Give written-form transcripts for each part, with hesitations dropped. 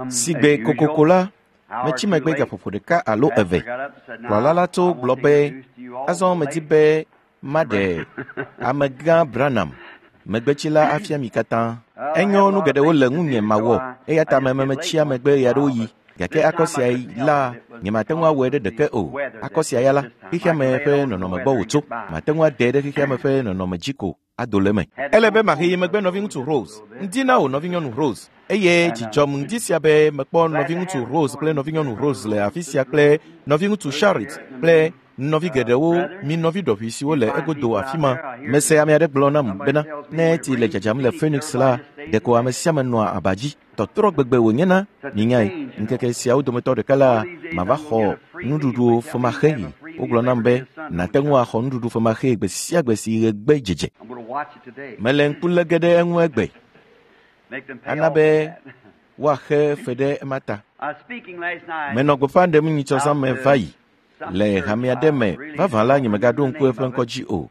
Sigbe kokoko la, metsi megbe gaƒoƒo ɖeka alo eve. Kplɔla la tso gblɔ be, azɔ medi be maɖe amegã Branham, megbetsila afia mi katã. Enyo nu geɖewo le ŋunye mawɔ eya ta memetsia megbe ɣeaɖewoɣi. Gake akɔ sia la, nyemate ŋu awɔe ɖe ɖeke o. Akɔ sia ya la, xexea me ƒe nɔnɔme gbɔ wòtso. Mate ŋu ade ɖe xexea me ƒe nɔnɔme dzi ko ado le eme. Ele be mahe megbe nɔviŋutsu Rose. Ŋdi na wò nɔvinyɔnu Rose. Eye dzidzɔm ŋdi sia be mekpɔ nɔviŋutsu Rose kple nɔvinyɔnu Rose le afi sia kple nɔviŋutsu Sharit kple nɔvi geɖewo mi nɔvi ɖɔʋui siwo le egodo afi ma. Mese ame aɖe gblɔ nam bena ne tsi le dzadzam le Phoenix la, ɖeko ame sia ame nɔa aba dzi. Tɔtrɔ gbegbe wònyena, minyae. Ŋkeke siawo dometɔ ɖeka la, mava xɔ nuɖuɖu femaxee. Wogblɔ nam be nàte ŋu axɔ nuɖuɖu femaxee gbe sia gbe si ɣe gbe dzedze. Mele ŋku lé ge ɖe eŋu egbe. Ana be woaxe fe ɖe ema ta. Menɔ gbeƒã ɖem nyitsɔ me va yi le hame aɖe me. Vavã la, nyemegaɖo ŋku eƒe ŋkɔ dzi o.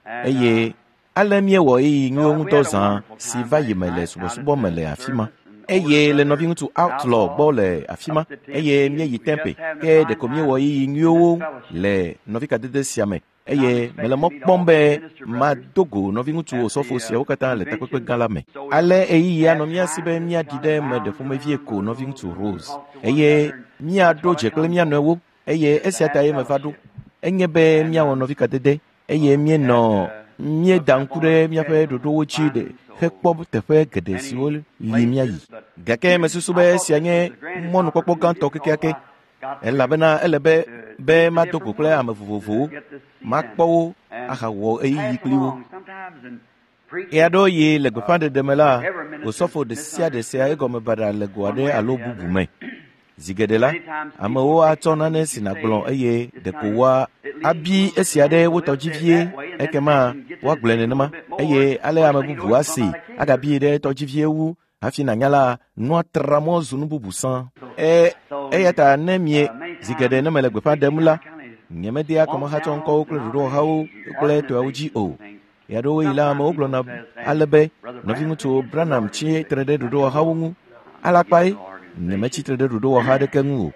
Eye ale míewɔ ɣeyiɣi nyuiwo ŋutɔ zã si va yi me le subɔsubɔ me le afi ma. Eye le nɔviŋutsu Outlaw gbɔ le afi ma eye míeyi Tempe ke ɖeko míewɔ ɣeyiɣi nyuiwo le nɔvikadede sia me eye mele mɔ kpɔm be mado go nɔviŋutsu osɔfo siawo katã le takpekpe gã la me. Ale ɣeyiɣi anɔ mía si be míaɖi ɖe eme ɖe ƒomevie ko nɔviŋutsu Rose eye míaɖo dze kple mía nɔewo eye esia ta ye meva ɖo. Enye be míawɔ nɔvikadede eye míenɔ míeda ŋku ɖe míaƒe ɖoɖowo dzi ɖe hekpɔ teƒe geɖe siwo li míayi. Gake mesusu be esia nye mɔnukpɔkpɔ gãtɔ kekeake elabena ele be be mado go kple ame vovovowo, makpɔ wo ahawɔ ɣeyiɣi kpli wo. Ɣeaɖewoɣi le gbeƒãɖeɖe me la, osɔfo ɖe sia ɖe sea egɔme baɖa le go aɖe alo bubu me. Zi geɖe la, amewo atsɔ nane si nàgblɔ eye ɖeko woa abi esia ɖe wo tɔ dzi vie ekema woagblɔe nenema eye ale ame bubu asi agabi ɖe etɔ dzi vie wu hafi nànya la nua tra mɔ zu nu bubu sã. Eya ta ne mie zi geɖe ne mele gbeƒã ɖem la, nyemedea kɔmehatsɔ ŋkɔwo kple ɖoɖowɔhawo kple tɔawo dzi o. Ɣeaɖewoɣi la amewo gblɔna ale be nɔviŋutsu Branham tsi tre ɖe ɖoɖowɔhawo ŋu. Alakpae, nyemetsi tre ɖe ɖoɖowɔha aɖeke ŋu o.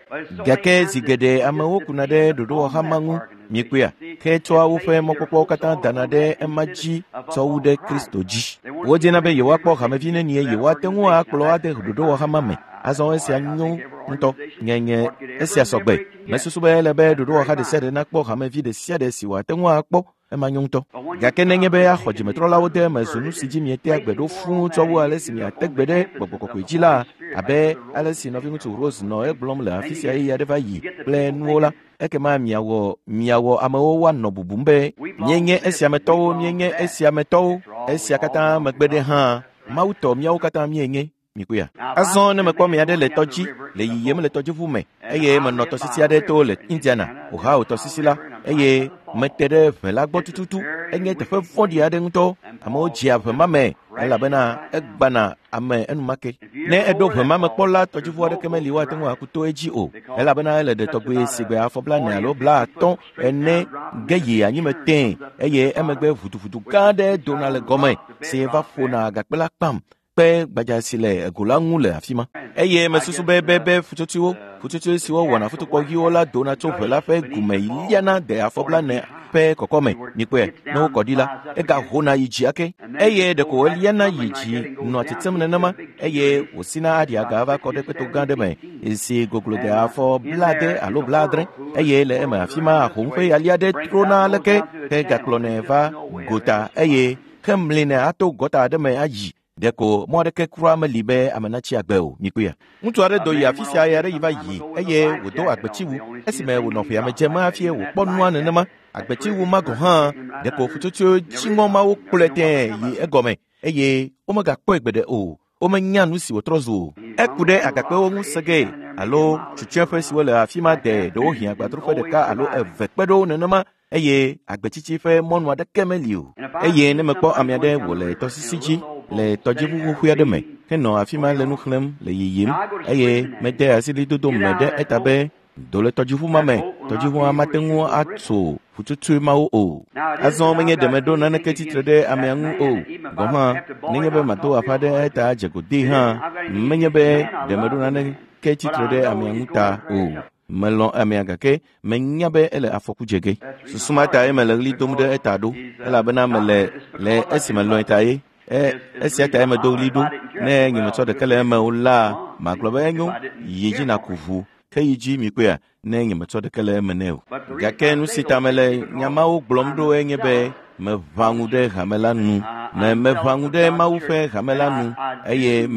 Gake zi geɖe amewo kuna ɖe ɖoɖowɔha ma ŋu, miekpɔea, ke tsɔa woƒe mɔkpɔkpɔwo katã dana ɖe ema dzi tsɔ wu ɖe Kristo dzi. Wodina be yewoakpɔ hamevi nenie yewoate ŋu akplɔ ade ɖoɖowɔha ma me. Azɔ esia nyo ŋutɔ. Nye esia sɔgbe. Mesusu be ele be ɖoɖowɔha ɖe sia ɖe nakpɔ hamevi ɖe sia ɖe si wòate ŋu akpɔ. Ema nyo ŋutɔ. Gake nenye be axɔ dzimetrɔlawo de eme zu nu si dzi mietea gbe ɖo fũu tsɔ wu ale si miate gbe ɖe gbɔgbɔ kɔkɔe dzi la, abe ale si nɔviŋutsu Rose nɔ egblɔm le afi sia ɣeyiɣi aɖe va yi kple nuwo la, ekema miawɔ miawɔ amewo woanɔ bubum be míenye esiametɔwo, míenye esiametɔwo. Esia katã megbe ɖe hã, Mawu tɔ míawo katã míenye. Mikpɔea? Azɔ ne mekpɔ ame aɖe le tɔdzi le yiyim le tɔdziʋu me eye menɔ tɔsisi aɖe to le Indiana, Ohio tɔsisi la eye mete ɖe ʋe la gbɔ tututu. Enye teƒe vɔ̃ɖi aɖe ŋutɔ. Amewo dzea ʋe ma me elabena egbana ame enumake. Ne eɖo ʋe ma me kpɔ la, tɔdziʋu aɖeke meli woate ŋu aku to edzi o elabena ele ɖe tɔgbe si gbe afɔ blaene alo 50 ene ge yi anyime tẽe eye emegbe ʋuduʋudu gã aɖe dona le gɔme si va ƒona agakpe la kpam kpe gbadza si le ego la ŋu le afi ma. Eye mesusu be be ƒutsotsoe siwo wɔna futukpɔɣiwo la dona tso ʋe la ƒe gume liana de afɔ 40 ƒe kɔkɔme. Mikpɔe, ne wokɔ ɖi la, egahona yi dzi ake. Eye ɖeko wòliana yi dzi nɔa tsetsem nenema eye wòsina aɖi aga va kɔ ɖe kpeto gã ɖe me si goglo de afɔ 70 alo 70 eye le eme afi ma ahom ƒe yali aɖe trona aleke ke gakplɔnɛ va gota eye hemlinɛ ato gɔta aɖe me ayi. Ɖeko mɔ aɖeke kura meli be ame natsi agbe o. Mikpɔea? Ŋutsu aɖe do yi afi sia ɣe aɖe yi va yi eye wòdo agbetsiwu. Esime wònɔ ƒea me dzem hafi wòkpɔ nua nenema. Agbetsiwu ma gɔ̃ hã ɖeko ƒutsotsoe dziŋɔ mawo kplɔe tẽe yi egɔme eye womegakpɔe gbeɖe o. Womenya nu si wòtrɔ zu o. Eku ɖe agakpewo ŋu segee alo tsutsuẽƒe siwo le afi ma de ɖewohĩ agbadroƒe ɖeka alo eve kpe ɖo nenema eye agbetsitsi ƒe mɔnu aɖeke meli o. Eye ne mekpɔ ame aɖe wòle tɔsisi dzi le tɔdziʋu xoxoe aɖe me henɔ afi ma le nu xlẽm le yiyim eye mede asi ɣlidodo me ɖe eta be Do le tɔdziʋu ma me, tɔdziʋua mate ŋu atso ƒutsotsoe mawo o. Azɔ menye ɖe meɖo naneke tsitre ɖe amea ŋu o. Gɔ̃ hã, nenye be mado aƒa ɖe eta dze godee hã, menye be ɖe meɖo naneke tsitre ɖe amea ŋu ta o. Melɔ̃ amea gake menya be ele afɔku dze ge. Susu ma tae mele ɣli dom ɖe eta ɖo, elabena mele le esi melɔ̃e ta ye. Esia tae medo ɣli ɖo. Ne nyemetsɔ ɖeke le eme o la, magblɔ be enyo, yi dzi nàku ʋu. Ke yi dzi mikpɔea, ne nyemetsɔ ɖeke le eme nɛ o. Gake nu si ta mele nya mawo gblɔm ɖo enye be meʋã ŋu ɖe hame la nu. Meʋã ŋu ɖe Mawu ƒe hame la nu eye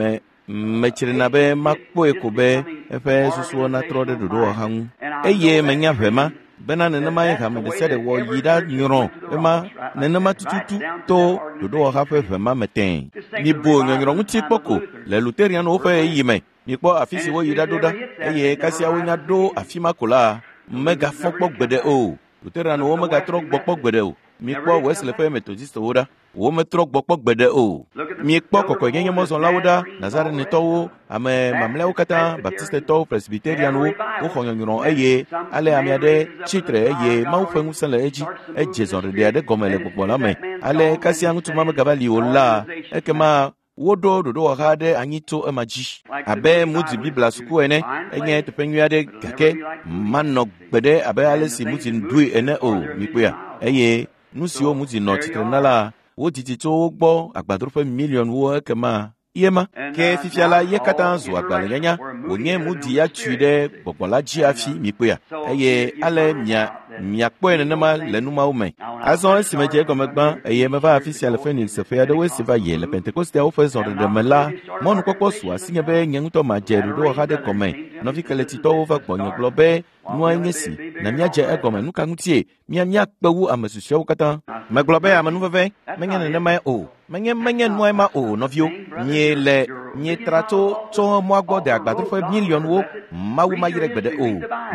metsrina be makpɔe ko be eƒe susuwo natrɔ ɖe ɖoɖowɔha ŋu. Eye menya ʋe ma bena nenemae hame ɖe sia ɖe wɔ yi ɖa nyrɔ ema nenema tututu to ɖoɖowɔha ƒe ʋe ma me tẽe. Mibu nyɔnyrɔ ŋuti kpɔ ko le Luterianwo ƒe ɣeyiɣi me. Mikpɔ afi si woyi ɖa ɖo ɖa eye kasia wonya ɖo afi ma ko la, megafɔ kpɔ gbeɖe o. Luterianwo megatrɔ gbɔ kpɔ gbeɖe o. Mikpɔ Wesley ƒe Methodistwo ɖa. Wometrɔ gbɔ kpɔ gbeɖe o. Mikpɔ kɔkɔenyenye mɔzɔlawo ɖa, Nazarenetɔwo, ame mamlɛawo katã, Baptistetɔwo, Presbyterianwo, woxɔ nyɔnyrɔ eye ale ame aɖe tsitre eye Mawu ƒe ŋusẽ le edzi. Edze zɔɖeɖe aɖe gɔme le gbɔgbɔ la me. Ale kasia ŋutsu ma megava li o la, ekema woɖo ɖoɖowɔha aɖe anyi tso ema dzi. Abe Moody Biblia suku ene, enye teƒe nyui aɖe gake manɔ gbeɖe abe ale si Moody ɖoe ene o, mikpɔea. Eye nu siwo Moody nɔ tsitre na la, wodidi tso wo gbɔ agbadroƒe miliɔnwo ekema ye ma. Ke fifia la, ye katã zu agbalẽnyanya wònye Moody ya tui ɖe gbɔgbɔ la dzi hafi mikpɔea. Eye ale miakpɔe nenema le nu mawo me. Azɔ esi medze egɔme gbã eye meva afi sia le Phoenix ƒe aɖewoe si va yi le Pentekosteawo ƒe zɔɖeɖe me la, mɔnukpɔkpɔ su asinye be nye ŋutɔ madze ɖoɖowɔha ɖe gɔme. Nɔvi keletitɔwo va gbɔnye gblɔ be nua nye si na míadze egɔme. Nu ka ŋutie míakpe wu ame susɔeawo katã? Megblɔ be amenuveve menye nenemae o. Menye nuae ma o, nɔviwo. Mietra tso mɔa gbɔ de agbadroƒe miliɔnwo. Mawu mayre gbeɖe o.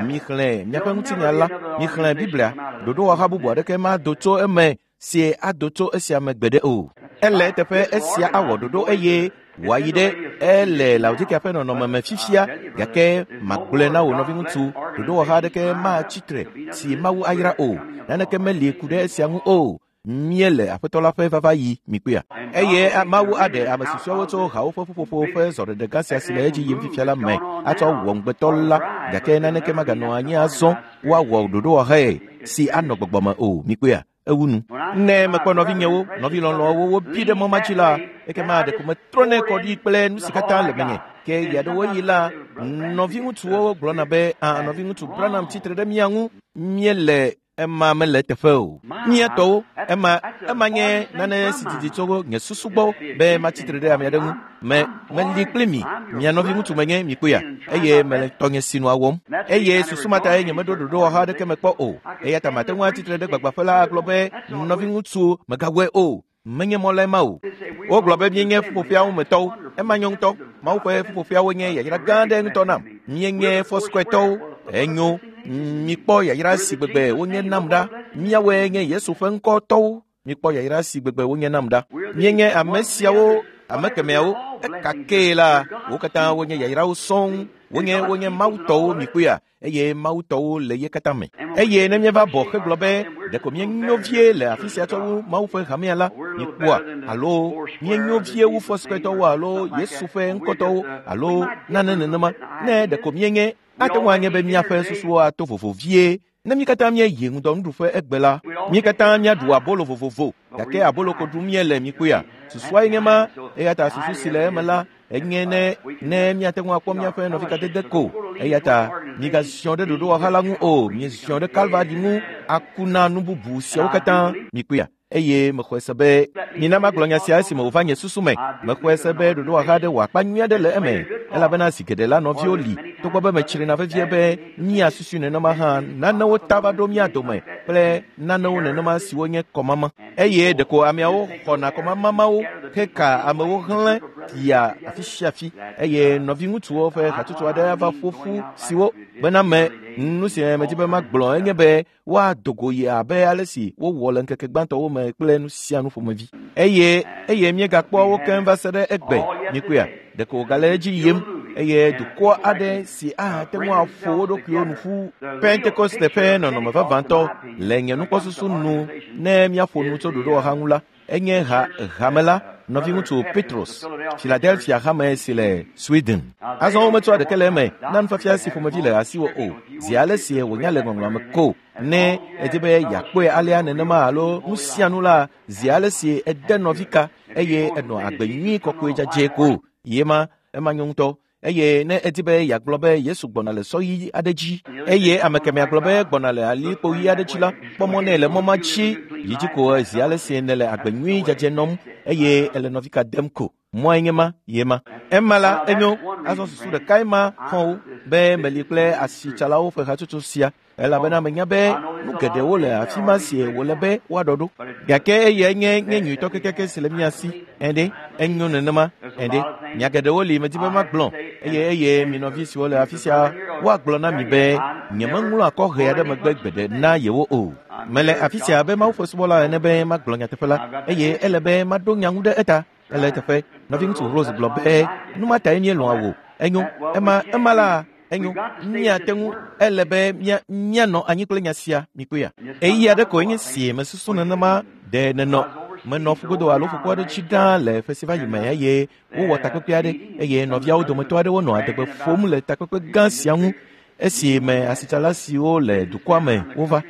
Mixlẽ miaƒe ŋutinya la, mixlẽ Biblia. Ɖoɖowɔha bubu aɖeke mado tso eme si ado tso esia me gbeɖe o. Ele eteƒe esia awɔ ɖoɖo eye wòayi ɖe ele Laodikea ƒe nɔnɔme me fifia, gake magblɔe na wò nɔviŋutsu, ɖoɖowɔha aɖeke matsi tre si Mawu ayra o. Naneke meli ku ɖe esia ŋu o. Míele Aƒetɔ la ƒe vava yi mikpɔea. Eye Mawu aɖe ame susɔeawo tso hawo ƒe ƒuƒoƒo ƒe zɔɖeɖe gã sia si le edzi yim fifia la me atsɔ wɔ ŋugbetɔ la, gake naneke maganɔ anyi azɔ woawɔ ɖoɖowɔhae si anɔ gbɔgbɔ me o. Mikpɔea, ewu nu. Ne mekpɔ nɔvinyewo, nɔvi lɔlɔ̃wo wobi ɖe mɔ ma dzi la, ekema ɖeko metrɔnɛ kɔ ɖi kple nu si katã le menye. Ke ɣeaɖewoɣi la, nɔviŋutsuwo gblɔna be, nɔviŋutsu Branham tsitre ɖe mía ŋu, míele ema mele teƒe o. Mía tɔwo, ema nye nane si didi tso nye susu gbɔ be matsitre ɖe ame aɖe ŋu. Meli kpli mi, mia nɔviŋutsu menye mikpɔea, eye mele tɔnye sinua wɔm. Eye susu ma tae nyemeɖo ɖoɖowɔha aɖeke me kpɔ o. Eya ta mate ŋu atsitre ɖe gbagbãƒe la agblɔ be nɔviŋutsu megawɔe o. Menye mɔ lae ma o. Wogblɔ be míenye ƒuƒoƒeawo me tɔwo. Ema nyo ŋutɔ. Mawu ƒe ƒuƒoƒeawo nye yayra gã aɖe ŋutɔ nam. Míenye Foursquare-tɔwo. Enyo. Mikpɔ yayra si gbegbe wonye nam ɖa. Míawoe nye Yesu ƒe ŋkɔtɔwo. Mikpɔ yayra si gbegbe wonye nam ɖa. Míenye ame siawo, ame kemɛawo. Ekakee la, wo katã wonye yayrawo sɔŋ. Wonye Mawu tɔwo mikpɔea. Eye Mawu tɔwo le ye katã me. Eye ne míeva bɔ hegblɔ be ɖeko míenyo vie le afi sia tsɔ wu Mawu ƒe hamea la, mikpɔa, alo míenyo vie wu Foursquare-tɔwo alo Yesu ƒe ŋkɔtɔwo alo nane nenema, ne ɖeko míenye, ate ŋu anye be míaƒe susuwo ato vovo vie. Ne mí katã míeyi ŋudɔnuɖuƒe egbe la, mí katã míaɖu abolo vovovo, gake abolo ko ɖum míele mikpɔea. Susuae nye ma, eya ta susu si le eme la, enye ne míate ŋu akpɔ míaƒe nɔvikadede ko. Eya ta migaziɔ ɖe ɖoɖowɔha la ŋu o, mieziɔ ɖe Kalvari ŋu aku na nu bubu siawo katã mikpɔea. Eye mexɔe se be mina magblɔ nya sia esime wòva nye susu me. Mexɔe se be ɖoɖowɔha aɖe wɔ akpa nyui aɖe le eme, elabena zi geɖe la nɔviwo li, togbɔ be metsrina vevie be míasusui nenema hã, nanewo ta va ɖo mía dome kple nanewo nenema siwo nye kɔmama. Eye ɖeko ameawo xɔna kɔmamamawo heka amewo hlẽ yia afi sia afi. Eye nɔviŋutsuwo ƒe hatsotso aɖe ava ƒo ƒu siwo bena me nu si medzi be magblɔ enye be woado go yi abe ale si wowɔ le ŋkeke gbãtɔwo me kple nu sia nu ƒomevi. Eye míegakpɔ wo keŋ va se ɖe egbe. Mikpɔea, ɖeko wògale edzi yim. eye dukɔ aɖe si ahate ŋu aƒo wo ɖokuiwo nu ƒu. Pentekoste ƒe nɔnɔme vavãtɔ le nye nukpɔsusu nu ne míaƒo nu tso ɖoɖowɔha ŋu la, enye ha hame la nɔviŋutsu Petros, Philadelphia hame si le Sweden. Azɔ wometsɔa ɖeke le eme na nufiafia si ƒomevi le asiwò o, zi ale si wònya le ŋɔŋlɔa me ko. Ne èdi be yeakpɔe alea nenema alo nu sia nu la, zi ale si ède nɔvi ka eye ènɔ agbe nyui kɔkɔe dzadzɛ ko. Ye ma, ema nyo ŋutɔ. Eye ne èdi be yeagblɔ be Yesu gbɔna le sɔ ɣi aɖe dzi eye ame kemɛa gblɔ be gbɔna le alikpo ɣi aɖe dzi la, kpɔ mɔ nɛ le mɔ ma dzi yi dzi ko zi ale si nèle agbe nyui dzadzɛ nɔm eye èle nɔvi ka dem ko. Mɔe nye ma, ye ma. Ema la, enyo, azɔ susu ɖekae ma xɔ̃wo be meli kple asitsalawo ƒe hatsotso sia elabena menya be nu geɖewo le afi ma si wòle be woaɖɔ ɖo. Gake eyae nye nye nyuitɔ kekeake si le mía si. Ɛɖe, enyo nenema. Ɛɖe, nya geɖewo li medi be magblɔ eye eye mi nɔvi siwo le afi sia woagblɔ na mi be nyemeŋlɔ akɔhɛ aɖe megbe gbeɖe na yewo o. Mele afi sia abe Mawu ƒe subɔla ene be magblɔ nyateƒe la eye ele be maɖo nya ŋu ɖe eta. Ele eteƒe. Nɔviŋutsu Rose gblɔ be nu ma tae míelɔ̃a wò. Enyo, ema ema la enyo míate ŋu ele be míanɔ anyi kple nya sia mikpɔea. Ɣeyiɣi aɖe koe nye si mesusu nenema ɖe nenɔ menɔ ƒugodo alo ƒukpo aɖe dzi ɖaa le ƒe si va yi me eye wowɔ takpekpe aɖe eye nɔviawo dometɔ aɖewo nɔ adegbe ƒom le takpekpe gã sia ŋu esi me asitsala siwo le dukɔa me wova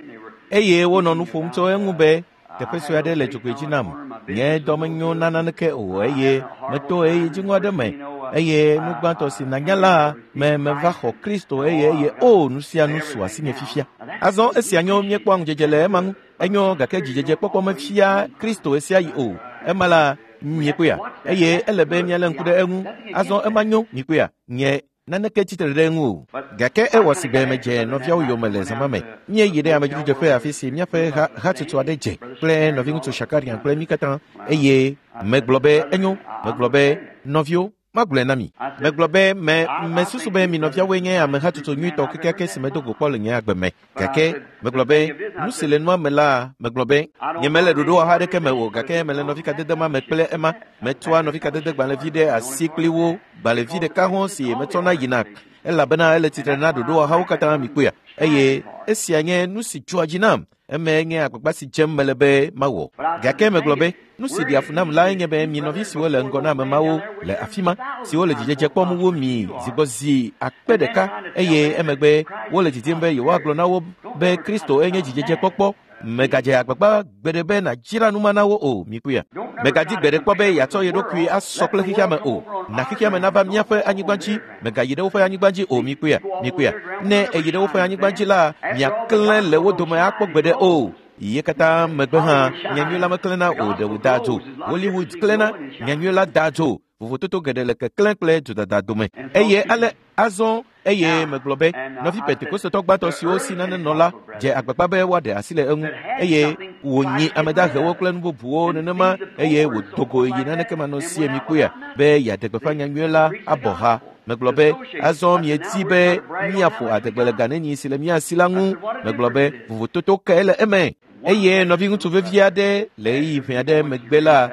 eye wonɔ nu ƒom tso eŋu be teƒe sue aɖe le dzogoe dzi nam. Nye dɔ menyo na naneke o eye meto ɣeyiɣi dziŋɔ aɖe me eye nu gbãtɔ si nanya la me meva xɔ Kristo eye eye o nu sia nu su asinye fifia. Azɔ esia nyo míekpɔa ŋudzedze le ema ŋu. Enyo gake dzidzedzekpɔkpɔ mefia Kristo ɣesiaɣi o. Ema la miekpɔea eye ele be míalé ŋku ɖe eŋu. Azɔ ema nyo mikpɔea nye naneke tsitre ɖe eŋu o. Gake ewɔ si be medze nɔviawo yome le zã ma me. Míeyi ɖe amedzrodzeƒe afi si míaƒe ha hatsotso aɖe dze kple nɔviŋutsu Shakarian kple mí katã eye megblɔ be enyo. Megblɔ be nɔviwo, magblɔe na mi. Megblɔ be me mesusu be mi nɔviawoe nye ame hatsotso nyuitɔ kekeake si medo go kpɔ le nye agbe me. Gake megblɔ be nu si le nua me la, megblɔ be nyemele ɖoɖowɔha aɖeke me o gake mele nɔvikadede ma me kple ema. Metsɔa nɔvikadedegbalẽvi ɖe asi kpli wo gbalẽvi ɖeka hɔ̃ si metsɔna yina elabena ele tsitre na ɖoɖowɔhawo katã mikpɔea eye esia nye nu si dzɔa dzi nam. Emae nye agbagba si dzem mele be mawɔ. Gake megblɔ be nu si ɖea fu nam lae nye be mi nɔvi siwo le ŋgɔ na ame mawo le afi ma siwo le dzidzedze kpɔm wu mi zigbɔzi akpe ɖeka eye emegbe wole didim be yewoagblɔ na wo be Kristo enye dzidzedzekpɔkpɔ. Mègadze agbagba gbeɖe be nàdzra nu ma na wo o, mikpɔea. Mègadi gbeɖe kpɔ be yeatsɔ ye ɖokui asɔ kple xexea me o. Na xexea me nava míaƒe anyigba dzi. Mègayi ɖe woƒe anyigba dzi o, mikpɔea, mikpɔea. Ne èyi ɖe woƒe anyigba dzi la, miaklẽ le wo dome akpɔ gbeɖe o. Ye katã megbe hã, nyanyui la meklẽna o, ɖe wòdaa dzo. Hollywood klẽna, nyanyui la daa dzo. Vovototo geɖe le keklẽ kple dzodada dome. Eye ale azɔ eye megblɔ be nɔvi Pentekostetɔ gbãtɔ siwo si nane nɔ la dze agbagba be woaɖe asi le eŋu eye wònyi ame dahewo kple nu bubuwo nenema eye wòdo go yi naneke manɔsie mikpɔea be yeaɖe gbeƒã nyanyui la abɔ ha. Megblɔ be azɔ miedi be míaƒo adegbe le ga nenyi si le mía si la ŋu. Megblɔ be vovototo kae le eme? Eye nɔviŋutsu vevi aɖe le ɣeyiɣi ʋɛ aɖe megbe la,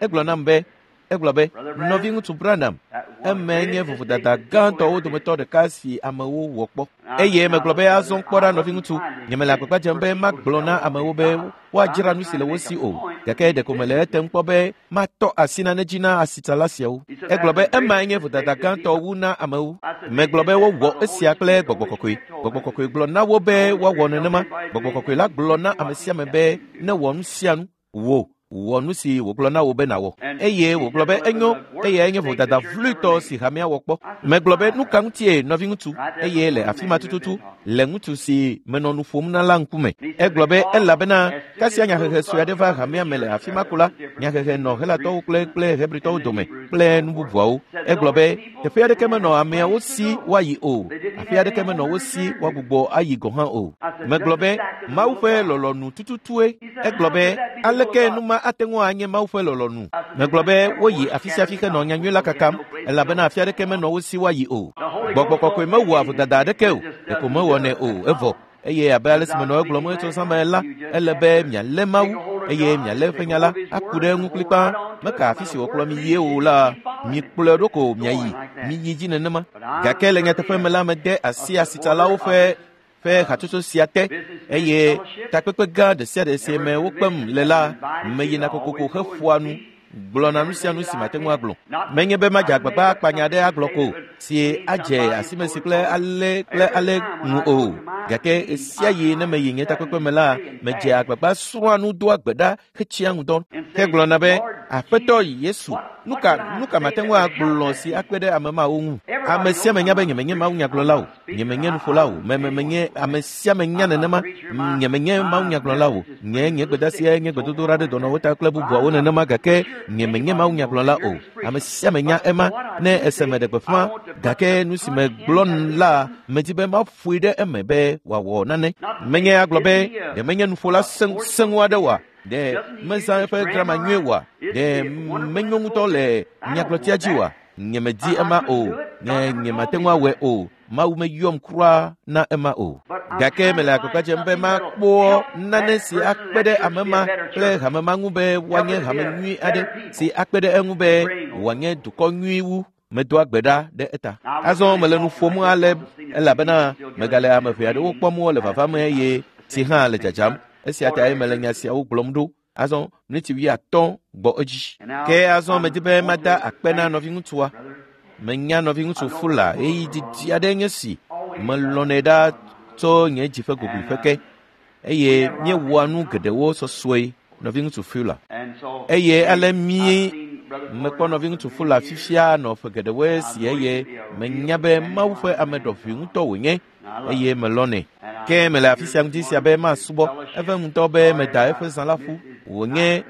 egblɔ nam be egblɔ be nɔviŋutsu Branham eme nye vovodada gãtɔwo dometɔ ɖeka si amewo wɔ kpɔ. Eye megblɔ be azɔ kpɔ ɖa nɔviŋutsu, nyemele agbagba dzem be magblɔ na amewo be woadzra nu si le wo si o, gake ɖeko mele etem kpɔ be matɔ asi nane dzi na asitsala siawo. Egblɔ be emae nye vodada gãtɔ wu na amewo. Megblɔ be wowɔ esia kple gbɔgbɔ kɔkɔe. Gbɔgbɔ kɔkɔe gblɔ na wo be woawɔ nenema. Gbɔgbɔ kɔkɔe la gblɔ na ame sia ame be newɔ nu sia nu. Wò wɔ nu si wògblɔ na wò be nàwɔ. Eye wògblɔ be enyo, eyae nye vodada vloetɔ si hamea wɔ kpɔ. Megblɔ be nu ka ŋutie nɔviŋutsu, eye le afi ma tututu, le ŋutsu si menɔ nu ƒom na la ŋkume. Egblɔ be elabena kasia nyahehe sue aɖe va hamea me le afi ma ko la, nyahehe nɔ Helatɔwo kple kple Hebritɔwo dome kple nu bubuawo. Egblɔ be teƒe aɖeke menɔ ameawo si woayi o, afi aɖeke menɔ wo si woagbugbɔ ayi gɔ̃ hã o. Megblɔ be Mawu ƒe lɔlɔ̃nu tututue. Egblɔ be aleke nu ma ate ŋu anye Mawu ƒe lɔlɔ̃nu? Megblɔ be woyi afi sia afi henɔ nyanyui la kakam elabena afi aɖeke menɔ wo si woayi o. Gbɔgbɔ kɔkɔe mewɔa vodada aɖeke o, ɖeko mewɔnɛ o, evɔ. Eye abe ale si menɔ egblɔm tso zã me la, ele be mialé Mawu eye mialé eƒe nya la aku ɖe eŋu kplikpaa. Meka afi si wòkplɔ mi yie o la, mikplɔe ɖo ko miayi, miyi dzi nenema. Gake le nyateƒe me la, mede asi asitsalawo ƒe hatsotso sia te eye takpekpe gã ɖe sia ɖe si me wokpem le la, meyina kokoko heƒoa nu gblɔna nu sia nu si mate ŋu agblɔ. Menye be madze agbagba akpa nya aɖe agblɔ ko si adze asimesi kple ale kple ale ŋu o. Gake ɣesia ɣi ne meyi nye takpekpe me la, medze agbagba srɔ̃a nu doa gbe ɖa hetsia ŋudɔ hegblɔna be, Aƒetɔ Yesu, nu ka mate ŋu agblɔ si akpe ɖe ame mawo ŋu? Ame sia ame nya be nyemenye mawunyagblɔla o, nyemenye nuƒola o, menye ame sia ame nya nenema, nyemenye mawunyagblɔla o. Nye gbedeasia nye gbedodoɖa ɖe dɔnɔwo ta kple bubuawo nenema, gake nyemenye mawunyagblɔla o. Ame sia ame nya ema ne ese me ɖe gbeƒã, gake nu si megblɔ la, medi be maƒoe ɖe eme be wòawɔ nane. Menye agblɔ be ɖe menye nuƒola sẽŋu aɖe oa? Ɖe mezã eƒe grama nyuie oa? Ɖe menyo ŋutɔ le nyagblɔtia dzi oa? Nyemedi ema o. Nyemate ŋu awɔe o. Mawu meyɔm kura na ema o. Gake mele agbagba dzem be makpɔ nane si akpe ɖe ame ma kple hame ma ŋu be woanye hame nyui aɖe si akpe ɖe eŋu be wòanye dukɔ nyui wu. Medoa gbe ɖa ɖe eta. Azɔ mele nu ƒom ale elabena megale ame ʋɛ aɖewo kpɔm wole vava me eye tsi hã le dzadzam. Esia tae mele nya siawo gblɔm ɖo. Azɔ miniti 50 gbɔ edzi. Ke azɔ medi be mada akpe na nɔviŋutsua. Menya nɔviŋutsu Fula ɣeyiɣi didi aɖe nye si melɔ̃nɛ ɖa tso nye dzi ƒe gogoeƒe ke eye míewɔa nu geɖewo sɔsɔe nɔviŋutsu Fula. Eye ale mekpɔ nɔviŋutsu Fula fifia nɔ ƒe geɖewoe si eye menya be Mawu ƒe ame ɖɔʋui ŋutɔ wònye eye melɔ̃nɛ. Ke mele afi sia ŋuti sia be masubɔ. Eve ŋutɔ be meda eƒe zã la ƒu. Wònye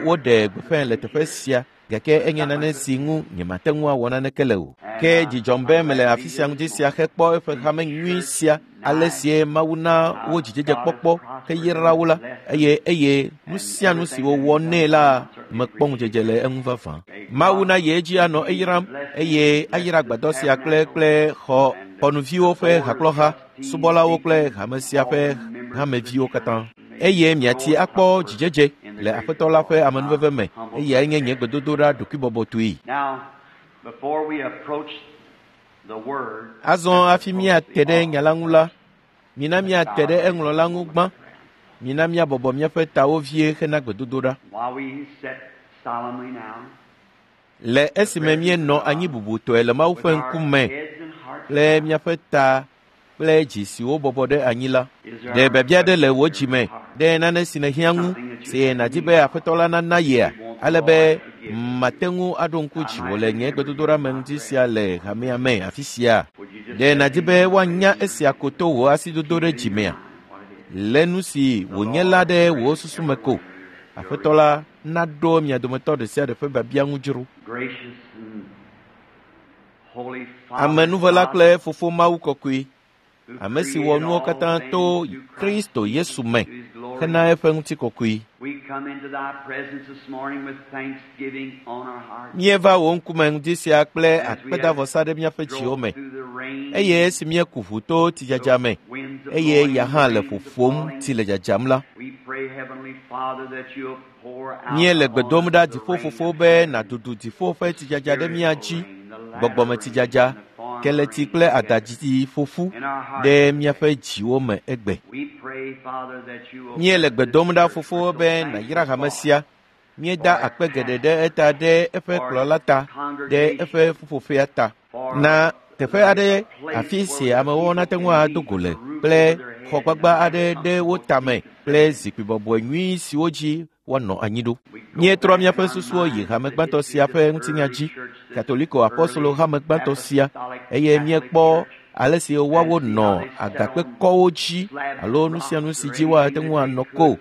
woɖe gbeƒãe le teƒe sia gake enye nane si ŋu nyemate ŋu awɔ naneke le o. Ke dzidzɔm be mele afi sia ŋuti sia hekpɔ eƒe hame nyui sia, ale sie Mawu na wo dzidzedzekpɔkpɔ heyra wo la, eye nu sia nu si wowɔ nɛ la mekpɔ ŋudzedze le eŋu vavã. Mawu na ye edzi anɔ eyram eye ayra agbadɔ sia kple xɔnuviwo ƒe hakplɔha, subɔlawo kple hame sia ƒe hameviwo katã. Eye miati akpɔ dzidzedze le Aƒetɔ la ƒe amenuveve me, eyae nye nye gbedodoɖa ɖokuibɔbɔtɔe. Azɔ hafi míate ɖe nya la ŋu la, mina míate ɖe eŋlɔla ŋu gbã. Mina míabɔbɔ míaƒe tawo vie hena gbedodoɖa. Le esime míenɔ anyi bubutɔe le Mawu ƒe ŋkume kple míaƒe ta kple dzi siwo bɔbɔ ɖe anyi la, ɖe biabia ɖe le wò dzi me ɖe nane si nèhiã ŋu si nàdi be Aƒetɔ la nana yea, ale be mate ŋu aɖo ŋku dziwò le nye gbedodoɖa me ŋuti sia le hamea me afi sia. Ɖe nàdi be woanya esia ko to wò asidodo ɖe dzi mea? Le nu si wònye la ɖe wò susu me ko. Aƒetɔ la naɖo mia dometɔ ɖe sia ɖe ƒe biabia ŋu dzro. Amenuvela kple Fofo Mawu kɔkɔe, ame si wɔ nuwo katã to Kristo Yesu me hena eƒe ŋutikɔkɔe. Míeva wò ŋkume ŋdi sia kple akpedavɔsa ɖe míaƒe dziwo me, eye esi míeku ʋu to tsidzadza me, eye ya hã le ƒoƒom tsi le dzadzam la, míele gbe dom ɖa dziƒofofo be nàdudu dziƒo ƒe tsidzadza ɖe mía dzi, gbɔgbɔmetsidzadza, keleti kple adadzidzi ƒoƒu ɖe míaƒe dziwo me egbe. Míele gbe dom ɖa fofo be nàyra hame sia. Míeda akpe geɖe ɖe eta ɖe eƒe kplɔla ta, ɖe eƒe ƒuƒoƒea ta. Na teƒe aɖe afi si amewo nate ŋu ado go le kple xɔgbagba aɖe ɖe wo tame kple zikpui bɔbɔe nyui siwo dzi woanɔ anyi ɖo. Míetrɔ míaƒe susuwo yi hame gbãtɔ sia ƒe ŋutinya dzi, Katoliko apɔstolo hame gbãtɔ sia, eye míekpɔ ale si woawo nɔ agakpekɔwo dzi alo nu sia nu si dzi woate ŋu anɔ ko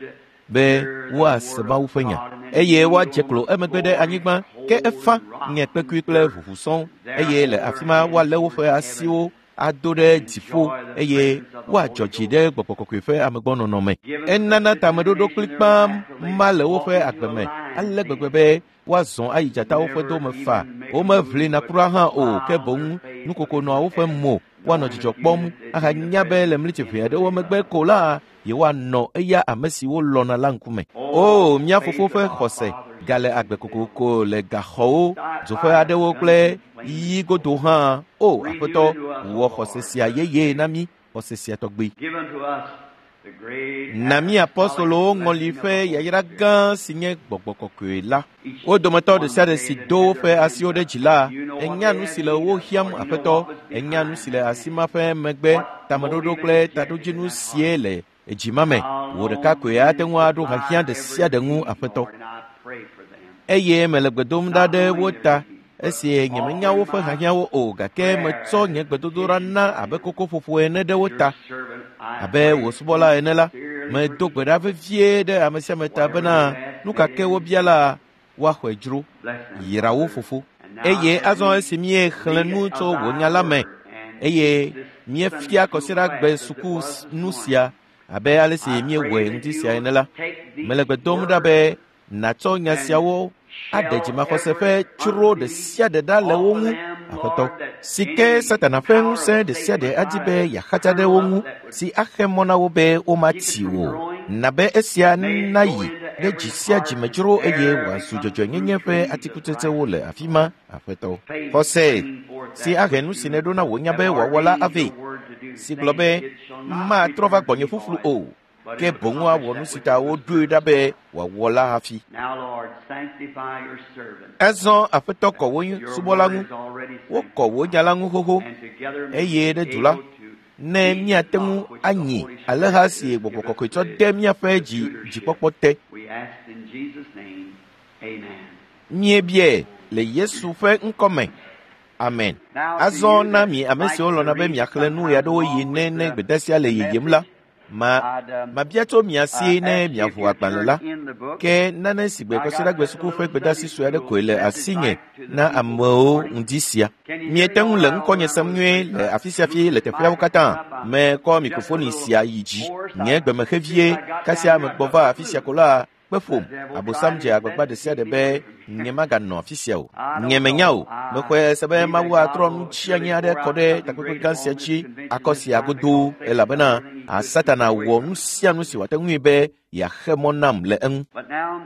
be woase Mawu ƒe nya, eye woadze klo emegbe ɖe anyigba, ke efa nye kpekui kple ʋuʋu sɔŋ, eye le afi ma woalé woƒe asiwo ado ɖe dziƒo eye woadzɔ dzi ɖe gbɔgbɔ kɔkɔe ƒe amegbɔnɔnɔ me. Enana tameɖoɖo kplikpaa ma le woƒe agbe me ale gbegbe be woazɔ ayi dzatawo ƒe dome fa. Womeʋlina kura hã o, ke boŋ nukoko nɔa woƒe mo, woanɔ dzidzɔ kpɔm ahanya be le mlitsi ʋɛ aɖewo megbe ko la, yewoanɔ eya ame si wolɔ̃na la ŋkume. O, mía fofo ƒe xɔse gale agbe kokoko le gaxɔwo, dzoƒe aɖewo kple yiyi godo hã. O, Aƒetɔ, wɔ xɔse sia yeye na mí, xɔse sia tɔgbi. Na mí apɔstolowo ŋɔli ƒe yayra gã si nye gbɔgbɔ kɔkɔe la. Wo dometɔ ɖe sia ɖe si do woƒe asiwo ɖe dzi la, enya nu si le wo hiãm Aƒetɔ, enya nu si le asi ma ƒe megbe, tameɖoɖo kple taɖodzinu sie le edzi ma me. Wò ɖeka koe ate ŋu aɖo hiahiã ɖe sia ɖe ŋu Aƒetɔ. Eye mele gbe dom ɖa ɖe wo ta esi nyemenya woƒe hiahiãwo o gake metsɔ nye gbedodoɖa na abe kokoƒoƒo ene ɖe wo ta. Abe wò subɔla ene la, medo gbe ɖa vevie ɖe ame sia ame ta bena nu ka ke wobia la, woaxɔe dzro. Yra wo fofo. Eye azɔ esi míexlẽ nu tso wò nya la me eye míefia kɔsiɖagbe suku nu sia abe ale si míewɔe ŋdi sia ene la, mele gbe dom ɖa be nàtsɔ nya siawo aɖe dzimaxɔse ƒe tsro ɖe sia ɖe ɖa le wo ŋu, Aƒetɔ, si ke Satana ƒe ŋusẽ ɖe sia ɖe adi be yeaxatsa ɖe wo ŋu, si axe mɔ na wo be womatsi o. Na be esia nayi ɖe dzi sia dzi me dzro eye wòazu dzɔdzɔenyenye ƒe atikutsetsewo le afi ma, Aƒetɔ. Xɔse si ahe nu si nèɖo na wò nya be wòawɔ la avɛ, si gblɔ be, matrɔ va gbɔnye ƒuƒlu o, ke boŋ awɔ nu si ta woɖoe ɖa be wòawɔ la hafi. Azɔ Aƒetɔ kɔ wò subɔla ŋu, wokɔ wò nya la ŋu xoxo, eye ɖe du la, ne míate ŋu anyi alẽha si gbɔgbɔ kɔkɔe tsɔ de míaƒe dzi dzikpɔkpɔ te. Míebiae le Yesu ƒe ŋkɔ me. Amen. Azɔ na mi ame siwo lɔ̃na be miaxlẽ nu ɣeaɖewoɣi ne ne gbedeasia le yiyim la, mabia tso mia si ne miaʋu agbalẽ la. Ke nane si gbe kɔsiɖagbe suku ƒe gbedeasi sue aɖe koe le asinye na amewo ŋdi sia. Miete ŋu le ŋkɔnye sem nyuie le afi sia fi le teƒeawo katã. Mekɔ mikrofoni sia yi dzi. Nye gbeme vie kasia megbɔ va afi sia ko la, kpe ƒom. Abosam dze agbagba ɖe sia ɖe be nyemaganɔ afi sia o. Nye menya o. Mexɔe se be Mawu atrɔ nu tsianyi aɖe kɔ ɖe takpekpe gã sia dzi akɔ sia godoo elabena Satana wɔ nu sia nu si wòate ŋui be yeaxe mɔ nam le eŋu.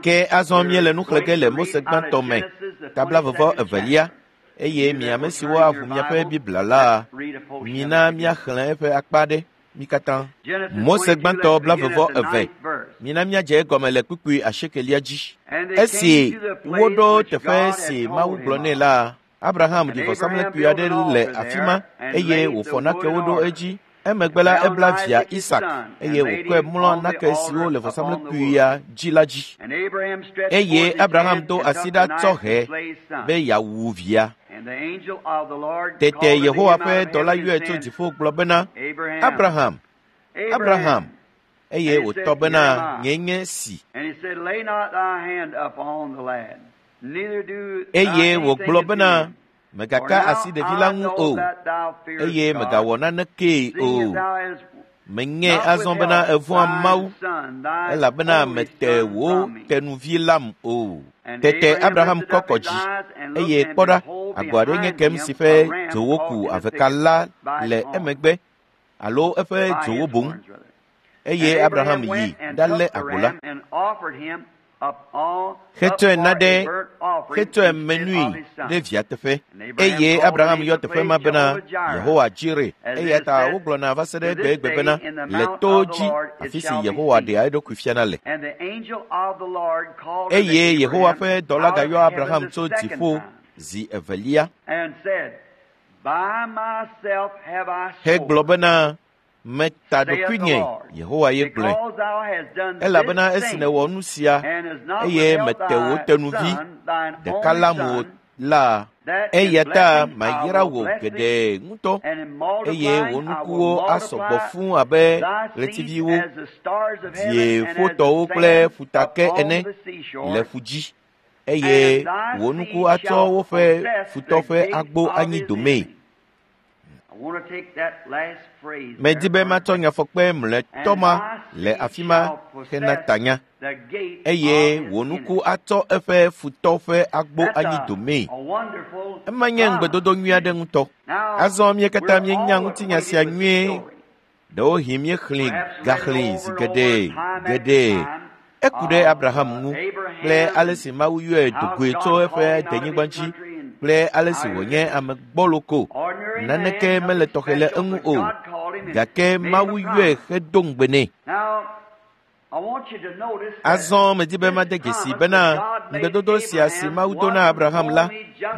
Ke azɔ míele nu xlẽ ge le Mose gbãtɔ me, ta 22, eye mi ame siwo aʋu miaƒe Biblia la, mina míaxlẽ eƒe akpa aɖe. Mi katã. Mose gbãtɔ 22. Mina míadze egɔme le kpukpui 8 dzi. Esi woɖo teƒe si Mawu gblɔ nɛ la, Abraham ɖi vɔsamlekpui aɖe le afi ma eye wòfɔ nakewo ɖo edzi. Emegbe la ebla via Isak eye wòkɔe mlɔ nake siwo le vɔsamlekpuia dzi la dzi. Eye Abraham do asi ɖa tsɔ hɛ be yeawu via. Tete Yehowa ƒe dɔla yɔe tso dziƒo gblɔ bena, Abraham, Abraham, eye wòtɔ bena, nye nye si. Eye wògblɔ bena, mègaka asi ɖevi la ŋu o, eye mègawɔ nanekee o. Menye azɔ bena èvɔ̃a Mawu, elabena mète wò tenuvi lam o. Tete Abraham kɔ kɔ dzi, eye kpɔ ɖa, agbo aɖe nye kem si ƒe dzowo ku aveka la le emegbe alo eƒe dzowo boŋ. Eye Abraham yi ɖalé agbo la. Hetsɔe na ɖe hetsɔe menui ɖe via teƒe. Eye Abraham yɔ teƒe ma bena Yehowa Jire. Eya ta wogblɔna va se ɖe egbegbe bena le to dzi afi si Yehowa ɖea eɖokui fiana le. Eye Yehowa ƒe dɔla gayɔ Abraham tso dziƒo zi evelia hegblɔ bena, meta ɖokuinye, Yehowa ye gblɔe, elabena esi nèwɔ nu sia eye mete wò tenuvi ɖeka lam o la, eya ta mayra wò geɖe ŋutɔ eye wò nukuwo asɔ gbɔ fũu abe ɣletiviwo, dzieƒotɔwo kple ƒutake ene le ƒu dzi, eye wò nuku atsɔ woƒe futɔ ƒe agbo anyi domee. Medi be matsɔ nyafɔkpe mlɔetɔ ma le afi ma hena tanya, eye wò nuku atsɔ eƒe futɔ ƒe agbo anyi domee. Ema nye ŋugbedodo nyui aɖe ŋutɔ. Azɔ mí katã míenya ŋutinya sia nyuie. Ɖewohĩ míexlẽe gaxlẽe zi geɖe geɖe. Eku ɖe Abraham ŋu kple ale si Mawu yɔe do goe tso eƒe denyigba dzi kple ale si wònye ame gbɔlo ko. Naneke mele tɔxɛ le eŋu o, gake Mawu yɔe hedo ŋugbe nɛ. Azɔ medi be made dzesi bena ŋugbedodo sia si Mawu do na Abraham la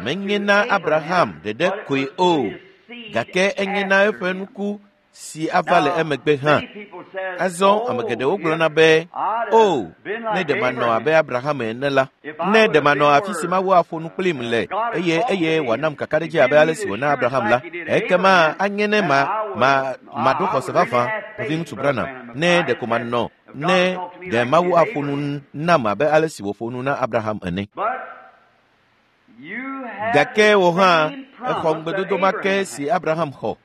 menye na Abraham ɖeɖe koe o, gake enye na eƒe nuku si ava le emegbe hã. Azɔ ame geɖewo gblɔna be, “O, ne ɖe manɔ abe Abraham ene la, ne ɖe manɔ afi si Mawu aƒo nu kplim le eye eye wòanam kakaɖedzi abe ale si wòna Abraham la, ekema anye ne ma ma maɖo xɔse vavã, nɔviŋutsu Branham, ne ɖeko manɔ ne ɖe Mawu aƒo nu nam abe ale si wòƒo nu na Abraham ene.” Gake wò hã exɔ ŋugbedodo ma ke si Abraham xɔ.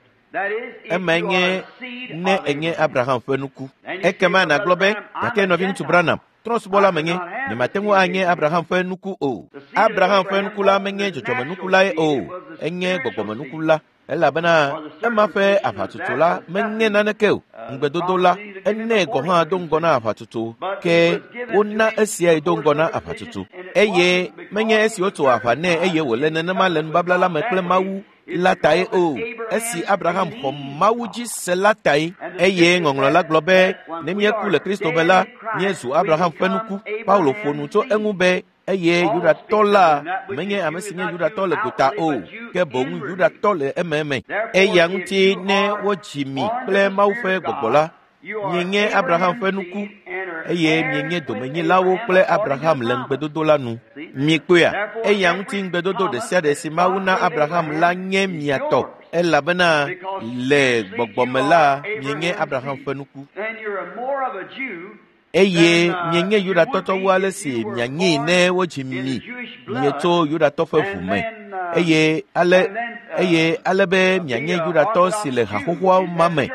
Emae nye ne enye Abraham ƒe nuku. Ekema nàgblɔ be, gake nɔviŋutsu Branham, trɔ̃subɔla menye, nyemate ŋu anye Abraham ƒe nuku o. Abraham ƒe nuku la menye dzɔdzɔmenuku lae o, enye gbɔgbɔmenuku la elabena ema ƒe aʋatsotso la menye naneke o. Ŋugbedodo la, enɛ gɔ̃ hã do ŋgɔ na aʋatsotso, ke wona esiae do ŋgɔ na aʋatsotso. Eye menye esi wotso aʋa nɛ eye wòle nenema le nubabla la me kple Mawu la tae o. Esi Abraham xɔ Mawu dzi se la tae. Eye ŋɔŋlɔ la gblɔ be, ne míeku le Kristo me la, míezu Abraham ƒe nuku. Paulo ƒo nu tso eŋu be, eye Yudatɔ la menye ame si nye Yudatɔ le gota o, ke boŋ Yudatɔ le ememe. Eya ŋuti ne wodzi mi kple Mawu ƒe gbɔgbɔ la, mienye Abraham ƒe nuku eye mienye domenyilawo kple Abraham le ŋugbedodo la nu. Mikpɔea? Eya ŋuti ŋugbedodo ɖe sia ɖe si Mawu na Abraham la nye mia tɔ, elabena le gbɔgbɔme la mienye Abraham ƒe nuku. Eye mienye Yudatɔ tsɔ wu ale si mianyee ne wodzi mi mietso Yudatɔ ƒe ʋu me. Eye ale eye ale be mianye Yudatɔ si le haxoxoa ma me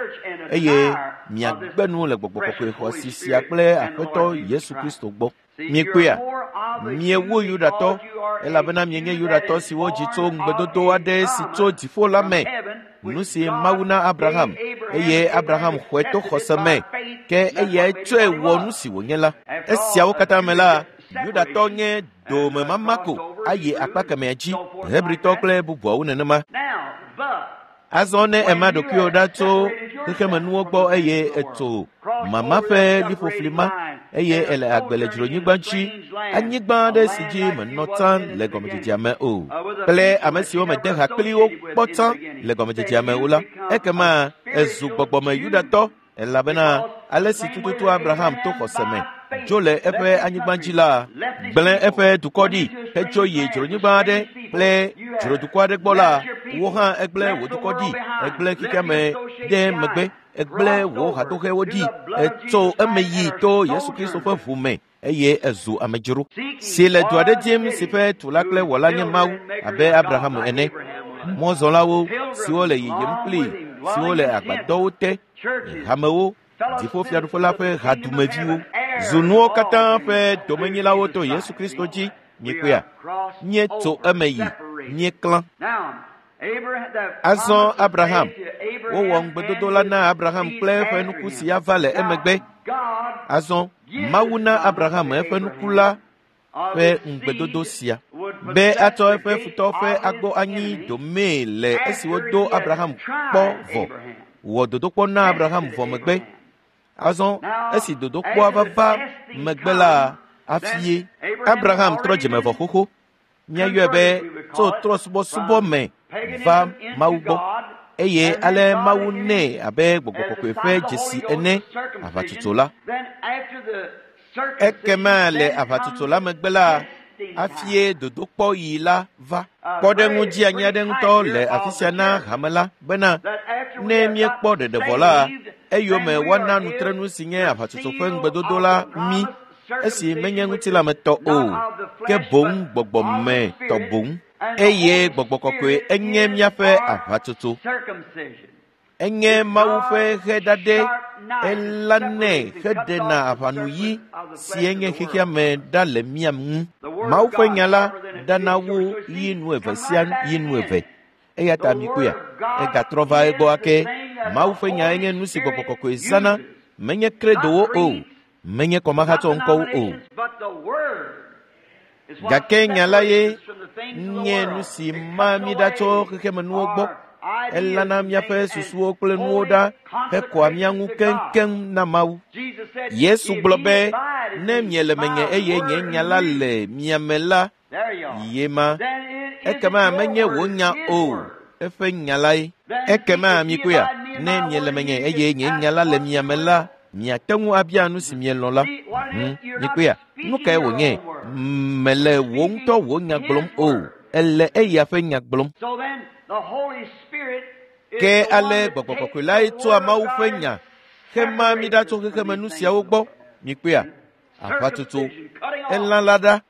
eye miagbe nu le gbɔgbɔ kɔkɔe xɔasi sia kple Aƒetɔ Yesu Kristo gbɔ. Miekpɔea? Miewu Yudatɔ elabena mienye Yudatɔ siwo dzi tso ŋugbedodo aɖe si tso dziƒo la me, nu si Mawu na Abraham eye Abraham xɔe to xɔse me, ke eyae tsɔe wɔ nu si wònye la. Esiawo katã me la, Yudatɔ nye domemama ko ayi akpa kemɛa dzi, Hebritɔ kple bubuawo nenema. Azɔ ne ema ɖokuiwò ɖa tso xexemenuwo gbɔ eye ètso mama ƒe liƒofli ma eye èle agbe le dzronyigba dzi, anyigba aɖe si dzi menɔ tsã le gɔmedzedzea me o, kple ame siwo mede ha kpli wo kpɔ tsã le gɔmedzedzea me o la, ekema èzu gbɔgbɔme Yudatɔ elabena ale si tututu Abraham to xɔse me dzo le eƒe anyigba dzi la, gblẽ eƒe dukɔ ɖi hetso yi dzronyigba aɖe kple dzrodukɔ aɖe gbɔ la, wò hã egblẽ wò dukɔ ɖi, egblẽ xexea me ɖe megbe, egblẽ wò hadoxewo ɖi, etso eme yi to Yesu Kristo ƒe ʋu me eye ezu amedzro si le du aɖe dim si ƒe tula kple wɔla nye Mawu abe Abraham ene. Mɔzɔlawo siwo le yiyim kplii, siwo le agbadɔwo te, hamewo, dziƒofiaɖuƒe la ƒe hadumeviwo, zu nuwo katã ƒe domenyilawo to Yesu Kristo dzi. Miekpɔea? Míetso eme yi, míeklã. Azɔ Abraham, wowɔ ŋugbedodo la na Abraham kple eƒe nuku si ava le emegbe. Azɔ Mawu na Abraham eƒe nuku la ƒe ŋugbedodo sia be atsɔ eƒe futɔ ƒe agbɔ anyi domee le esi wodo Abraham kpɔ vɔ, wɔ dodokpɔ na Abraham vɔ megbe. Azɔ esi dodokpɔa vava megbe la, afie Abraham trɔ dzime vɔ xoxo. Míayɔe be tso trɔ̃subɔsubɔ me va Mawu gbɔ eye ale Mawu nɛ abe gbɔgbɔ kɔkɔe ƒe dzesi ene aʋatsotso la. Ekema le aʋatsotso la megbe la, afie dodokpɔɣi la va. Kpɔɖeŋu dzeanyi aɖe ŋutɔ le afi sia na hame la bena ne míekpɔ ɖeɖe vɔ la, eyome woana nutrenu si nye aʋatsotso ƒe ŋugbedodo la mí esi menye ŋutilãmetɔ o, ke boŋ gbɔgbɔmetɔ boŋ. Eye gbɔgbɔ kɔkɔe enye míaƒe aʋatsotso. Enye Mawu ƒe ʋe ɖaɖɛ, elanɛ heɖena aʋanuyi si enye xexea me ɖa le mía ŋu. Mawu ƒe nya la ɖana wu yi nu eve sia yi nu eve. Eya ta mikpɔea, egatrɔ va egbɔ ake. Mawu ƒe nyae nye nu si Gbɔgbɔ Kɔkɔe zãna, menye kredowo o, menye kɔmahatsɔ ŋkɔwo o. Gake nya la ye nye nu si ma mí ɖa tso xexemenuwo gbɔ. Elãna míaƒe susuwo kple nuwo ɖa hekɔa mía ŋu keŋkeŋ na Mawu. Yesu gblɔ be, ne miele menye eye nye nya la le mia me la, ye ma. Ekema menye wò nya o, eƒe nya lae. Ekema mikpɔea, ne miele menye eye nye nya la le mia me la, miate ŋu abia nu si mielɔ̃ la. Mikpɔea, nu kae wònye? Mele wò ŋutɔ wò nya gblɔm o, ele eya ƒe nya gblɔm. Ke ale Gbɔgbɔ Kɔkɔe lae tsɔa Mawu ƒe nya hema mí ɖa tso xexemenu siawo gbɔ. Mikpɔea, aʋatsotso, elã la ɖa.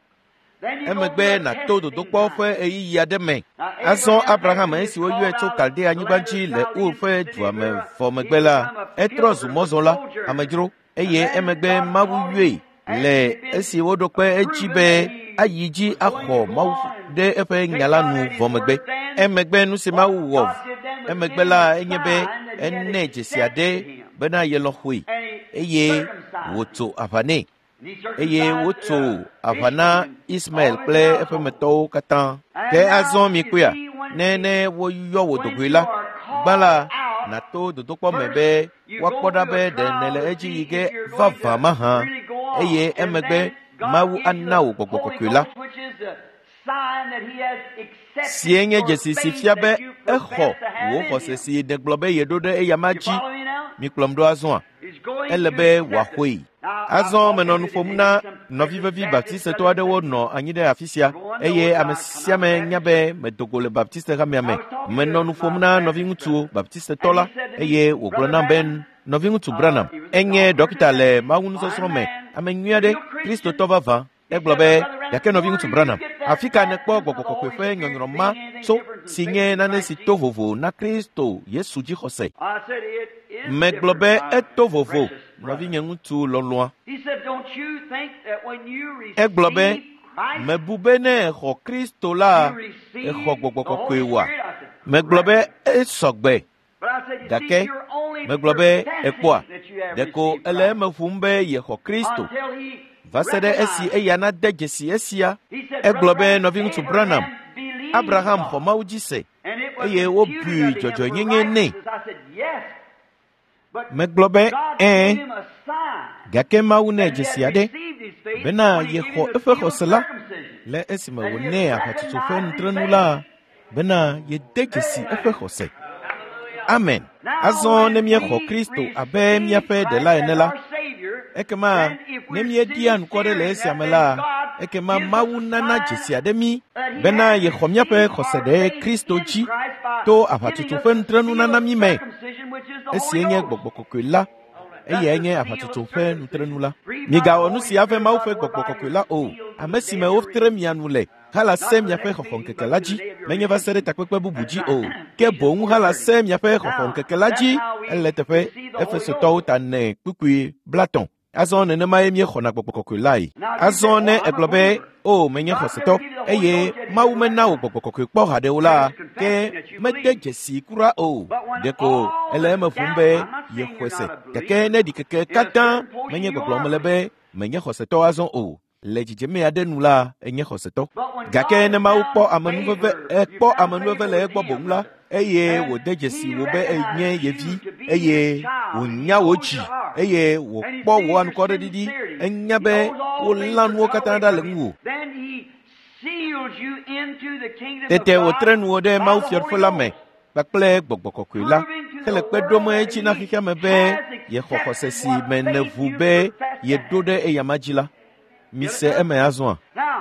Emegbe nàto dodokpɔ ƒe ɣeyiɣi aɖe me. Azɔ Abraham esi woyɔe tso Kaldea anyigba dzi le Ur ƒe dua me vɔ megbe la, etrɔ zu mɔzɔla, amedzro, eye emegbe Mawu yɔe le esi woɖo kpe edzi be ayi dzi axɔ Mawu ɖe eƒe nya la nu vɔ megbe. Emegbe nu si Mawu wɔ emegbe la enye be ene dzesi aɖe bena yelɔ̃ xɔe eye wòtso aʋa nɛ. Eye wotso aʋa na Ismael kple eƒemetɔwo katã. Ke azɔ mikpɔea, ne ne woyɔ wò dogoe la, gbã la, nàto dodokpɔ me be woakpɔ ɖa be ɖe nèle edzi yi ge vavã mahã, eye emegbe Mawu ana wò Gbɔgbɔ Kɔkɔe la, sie nye dzesi si fia be exɔ wò xɔse si nègblɔ be yeɖo ɖe eyama dzi. Mikplɔm ɖo azɔa? Ele be wòaxɔe. Azɔ menɔ nu ƒom na nɔvi vevi baptistetɔ aɖewo nɔ anyi ɖe afi sia, eye ame sia ame nya be medo go le baptiste hamea me. Menɔ nu ƒom na nɔviŋutsu baptistetɔ la, eye wògblɔ nam be nɔviŋutsu Branham enye ɖɔkita le mawunusɔsrɔ̃ me, ame nyui aɖe, Kristotɔ vavã. Egblɔ be, gake nɔviŋutsu Branham, afi ka nèkpɔ Gbɔgbɔ Kɔkɔe ƒe nyɔnyrɔ ma tso, si nye nane si to vovo na Kristo Yesu dzixɔse? Megblɔ be eto vovo, nɔvinye ŋutsu lɔlɔ̃a. Egblɔ be, mebu be ne exɔ Kristo la, exɔ Gbɔgbɔ Kɔkɔe oa? Megblɔ be esɔgbe. Gake megblɔ be ekpɔa, ɖeko ele eme ƒom be yexɔ Kristo va se ɖe esi eya nade dzesi esia. Egblɔ be nɔviŋutsu Branham, Abraham xɔ Mawu dzi se eye wobui dzɔdzɔenyenye nɛ. Megblɔ be ɛ̃, gake Mawu nɛ dzesi aɖe bena yexɔ eƒe xɔse la le esime wònɛ aʋatsotso ƒe nutrenu la bena yede dzesi eƒe xɔse. Amen. Azɔ ne míexɔ Kristo abe míaƒe ɖela ene la, ekema ne míeɖia ŋkɔ ɖe le esia me la, ekema Mawu nana dzesi aɖe mí bena yexɔ míaƒe xɔse ɖe Kristo dzi to aʋatsotso ƒe nutrenunana mí me. Esie nye Gbɔgbɔ Kɔkɔe la, eyae nye aʋatsotso ƒe nutrenu la. Migawɔ nu si ave Mawu ƒe Gbɔgbɔ Kɔkɔe la o, ame si me wotre mia nu le hala se miaƒe xɔxɔŋkeke la dzi, menye va se ɖe takpekpe bubu dzi o, ke boŋ hala se miaƒe xɔxɔŋkeke la dzi. Ele teƒe Efesotɔwo ta ne kpukpui 50. Azɔ nenemae míexɔna Gbɔgbɔ Kɔkɔe lae. Azɔ ne egblɔ be, o menye xɔsetɔ, eye Mawu mena wò Gbɔgbɔ Kɔkɔe kpɔ haɖe o la, ke mede dzesi kura o. Ɖeko ele eme ƒom be yexɔe se. Gake ne ɖikeke katã menye gbɔgblɔm mele be menye xɔsetɔ azɔ o, le dzidzeme aɖe nu la, enye xɔsetɔ. Gake ne Mawu kpɔ amenuveve, ekpɔ amenuveve le egbɔ boŋ la, eye wòde dzesi wò be enye ye vi, eye wònya wò dzi, eye wòkpɔ wò anukwareɖiɖi, enya be wolã nuwo katã ɖa le ŋuwò. Tete wòtre nuwò ɖe Mawu fiaɖuƒe la me kpakple Gbɔgbɔ Kɔkɔe la, hele kpe ɖom edzi na xexea me be yexɔ xɔse si me nèʋu be yeɖo ɖe eyama dzi la. Mise eme azɔa?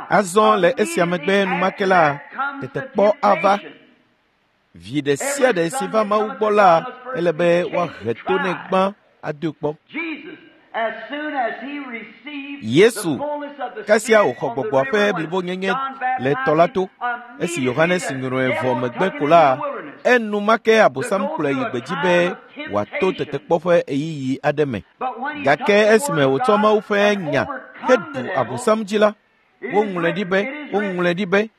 Azɔ le esia megbe enumake la, tetekpɔ ava. Vi ɖe sia ɖe si va Mawu gbɔ la, ele be woahe to nɛ gbã adoe kpɔ. Yesu, kasia wòxɔ Gbɔgbɔa ƒe blibonyenye le tɔ la to. Esi Yohanes nyrɔe vɔ megbe ko la, enumake Abosam kplɔe yi gbedzi be wòato tetekpɔ ƒe ɣeyiɣi aɖe me. Gake esime wòtsɔ Mawu ƒe nya heɖu Abosam dzi la, Woŋlɔe ɖi be, woŋlɔe ɖi be.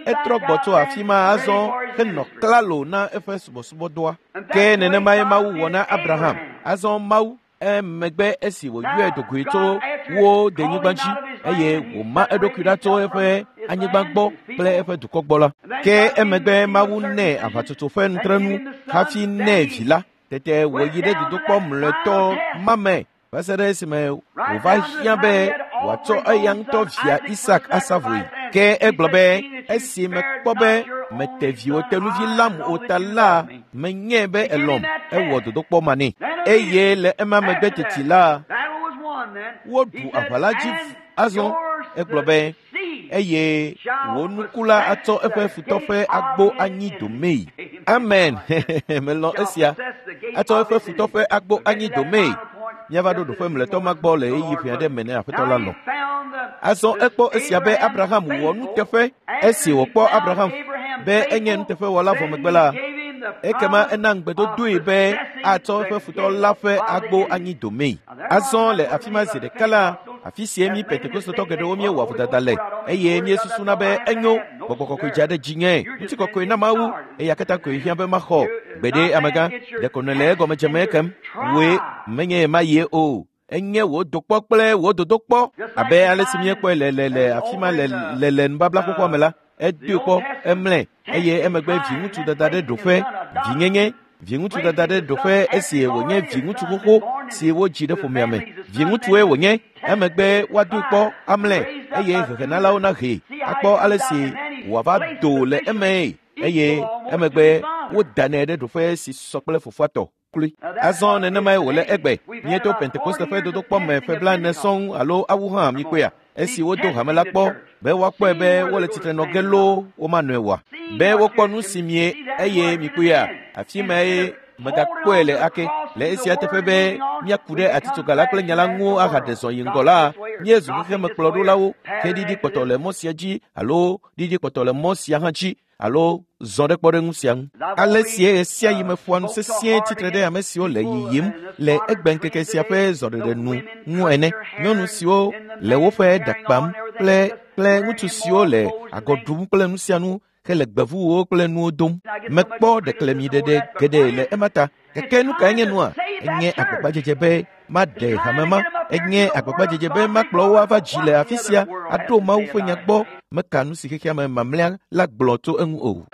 Etrɔ gbɔ tso afi ma azɔ henɔ klalo na eƒe subɔsubɔdɔa. Ke nenemae Mawu wɔ na Abraham. Azɔ Mawu emegbe esi wòyɔe do goe tso wo denyigba dzi eye wòma eɖokui ɖa tso eƒe anyigba gbɔ kple eƒe dukɔ gbɔ la. Ke emegbe Mawu nɛ aʋatsotso ƒe nutrenu hafi nɛ vi la. Tete wòyi ɖe dodokpɔ mlɔetɔ ma me va se ɖe esime wòva hiã be wòatsɔ eya ŋutɔ via Isak asa vɔe. Ke egblɔ be, esi mekpɔ be mete viwò tenuvi lam o ta la, menyae be elɔ̃m. Ewɔ dodokpɔ ma nɛ. Eye le ema megbe teti la, woɖu aʋa la dzi azɔ. Egblɔ be, eye wò nuku la atsɔ eƒe futɔ ƒe agbo anyi domee. Amen. Melɔ̃ esia. Atsɔ eƒe futɔ ƒe agbo anyi domee. Míava ɖo ɖoƒe mlɔetɔ ma gbɔ le ɣeyiɣi ƒe aɖe me ne Aƒetɔ la lɔ̃. Azɔ ekpɔ esia be Abraham wɔ nuteƒe. Esi wòkpɔ Abraham be enye nuteƒewɔla vɔ megbe la, ekema ena ŋugbedodoe be atsɔ eƒe futɔ la ƒe agbo anyi domee. Azɔ le afi ma zi ɖeka la, afi sie mí Pentekostotɔ geɖewo míewɔa vodada le eye míesusuna be enyo gbɔgbɔ kɔkɔe dza ɖe dzinye ŋutikɔkɔe na Mawu eya katã koe hiã be maxɔ. Gbeɖe amegã, ɖeko nèle egɔme dzem ekem. Wòe menye ma yie o. Enye wò dokpɔ kple wò dodokpɔ abe ale si míekpɔe le le le afi ma le le le nubabla xoxoa me la. Edoe kpɔ, emlɛ eye emegbe viŋutsu dada ɖe ɖoƒe vinyenye. Viŋutsu dada ɖe ɖoƒe esi wònye viŋutsu xoxo si wodzi ɖe ƒomea me. Viŋutsue wònye, emegbe woadoe kpɔ amlɛ eye hehenalawo nahee akpɔ ale si wòava do le emee eye emegbe wodanɛ ɖe ɖoƒe si sɔ kple fofoa tɔ kloe. Azɔ nenemae wòle egbe. Míeto Pentekoste ƒe dodokpɔ me ƒe 40 sɔŋ alo awu hã míkpɔea? Esi wodo hame la kpɔ be woakpɔe be wole tsitre nɔ ge loo womanɔe oa? Be wokpɔ nu si mie eye mikpɔea, afi mae megakpɔe le ake. Le esia teƒe be míaku ɖe atitsoga la kple nya la ŋu ahaɖe zɔ yi ŋgɔ la, míezu xexemekplɔɖolawo ke ɖiɖi kpɔtɔ le mɔ sia dzi alo ɖiɖi kpɔtɔ le mɔ sia hã dzi alo zɔ ɖe kpɔɖeŋu sia ŋu. Ale sie ɣe sia ɣi meƒoa nu sesĩe tsitre ɖe ame siwo le yiyim le egbeŋkeke sia ƒe zɔɖeɖe nu ŋu ene. Nyɔnu siwo le woƒe ɖa kpam kple kple ŋutsu siwo le agɔ ɖum kple nu sia nu hele gbevuwo kple nuwo dom. Mekpɔ ɖeklemiɖeɖe geɖe le ema ta. Gake nu kae nye nua? Enye agbagbadzedze be maɖe hame ma. Enye agbagbadzedze be makplɔ wo ava dzi le afi sia aɖo Mawu ƒe nya gbɔ. Meka nu si xexea me mamlɛa la gblɔ tso eŋu o.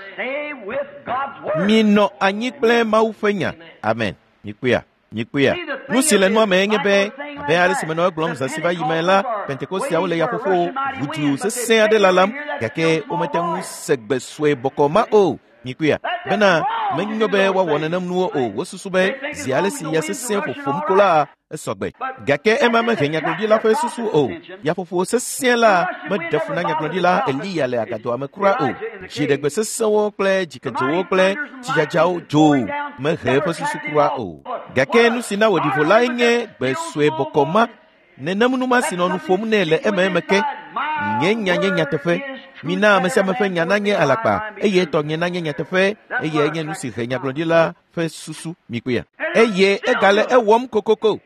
Minɔ anyi kple Mawu ƒe nya. Amen. Mikpɔea? Mikpɔea? Nu si le nua mee nye be, abe ale si menɔ egblɔm zã si va yi me la, Pentekosteawo le yaƒoƒo ʋudu sesẽ aɖe lalam, gake womete ŋu se gbe sue bɔkɔ ma o. Mikpɔea? Bena menyo be woawɔ nenem nuwo o. Wosusu be zi ale si ya sesẽ ƒoƒom ko la, esɔgbe. Gake ema mehe nyagblɔɖila ƒe susu o. Yaƒoƒo sesẽ la meɖe fu na nyagblɔɖila Eliya le agadoa me kura o. Dziɖegbe sesẽwo kple dzikedzowo kple tsidzadzawo dzo mehe eƒe susu kura o. Gake nu si na wòɖi vo lae nye gbe sue bɔkɔ ma. Nenem nu ma si nɔ nu ƒom nɛ le ememe ke. Nye nya nye nyateƒe. Mina ame sia ame ƒe nya nanye alakpa eye tɔnye nanye nyateƒe eye enye nu si he nyagblɔɖila ƒe susu mikpɔea. Eye egale ewɔm kokoko.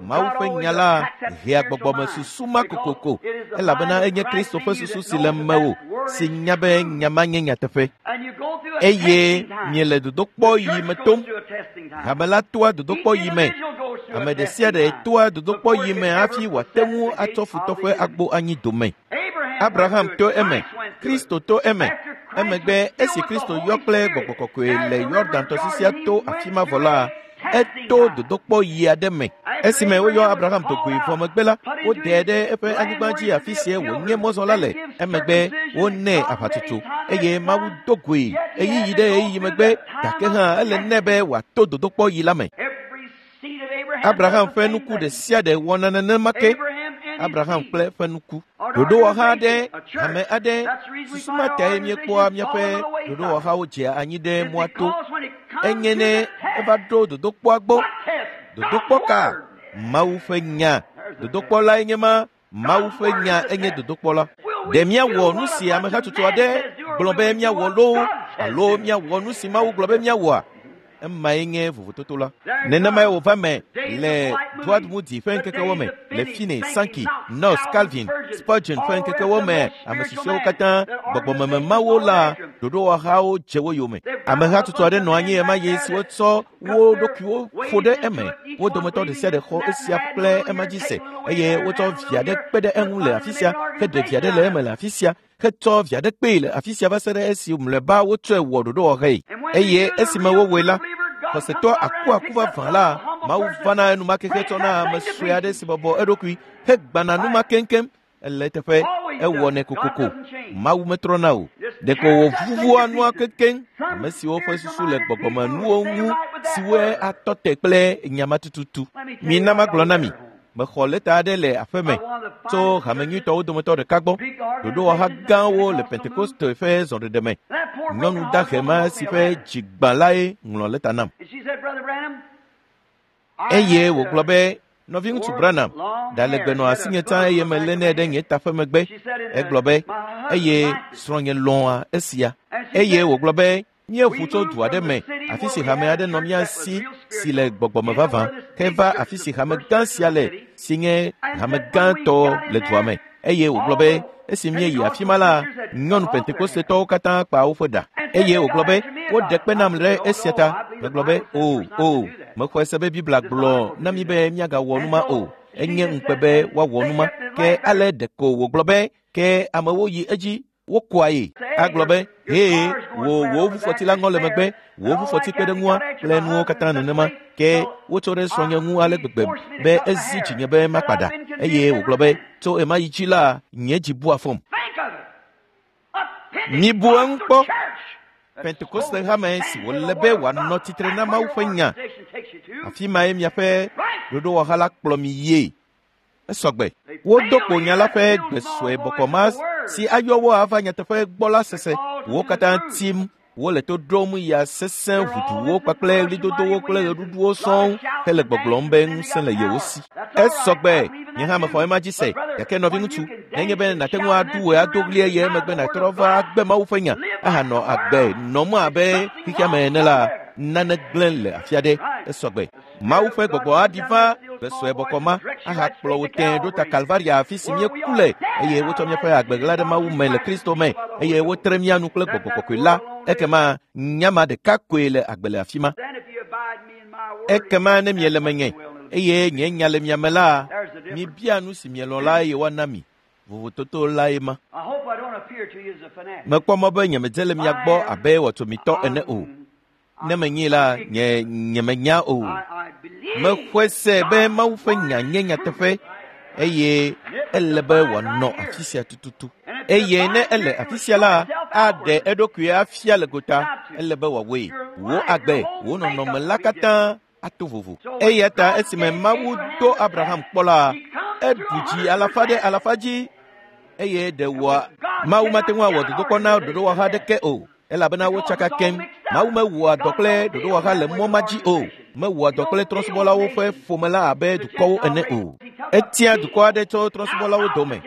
Mawu ƒe nya la hea gbɔgbɔmesusu ma kokoko elabena enye Kristo ƒe susu si le mewò si nya be nya ma nye nyateƒe. Eye miele dodokpɔ yi me tom. Hame la toa dodokpɔ yi me. Ame ɖe sia ɖe toa dodokpɔ yi me hafi wòate ŋu atsɔ futɔ ƒe agbo anyi dome. Abraham to eme, Kristo to eme. Emegbe esi Kristo yɔ kple gbɔgbɔ kɔkɔe le Yɔdan tɔsisia to afi ma vɔ la, eto dodokpɔ yi aɖe me. Esime woyɔ Abraham do goe vɔ megbe la, woɖee ɖe eƒe anyigba dzi afi sie wònye mɔzɔla le. Emegbe wonɛ aʋatsotso eye Mawu do goe ɣeyiɣi ɖe ɣeyiɣi megbe, gake hã ele nɛ be wòato dodokpɔ yi la me. Abraham ƒe nuku ɖe sia ɖe wɔna nenema ke. Abraham kple eƒe nuku. Ɖoɖowɔha aɖe, hame aɖe, susu ma tae míekpɔa míaƒe ɖoɖowɔhawo dzea anyi ɖe mɔa to. Enye ne eva ɖo dodokpɔa gbɔ. Dodokpɔ ka? Mawu ƒe nya. Dodokpɔ lae nye ma. Mawu ƒe nya enye dodokpɔ la. Ɖe míawɔ nu si amehatsotso aɖe gblɔ be míawɔ loo alo míawɔ nu si Mawu gblɔ be míawɔa? Emae nye vovototo la. Nenemae wòva me le Dwight Moody ƒe ŋkekewo me, le Finney, Sankey, Knox, Calvin, Spurgeon ƒe ŋkekewo me, ame susɔewo katã, gbɔgbɔmeme mawo la, ɖoɖowɔhawo dze wo yome. Ameha tutu aɖe nɔ anyi ɣemaɣi si wotsɔ wo ɖokuiwo ƒo ɖe eme. Wo dometɔ ɖe sia ɖe xɔ esia kple ema dzi se eye wotsɔ vi aɖe kpe ɖe eŋu le afi sia, heɖe vi aɖe le eme le afi sia, hetsɔ vi aɖe kpee le afi sia va se ɖe esi mlɔeba wotsɔe wɔ ɖoɖowɔhee. Eye esime wowɔe la, xɔsetɔ akuaku vavã la, Mawu vana enumake hetsɔ na ame sue aɖe si bɔbɔ eɖokui hegbana numa keŋkeŋ. Ele eteƒe, ewɔnɛ kokoko. Mawu metrɔna o. Ɖeko wòvuvua nua keŋkeŋ. Ame siwo ƒe susu le gbɔgbɔmenuwo ŋu siwoe atɔ te kple nya ma tututu. Mina magblɔ na mi, mexɔ lɛta aɖe le aƒe me tso hame nyuitɔwo dometɔ ɖeka gbɔ. Ɖoɖowɔha gãwo le Pentekoste ƒe zɔɖeɖe me. Nyɔnu dahe ma si ƒe dzi gbã lae ŋlɔ lɛta nam. Eye wògblɔ be, Nɔviŋutsu Branham, ɖa legbe nɔ asinye tsã eye melénɛ ɖe nye ta ƒe megbe. Egblɔ be, eye srɔ̃nye lɔ̃a esia. Eye wògblɔ be, míeʋu tso du aɖe me, afi si hame aɖe nɔ mía si si le gbɔgbɔme vavã, heva afi si hame gã sia le, si nye hame gãtɔ le dua me. Eye wògblɔ be, esi míeyi afi ma la, nyɔnu Pentekostetɔwo katã kpa woƒe ɖa. Eye wògblɔ be, woɖe kpe nam ɖe esia ta. Megblɔ be, o, o, mexɔe se be Biblia gblɔ na mí be míagawɔ nu ma o. Enye ŋukpe be woawɔ nu ma. Ke ale ɖeko wògblɔ be, ke amewo yi edzi wokoa ye. Agblɔ be, hee, wò wò ʋufɔti la ŋɔ le megbe, wò ʋufɔti kpe ɖe ŋua kple nuwo katã nenema. Ke wotsɔ ɖe srɔ̃nye ŋu ale gbegbe be ezi dzinye be makpa ɖa. Eye wògblɔ be, tso ɣemaɣi dzi la, nye dzi bua fɔm. Mibu eŋu kpɔ. Pentekoste hame si wòle be wòanɔ tsitre na Mawu ƒe nya. Afi mae miaƒe ɖoɖowɔha la kplɔ mi yie. Esɔgbe. Wodo kpo nya la ƒe gbe sue bɔkɔ ma si ayɔ wo ava nyateƒe gbɔ la sese. Wo katã tim wole to ɖom ya sesẽ ʋuduwo kpakple ɣlidodowo kple ɣeɖuɖuwo sɔŋ hele gbɔgblɔm be ŋusẽ le yewo si. Esɔgbe. Nye hã mexɔ ema dzi se. Gake nɔviŋutsu, nenye be nàte ŋu aɖu wòe ado ɣli eye emegbe nàtrɔ va agbe Mawu ƒe nya ahanɔ agbe nɔm abe xexea me ene la, nane gblẽ le afi aɖe. Esɔgbe. Mawu ƒe gbɔgbɔ aɖi va gbe sue bɔkɔ ma ahakplɔ wò tẽe ɖo ta Kalvaria afi si míeku le eye wotsɔ míaƒe agbe ɣla ɖe Mawu me le Kristo me eye wotre mía nu kple gbɔgbɔ kɔkɔe la. Ekema nya ma ɖeka koe le agbe le afi ma. Ekema ne miele menye eye nye nya le mia me la, mibia nu si mielɔ̃ la eye woana mi. Vovototo lae ma. Mekpɔ mɔ be nyemedze le mia gbɔ abe wɔtsomitɔ ene o. Ne menyi la, nye nyemenya o. Mexɔe se be Mawu ƒe nya nye nyateƒe eye ele be wòanɔ afi sia tututu. Eye ne ele afi sia la, aɖe eɖokui afia le gota. Ele be wòawɔe. Wò agbe, wò nɔnɔme la katã ato vovo. Eya ta esime Mawu do Abraham kpɔ la, eɖu dzi alafa ɖe alafa dzi eye ɖe wòa Mawu mate ŋu awɔ dodokpɔ na ɖoɖowɔha aɖeke o. Elabena wotsaka keŋ. Mawu mewɔa dɔ kple ɖoɖowɔha le mɔ ma dzi o. Mewɔa dɔ kple trɔ̃subɔlawo ƒe ƒome la abe dukɔwo ene o. Etia dukɔ aɖe tso trɔ̃subɔlawo dome.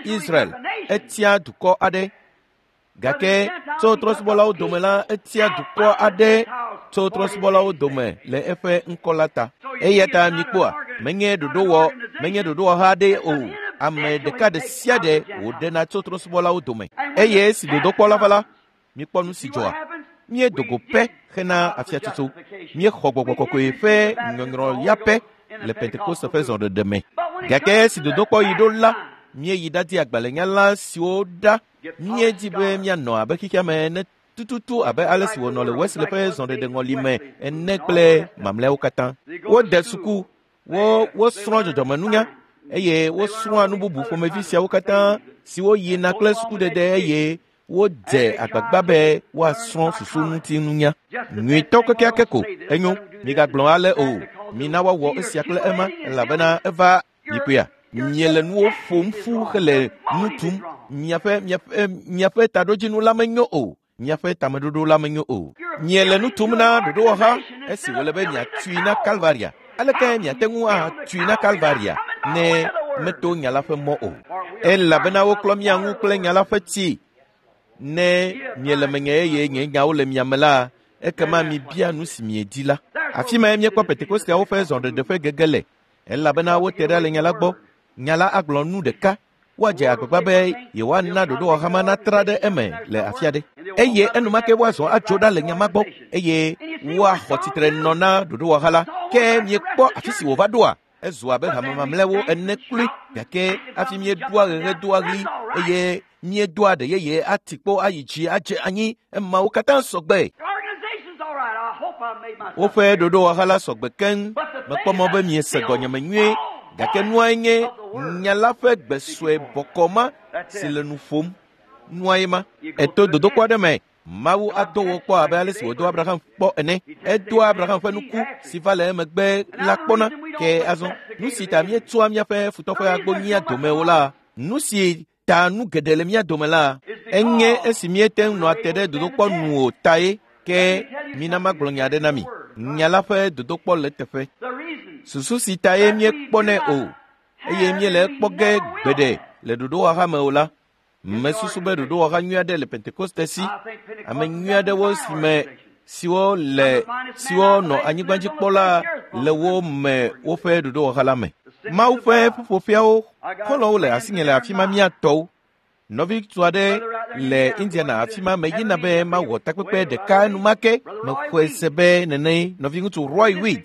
Israel, etia dukɔ aɖe. Gake tso trɔ̃subɔlawo dome la, etia dukɔ aɖe tso trɔ̃subɔlawo dome le eƒe ŋkɔ la ta. Eya ta mikpɔa, menye ɖoɖowɔha aɖe o. Ame ɖeka ɖe sia ɖe wòɖena tso trɔ̃subɔlawo dome. Eye esi dodokpɔ la va la, mikpɔ nu si dzɔa. Míedo go pɛ hena afiatsotso. Míexɔ gbɔgbɔ kɔkɔe ƒe nyɔnyrɔ ya pɛ le Pentekoste ƒe zɔɖeɖe me. Gake esi dodokpɔ yi ɖo la, míeyi ɖadi agbalẽnyala siwo ɖa. Míedi be míanɔ abe xexea me ene tututu abe ale si wònɔ le Wesley ƒe zɔɖeɖe ŋɔli me ene kple mamlɛawo katã. Wode suku, wosrɔ̃ dzɔdzɔmenunya eye wosrɔ̃a nu bubu ƒomevi siawo katã siwo yina kple sukudede eye wodze agbagba be woasrɔ̃ susu ŋuti nunya. Nyuitɔ kekeake ko enyo, migagblɔ ale o. Mina woawɔ esia kple ema elabena eva mikpɔea. Miele nuwo ƒom ƒu hele nu tum. Miaƒe taɖodzinu la menyo o. Miaƒe tameɖoɖo la menyo o. Miele nu tum na ɖoɖowɔha esi wòle be miatui na Kalvaria. Aleke miate ŋu atui na Kalvaria ne meto nya la ƒe mɔ o? Elabena woklɔ mia ŋu kple nya la ƒe tsi. Ne miele menye eye nye nyawo le mia me la, Ekema mibia nu si miedi la. Afi mae míekpɔ Pentekosteawo ƒe zɔɖeɖe ƒe gege le, elabena wote ɖa le nya la gbɔ. Nya la agblɔ nu ɖeka, woadze agbagba be yewoana ɖoɖowɔhama natra ɖe eme le afi aɖe, eye enumake woazɔ atso ɖa le nya ma gbɔ, eye woaxɔ tsitre nɔ na ɖoɖowɔha la. Ke miekpɔ afi si wòva ɖoa? Ezu abe hame mamlɛawo ene kloe, gake hafi míeɖoa ɣeɣe doa ɣli eye míedoa ɖe yeye ati kpo ayi dzi adze anyi, emawo katã sɔgbe. Woƒe ɖoɖowɔha la sɔgbe keŋ. Mekpɔ mɔ be miese gɔnyeme nyuie, gake nuae nye nya la ƒe gbe sue bɔkɔ ma si le nu ƒom. Nuae ma. Eto dodokpɔ aɖe me. Mawu ado wò kpɔ abe ale si wòdo Abraham kpɔ ene. Edoa Abraham ƒe nuku si va le emegbe la kpɔna. Ke azɔ, nu si ta míetsɔa míaƒe futɔ ƒe agbo nyia dome o la, nu si ta nu geɖe le mía dome la, enye esi míete ŋu nɔa te ɖe dodokpɔ nu o tae. Ke mina magblɔ nya aɖe na mi. Nya la ƒe dodokpɔ le eteƒe. Susu si tae míekpɔnɛ o eye míele ekpɔ ge gbeɖe le ɖoɖowɔha me o la, mesusu be ɖoɖowɔha nyui aɖe le Pentekoste si. Ame nyui aɖewo si me siwo le siwo nɔ anyigba dzi kpɔ la le wo me woƒe ɖoɖowɔha la me. Mawu ƒe ƒuƒoƒeawo xɔlɔ̃wo le asinye le afi ma mía tɔwo. Nɔviŋutsu aɖe le Indiana afi ma meyina be mawɔ takpekpe ɖeka enumake. Mexɔe se be nene nɔviŋutsu Roy Weed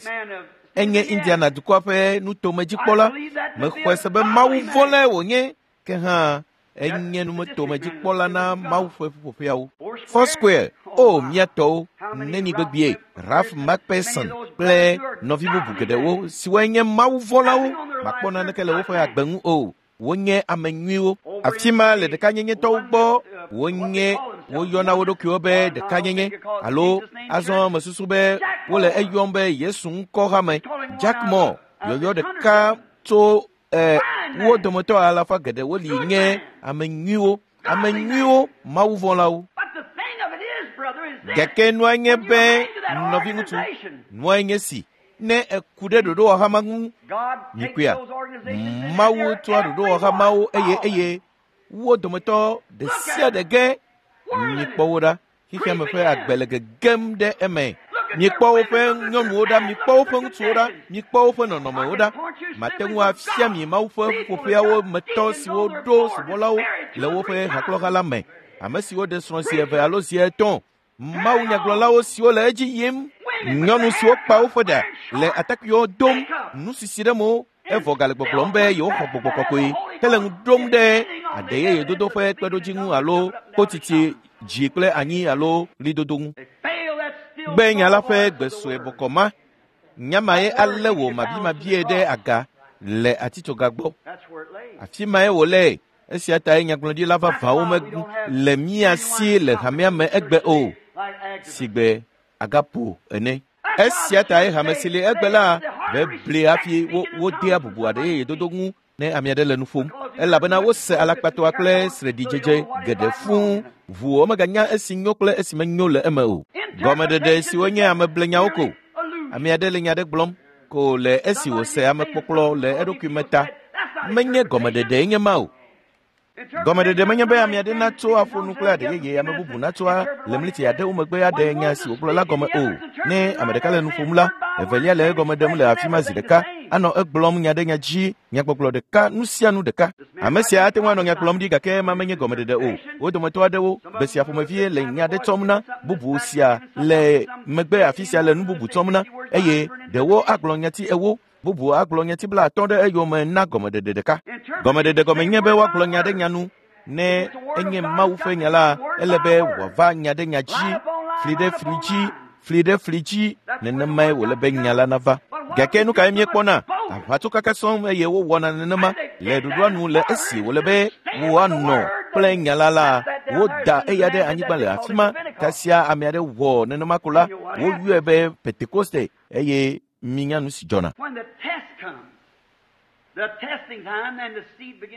enye Indiana dukɔa ƒe nutomedzikpɔla. Mexɔe se be Mawu vɔ̃lae wònye, ke hã enye nutomedzikpɔla na Mawu ƒe ƒuƒoƒeawo. Foursquare, o mía tɔwo, neni gbegbee Ralph McPherson kple nɔvi bubu geɖewo siwoe nye Mawu vɔ̃lawo makpɔ naneke le woƒe agbe ŋu o. Wonye ame nyuiwo. Afi ma le ɖekanyenyetɔwo gbɔ wonye woyɔna wo ɖokuiwo be ɖekanyenye alo azɔ mesusu be wole eyɔm be Yesu ŋkɔ hame. Jack Moore yɔyɔ ɖeka tso wo dometɔ alafa geɖewo li nye ame nyuiwo, ame nyuiwo, Mawu vɔ̃lawo. Gake nua nye be nɔviŋutsu, nua nye si ne eku ɖe ɖoɖowɔha ma ŋu, mikpɔea, Mawu tsɔa ɖoɖowɔha mawo eye eye wo dometɔ ɖe sia ɖe ge. Mikpɔ wo ɖa. Xexea me ƒe agbe le gegem ɖe eme. Mikpɔ woƒe nyɔnuwo ɖa, mikpɔ woƒe ŋutsuwo ɖa, mikpɔ woƒe nɔnɔmewo ɖa. Mate ŋu afia mi Mawu ƒe ƒuƒoƒeawo me tɔ siwo ɖo subɔlawo le woƒe hakplɔha la me, ame siwo ɖe srɔ̃ zi eve alo zi etɔ̃, Mawu nyagblɔlawo siwo le edzi yim, nyɔnu siwo kpa woƒe ɖa le atakpuiwo dom, nusisi ɖe mo, evɔ gale gbɔgblɔm be yewoxɔ gbɔgbɔ kɔkɔe hele ŋu ɖom ɖe aɖe yeye dodo ƒe kpeɖodzi ŋu alo kpotiti dzi kple anyi alo ɣlidodo ŋu. Gbe nya la ƒe gbe sue bɔkɔ ma, nya mae alé wò mabimabie ɖe aga le atitsoga gbɔ. Afi mae wòle. Esia tae nyagblɔɖila vavãwo mele mía si le hamea me egbe o, sigbe Agapo ene. Esia tae hame si li egbe la bebli hafi wodea bubu aɖe yeye dodo ŋu ne ame aɖe le nu ƒom, elabena wose alakpatɔa kple sreɖidzedze geɖe fũu, ʋuwo meganya esi nyo kple esi menyo le eme o. Gɔmeɖeɖe siwo nye ameblenyawo ko. Ame aɖe le nya aɖe gblɔm ko le esi wòse amekpɔkplɔ le eɖokui me ta. Menye gɔmeɖeɖee nye ma o. Gɔmeɖeɖe menye be ame aɖe natso aƒo nu kple aɖe yeye ame bubu natso le mliti aɖewo megbe aɖe nya si wògblɔ la gɔme o. Ne ame ɖeka le nu ƒom la, evelia le egɔme ɖem le afi ma zi ɖeka, anɔ egblɔm nya ɖe nya dzi, nyagbɔgblɔ ɖeka, nu sia nu ɖeka. Ame sia ate ŋu anɔ nya gblɔm ɖi gake ema menye gɔmeɖeɖe o. Wo dometɔ aɖewo, gbe sia ƒomevie le nya ɖe tsɔm na, bubu sia le megbe afi sia le nu bubu tsɔm na, eye ɖewo agblɔ nyati ewo, bubu agblɔ nyati 50 ɖe eyome na gɔmeɖeɖe ɖeka. Gɔmeɖeɖe gɔme nye be woagblɔ nya ɖe nya nu. Ne enye Mawu ƒe nya la, ele be wòava nya ɖe nya dzi, fli ɖe fli dzi, fli ɖe fli dzi, nenemae wòle be nya la nava. Gake nu kae míekpɔna? Aʋatsokaka sɔŋ eye wowɔna nenema le ɖoɖoa nu le esi wòle be woanɔ kple nya la la, woda eya ɖe anyigba le afi ma. Kasia ame aɖe wɔ nenema ko la, woyɔe be Pentekoste eye minya nu si dzɔna.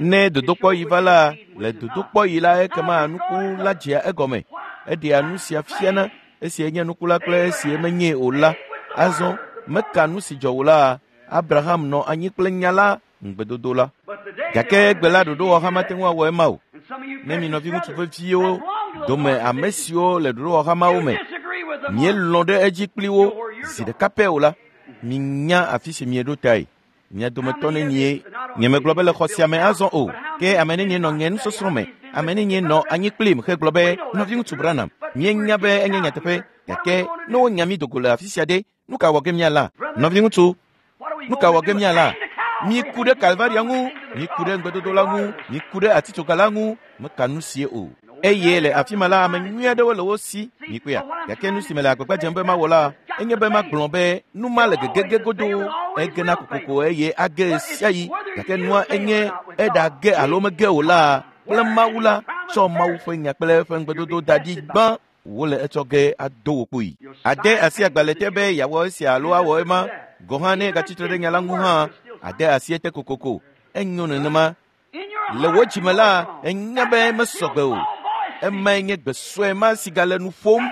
Ne dodokpɔɣi va la, le dodokpɔɣi la ekema nuku la dzea egɔme. Eɖea nu sia fiana, esie nye nuku la kple esie menyee o la. Azɔ, meka nu si dzɔ o la, Abraham nɔ anyi kple nya la, ŋugbedodo la. Gake egbe la ɖoɖowɔha mate ŋu awɔ ema o. Ne mi nɔviŋutsu veviwo dome ame siwo le ɖoɖowɔha mawo me, Mielɔ̃ ɖe edzi kpli wo zi ɖeka pɛ o la, minya afi si mieɖo tae. Mia dometɔ nenie nyemegblɔ be le xɔ sia me azɔ o, ke ame nenie nɔ nye nusɔsrɔ̃ me, ame nenie nɔ anyi kplim hegblɔ be, Nɔviŋutsu Branham, míenya be enye nyateƒe, gake ne wonya mí dogo le afi sia ɖe, nu ka wɔ ge míala? Nɔviŋutsu, nu ka wɔ ge míala? Miku ɖe Kalvaria ŋu, miku ɖe ŋugbedodo la ŋu, miku ɖe atitsoga la ŋu, meka nu sie o. Eye le afi ma la, ame nyui aɖewo le wo si, mikpɔea. Gake nu si mele agbagba dzem be mawɔ la, enye be magblɔ be nu ma le gegege godoo, egena kokoko eye age ɣesiaɣi. Gake nua enye eɖage alo mege o la, kple Mawu la tsɔ Mawu ƒe nya kple eƒe ŋugbedodo da ɖi gbã wole etsɔ ge ado wò kpoyi. Ade asi agbalẽ te be yeawɔ esia alo awɔ ema, gɔ̃ hã ne egatsitre ɖe nya la ŋu hã, ade asi ete kokoko. Enyo nenema. Le wò dzime la, ènya be mesɔgbe o. Emae nye gbe sue ma si gale nu ƒom.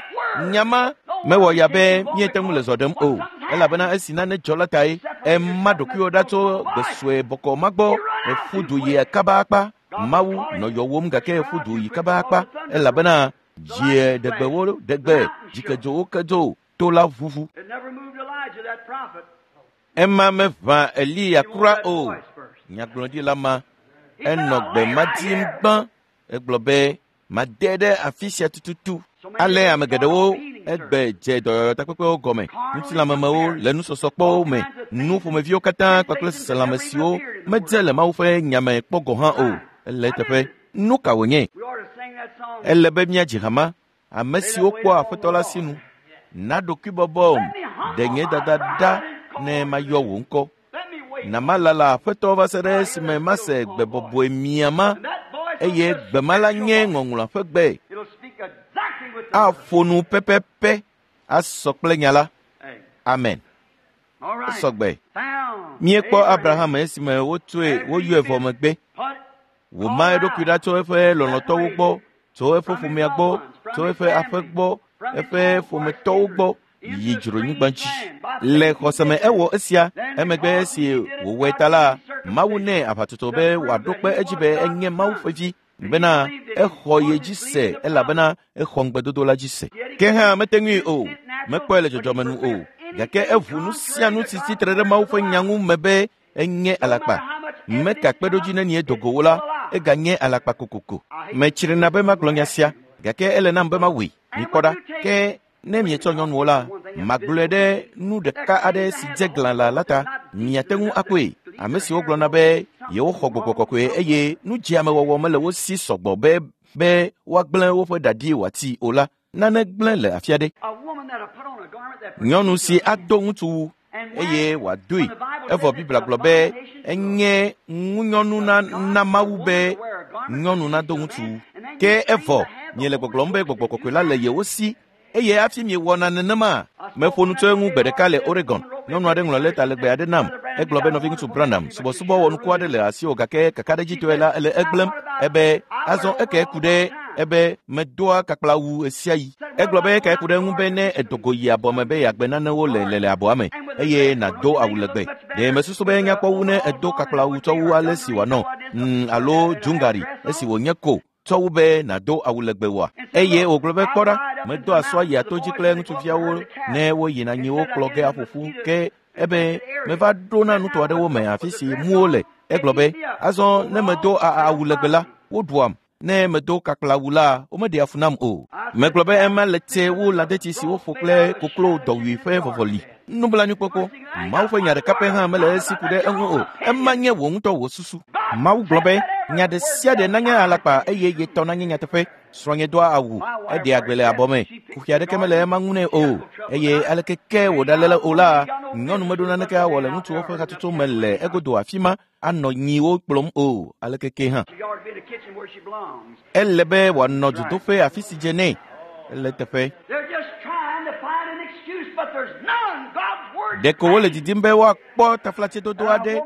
Nya ma mewɔ ya be míete ŋu le zɔ ɖem o, elabena esi nane dzɔ la tae. Ema ɖokuiwò ɖa tso gbe sue bɔkɔ ma gbɔ. Èƒu du yi kaba akpa. Mawu nɔ yɔwòm gake èƒu du yi kaba akpa, elabena dzie ɖegbewo ɖegbe, dzikedzowo kedzo, to la ʋuʋu. Ema meʋã Eliya kura o. Nyagblɔɖila ma enɔ gbe ma dim gbã. Egblɔ be, made ɖe afi sia tututu. Ale ame geɖewo egbe dze dɔyɔyɔtakpekpewo gɔme, ŋutilãmemewo le nusɔsɔkpɔwo me, nu ƒomeviwo katã kpakple seselãme siwo medze le Mawu ƒe nya me kpɔ gɔ̃ hã o. Ele eteƒe. Nu ka wònye? Ele be míadzi hama, ame siwo kpɔa Aƒetɔ la sinu. Na ɖokuibɔbɔm, ɖe nye dada ɖa ne mayɔ wò ŋkɔ. Na malala Aƒetɔ va se ɖe esime mase gbe bɔbɔe mia ma, eye gbe ma la nye ŋɔŋlɔa ƒe gbe. Aƒo nu pɛpɛpɛ asɔ kple nya la. Amen. Esɔgbe. Míekpɔ Abraham esime wotsoe woyɔe vɔ megbe. Wòma eɖokui ɖa tso eƒe lɔlɔ̃tɔwo gbɔ, tso eƒe ƒomea gbɔ, tso eƒe aƒe gbɔ, eƒe ƒometɔwo gbɔ yi dzronyigba dzi. Le xɔse me ewɔ esia, emegbe esi wòwɔe ta la, Mawu nɛ aʋatsotso be wòaɖo kpe edzi be enye Mawu ƒe vi, bena exɔ ye dzi se elabena exɔ ŋugbedodo la dzi se. Ke hã mete ŋui o, mekpɔe le dzɔdzɔme nu o, gake eʋu nu sia nu si tsitre ɖe Mawu ƒe nya ŋu me be enye alakpa. Meka kpeɖodzi nenie do go wo la, eganye alakpa kokoko. Metsrina be magblɔ nya sia, gake ele nam be mawɔe. Mikpɔ ɖa, ke ne mietsɔ nyɔnuwo la, magblɔe ɖe nu ɖeka aɖe si dze glãla la ta. Miate ŋu akpɔe. Ame siwo gblɔna be yewoxɔ gbɔgbɔ kɔkɔe eye nudzeamewɔwɔ mele wo si sɔgbɔ be be woagblẽ woƒe ɖaɖi wòati o la, nane gblẽ le afi aɖe. Nyɔnu si ado ŋutsuwu eye wòadoe, evɔ Biblia gblɔ be enye ŋunyɔnu na Mawu be nyɔnu nado ŋutsuwu. Ke evɔ miele gbɔgblɔm be gbɔgbɔ kɔkɔe la le yewo si eye hafi miewɔna nenema. Meƒo nu tso eŋu gbe ɖeka le Oregon. Nyɔnu aɖe ŋlɔ lɛta legbe aɖe nam. Egblɔ be nɔviŋutsu Branham, subɔsubɔ wɔnuku aɖe le asiwò gake kakaɖedzitɔe la ele egblẽm. Ebe azɔ eke ku ɖe ebe medoa kakplawu ɣesiaɣi. Egblɔ be eke ku ɖe eŋu be ne edo go yi abɔ me be yeagbe nanewo le le le abɔa me eye nàdo awu legbe. Ɖe mesusu be nyakpɔ wu ne edo kakplawu tsɔ wu ale si wòanɔ alo dzungari esi wònye ko tsɔ wu be nàdo awu legbe oa? Eye wògblɔ be kpɔ ɖa, medo asɔa yi ato dzi kple ŋutsuviawo ne woyina nyiwo kplɔ ge aƒo ƒu ke ebe meva ɖo na nuto aɖewo me afi si muwo le. Egblɔ be azɔ ne medo awu legbe la, woɖuam. Ne medo kakplawu la, womeɖea fu nam o. Megblɔ be ema le tse wu lãdetsi si woƒo kple koklo dɔwui ƒe vɔvɔli. Nublanuikpɔkpɔ. Mawu ƒe nya ɖeka pɛ hã mele esi ku ɖe eŋu o. Ema nye wò ŋutɔ wò susu. Mawu gblɔ be nya ɖe sia ɖe nanye alakpa eye ye tɔ nanye nyateƒe. Srɔ̃nye doa awu, eɖea gbe le abɔ me. Kuxi aɖeke mele ema ŋu nɛ o. Eye aleke ke wòɖalé o la, nyɔnu meɖo naneke awɔ le ŋutsuwo ƒe hatsotso me le egodo afi ma anɔ nyiwo kplɔm o. Aleke ke hã. Ele be wòanɔ dzodoƒe afi si dze nɛ. Ele eteƒe. Ɖeko wole didim be woakpɔ taflatsedodo aɖe,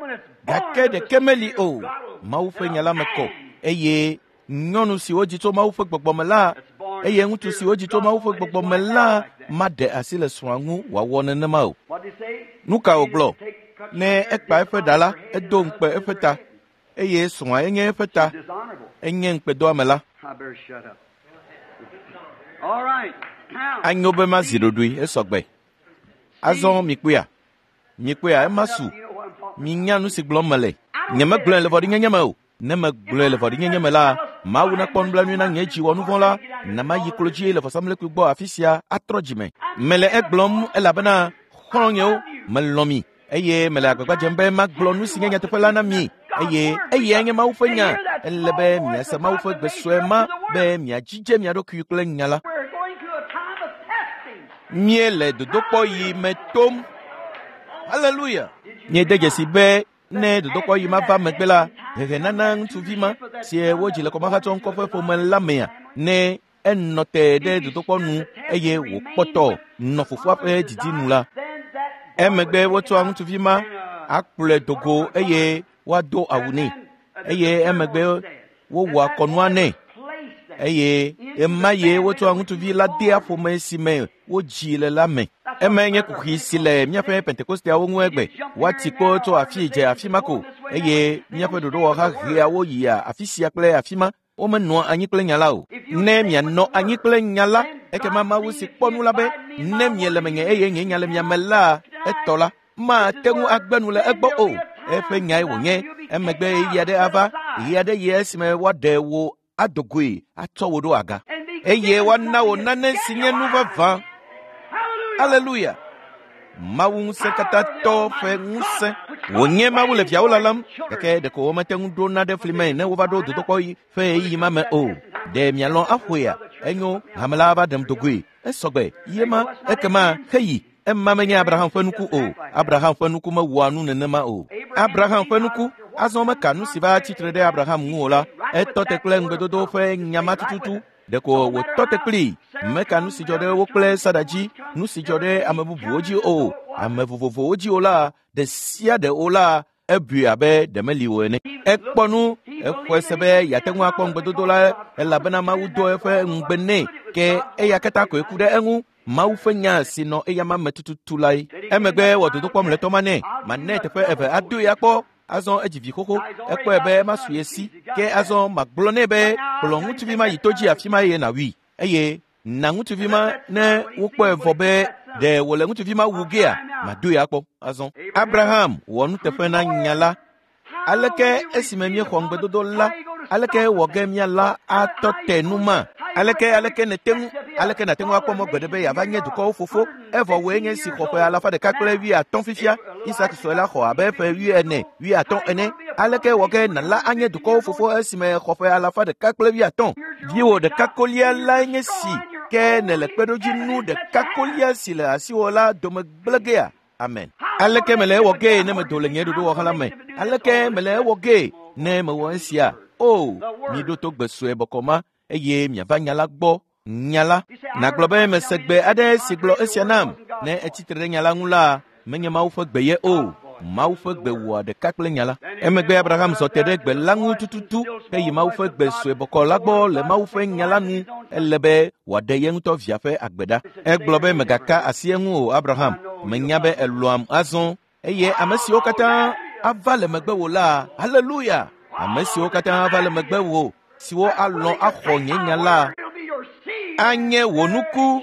gake ɖeke meli o. Mawu ƒe nya la me kɔ eye nyɔnu si wodzi tso Mawu ƒe gbɔgbɔ me la eye ŋutsu si wodzi tso Mawu ƒe gbɔgbɔ me la maɖe asi le srɔ̃a ŋu wòawɔ nenema o. Nu ka wògblɔ? Ne ekpa eƒe ɖa la, edo ŋukpe eƒe ta eye srɔ̃a enye eƒe ta, enye ŋukpedoame la. Anyo be mazi ɖoɖoe esɔgbe. Azɔ mikpɔea? Mikpɔea ema su. Minya nu si gblɔm mele. Nyemegblɔe le vɔ̃ɖinyenye me o. Ne megblɔe le vɔ̃ɖinyenye me la, Mawu nakpɔ nublanui na nye dzi wɔ nu vɔ̃ la, na mayi klo dzi le vɔsamlekpui gbɔ afi sia atrɔ dzime. Mele egblɔm elabena xɔlɔ̃nyewo, melɔ̃ mi eye mele agbagba dzem be magblɔ nu si nye nyateƒe la na mi eye eyae nye Mawu ƒe nya. Ele be miase Mawu ƒe gbe sue ma be miadzidze mia ɖokui kple nya la. We're going through a time of testing. Míele dodokpɔɣi me tom. Haleluya! Míede dzesi be ne dodokpɔɣi ma va megbe la, hehenana ŋutsuvi ma si wodzi le kɔmahatsɔ ŋkɔ ƒe ƒome la mea, ne enɔ te ɖe dodokpɔ nu eye wòkpɔtɔ nɔ fofoa ƒe didi nu la, Then that emegbe wotsɔa ŋutsuvi ma akplɔe do go eye woado awu nɛ eye emegbe wowɔa kɔnua nɛ place that eye ema ye wotsɔa ŋutsuvi la dea ƒome si me wodzi le la me. Emae nye kuxi si le míaƒe Pentekosteawo ŋu egbe. Woati kpo tso afii dze afi ma ko eye míaƒe ɖoɖowɔha hea wo yia afi sia kple afi ma. Womenɔa anyi kple nya la o. Ne mianɔ anyi kple nya la, ekema Mawu si kpɔ nu la be, ne miele menye eye nye nya le mia me la, etɔ la, mate ŋu agbe nu le egbɔ o. Eƒe nyae wònye. Emegbe ɣeyiɣi aɖe ava, ɣeyiɣi aɖe yi esime woaɖe wò ado goe atsɔ wò ɖo aga and be eye woana wò nane si nye nu vavã. Hallelujah. Aleluya! Mawu ŋusẽkatãtɔ ƒe ŋusẽ. Wònye Mawu le viawo lalam, gake ɖeko womete ŋu ɖona ɖe fli me ne wova ɖo dodokpɔɣi ƒe ɣeyiɣi ma me o. Ɖe mialɔ̃ aƒoea? Enyo, hame la va ɖem do goe. Esɔgbe, ye ma, ekema heyi. Ema menye Abraham ƒe nuku o. Abraham ƒe nuku mewɔa nu nenema o. Abraham ƒe nuku, azɔ meka nu si va tsitre ɖe Abraham ŋu o la, etɔ te kple ŋugbedodo ƒe nya ma tututu. Ɖeko wòtɔ te kplii. Meka nu si dzɔ ɖe wo kple Sara dzi, nu si dzɔ ɖe ame bubuwo dzi o, ame vovovowo dzi o la, ɖe sia ɖe o la, ebui abe ɖe meli o ene. Ekpɔ nu, exɔe se be yeate ŋu akpɔ ŋugbedodo la elabena Mawu do eƒe ŋugbe nɛ ke eya katã koe ku ɖe eŋu. Mawu ƒe nya si nɔ eyama me tututu lae. Emegbe wɔ dodokpɔ mlɔetɔ ma nɛ. Manɛ teƒe eve adoe akpɔ. Azɔ edzi vi xoxo. Ekpɔe be masu ye si. Ke azɔ magblɔ nɛ be kplɔ ŋutsuvi ma yi to dzi afi ma eye nàwui. Eye na ŋutsuvi ma ne wokpɔe vɔ be ɖe wòle ŋutsuvi ma wu gea, madoe akpɔ. Azɔ Abraham wɔ nuteƒe na nya la. Aleke esime míexɔ ŋugbedodo la, aleke wɔ ge míala atɔ te nu ma? Aleke aleke nète ŋu aleke nàte ŋu akpɔ mɔ gbeɖe be yeava nye dukɔwo fofo? Evɔ wòe nye si xɔ ƒe alafa ɖeka kple wuiatɔ̃ fifia. Isak sue la xɔ abe ƒe wuiene, wuiatɔ̃ ene. Aleke wɔ ge nàla anye dukɔwo fofo esime xɔ ƒe alafa ɖeka kple wuiatɔ̃? Viwò ɖeka kolia lae nye si ke nèle kpeɖodzinu ɖeka kolia si le asiwò la dome gblẽ gea? Amen. Aleke mele ewɔ gee ne medo le nye ɖoɖowɔha la me? Aleke mele ewɔ gee ne mewɔ esia? O, miɖo to gbe sue bɔkɔ ma eye miava nya la gbɔ. Nya la. Nàgblɔ be mese gbe aɖe si gblɔ esia nam. Ne etsi tre ɖe nya la ŋu la, menye Mawu ƒe gbe ye o. Mawu ƒe gbe wɔa ɖeka kple nya la. Emegbe Abraham zɔ te ɖe gbe la ŋu tututu heyi Mawu ƒe gbe sue bɔkɔ la gbɔ le Mawu ƒe nya la nu. Ele be wòaɖe ye ŋutɔ via ƒe agbe ɖa. Egblɔ be mègaka asi eŋu o, Abraham. Menya be èlɔ̃am azɔ eye ame siwo katã ava le megbewò la, haleluya! Ame siwo katã ava le megbewò, siwo alɔ̃ axɔ nye nya la, It'll be your seed. anye wò nuku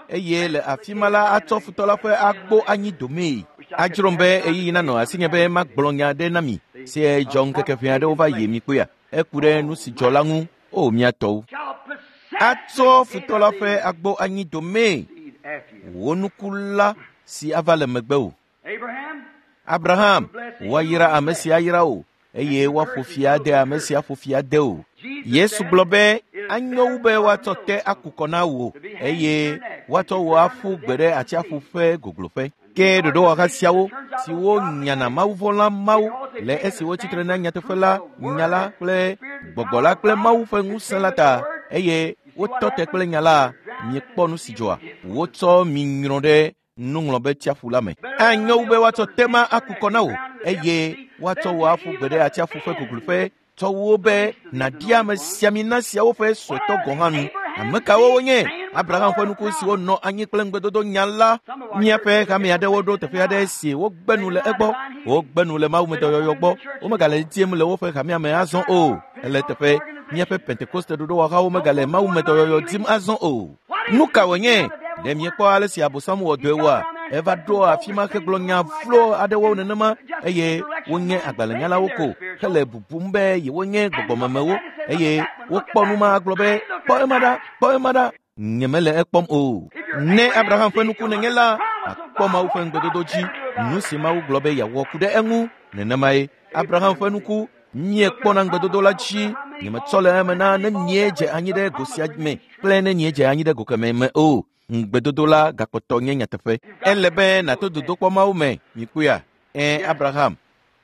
eye le afi ma la atsɔ futɔ la ƒe agbo anyi domee. Adzrom be ɣeyiɣi nanɔ asinye be magblɔ nya aɖe na mi si dzɔ ŋkeke ʋɛ aɖewo va yi mi kpɔea. Eku ɖe nu si dzɔ la ŋu. O mía tɔwo. Shall possess Atsɔ futɔ la ƒe agbo anyi domee. the seed after you. Wò nuku la si ava le megbewò. Abraham, Abraham, woayra ame si ayra wò eye woaƒo fi ade ame si aƒo fi ade wò. Yesu gblɔ be anyo wu be woatsɔ te aku kɔ na wò eye woatsɔ wò aƒu gbe ɖe atsiaƒu ƒe gogloƒe. Ke ɖoɖowɔha siawo siwo nyana mawuvɔ̃la Mawu le esi wotsitre na nyateƒe la, nya la kple gbɔgbɔ la kple Mawu ƒe ŋusẽ la ta eye wotɔ te kple nya la, miekpɔ nu si dzɔa. Wotsɔ mi nyrɔ ɖe nuŋlɔbetsiaƒu la me. Anyo wu be woatsɔ te ma aku kɔ na wò eye woatsɔ wò aƒu gbe ɖe atsiaƒu ƒe gogloƒe tsɔ wu be nàɖi ame siamina siawo ƒe suetɔ gɔ̃ hã nu. Ame kawo wonye? Abraham ƒe nuku siwo nɔ anyi kple ŋugbedodo nya la. Míaƒe hame aɖewo ɖo teƒe aɖe si wogbe nu le egbɔ. Wogbe nu le mawumedɔyɔyɔ gbɔ. Womegale dim le woƒe hamea me azɔ o. Ele teƒe míaƒe Pentekoste ɖoɖowɔhawo megale mawumedɔyɔyɔ dim azɔ o. Nu ka wònye? Ɖe miekpɔ ale si Abosam wɔ dɔe oa? Eva ɖo afi ma hegblɔ nya vlo aɖewo nenema eye wonye agbalẽnyalawo ko hele bubum be yewonye gbɔgbɔmemewo eye wokpɔ nu ma gblɔ be kpɔ ema ɖa, kpɔ ema ɖa. Nyemele ekpɔm o. Ne Abraham ƒe nuku nenye la, akpɔ Mawu ƒe ŋugbedodo dzi. Nu si Mawu gblɔ be yeawɔ ku ɖe eŋu nenemae. Abraham ƒe nuku miekpɔna ŋugbedodo la dzi. Nyemetsɔ le eme na ne miedze anyi ɖe go sia me kple ne miedze anyi ɖe go kemɛ me o. Ŋugbedodo la gakpɔtɔ nye nyateƒe. Ele be nàto dodokpɔ Mawu me, mikpɔea? Ẽ, Abraham.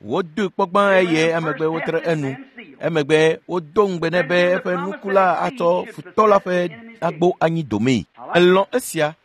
Wodoe kpɔ gbã eye emegbe wotre enu. Emegbe wodo ŋugbe nɛ be eƒe nuku la atsɔ futɔ la ƒe agbo anyi domee. Elɔ̃ esia.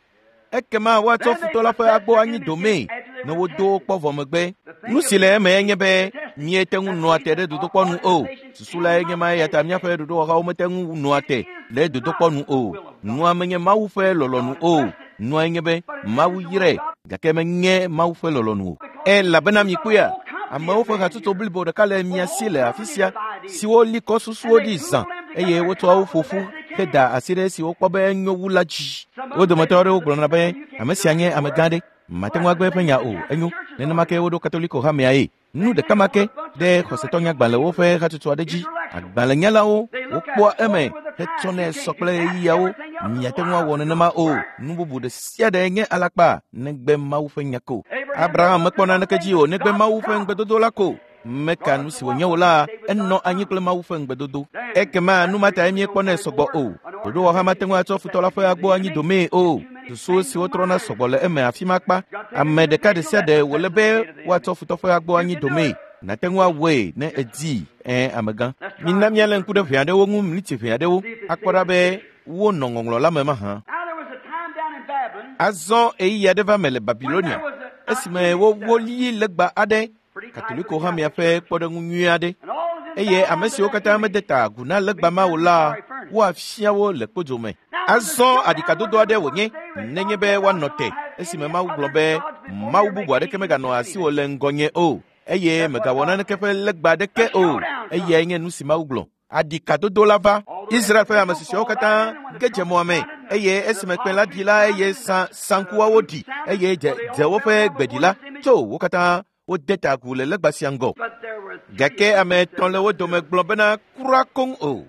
Ekema woatsɔ futɔ la ƒe agbo anyi domee ne wodo wo kpɔ vɔ megbe. Nu si le eme enye be miete ŋu nɔa te ɖe dodokpɔ nu o. Susu lae nye ma eya ta míaƒe ɖoɖowɔhawo mete ŋu nɔa te ɖe dodokpɔ nu o. Nua menye Mawu ƒe lɔlɔ̃nu o. Nua nye be Mawu yrae gake menye Mawu ƒe lɔlɔ̃nu o. Elabena mikpɔea, amewo ƒe hatsotso blibo ɖeka le mia si le afi sia siwo li kɔ susuwo ɖi zã eye wotsɔa wo ƒo ƒu heda asi ɖe esi wokpɔ be enyo wu la dzi. Wo dometɔ aɖewo gblɔna be ame sia nye amegã ɖe, mate ŋu agbe eƒe nya o, enyo. Nenema ke woɖo Katoliko hamea ye. Nu ɖeka ma ke ɖe xɔsetɔnyagbalẽwo ƒe hatsotso aɖe dzi. Agbalẽnyalawo wokpɔa eme hetsɔnɛ sɔ kple ɣeyiɣiawo. Miate ŋu awɔ nenema o. Nu bubu ɖe sia ɖe nye alakpa negbe Mawu ƒe nya ko. Abraham mekpɔ naneke dzi o negbe Mawu ƒe ŋugbedodo la ko. Meka nu si wònye o la, enɔ anyi kple Mawu ƒe ŋugbedodo. Ekema nu ma tae míekpɔnɛ sɔgbɔ o. Ɖoɖowɔha mate ŋu atsɔ futɔ la ƒe agbo anyi domee o. Susu siwo trɔna sɔgbɔ le eme afi ma kpa. Ame ɖeka ɖe sia ɖe wòle be woatsɔ futɔ ƒe agbo anyi domee. Nàte ŋu awɔe ne èdii, ẽ, amegã. Mina míalé ŋku ɖe ʋe aɖewo ŋu mlitsi ʋe aɖewo akpɔ ɖa be wonɔ ŋɔŋlɔ la me mahã. Now there was a time down in Babylon Azɔ ɣeyiɣi aɖe va me le Babilonia esime wowoli legba aɖe Katoliko hamea ƒe kpɔɖeŋu nyui aɖe and all of them eye ame siwo katã mede ta agu na legba ma o la woafia wo le kpodzo me. Azɔ aɖikadodo aɖe wònye nenye be woanɔ te esime Mawu gblɔ be Mawu bubu aɖeke meganɔ asiwò le ŋgɔnye o eye megawɔ naneke ƒe legba aɖeke o. Eyae nye nu si Mawu gblɔ. Aɖikadodo la va. Israel ƒe ame susɔeawo katã ge dze mɔa me eye esime kpẽ la ɖi la eye saŋkuawo ɖi eye dzewo ƒe gbe ɖi la tso wo katã wode ta agu le legba sia ŋgɔ. But there were three Gake ame etɔ̃ le wo dome gblɔ bena kura koŋ o.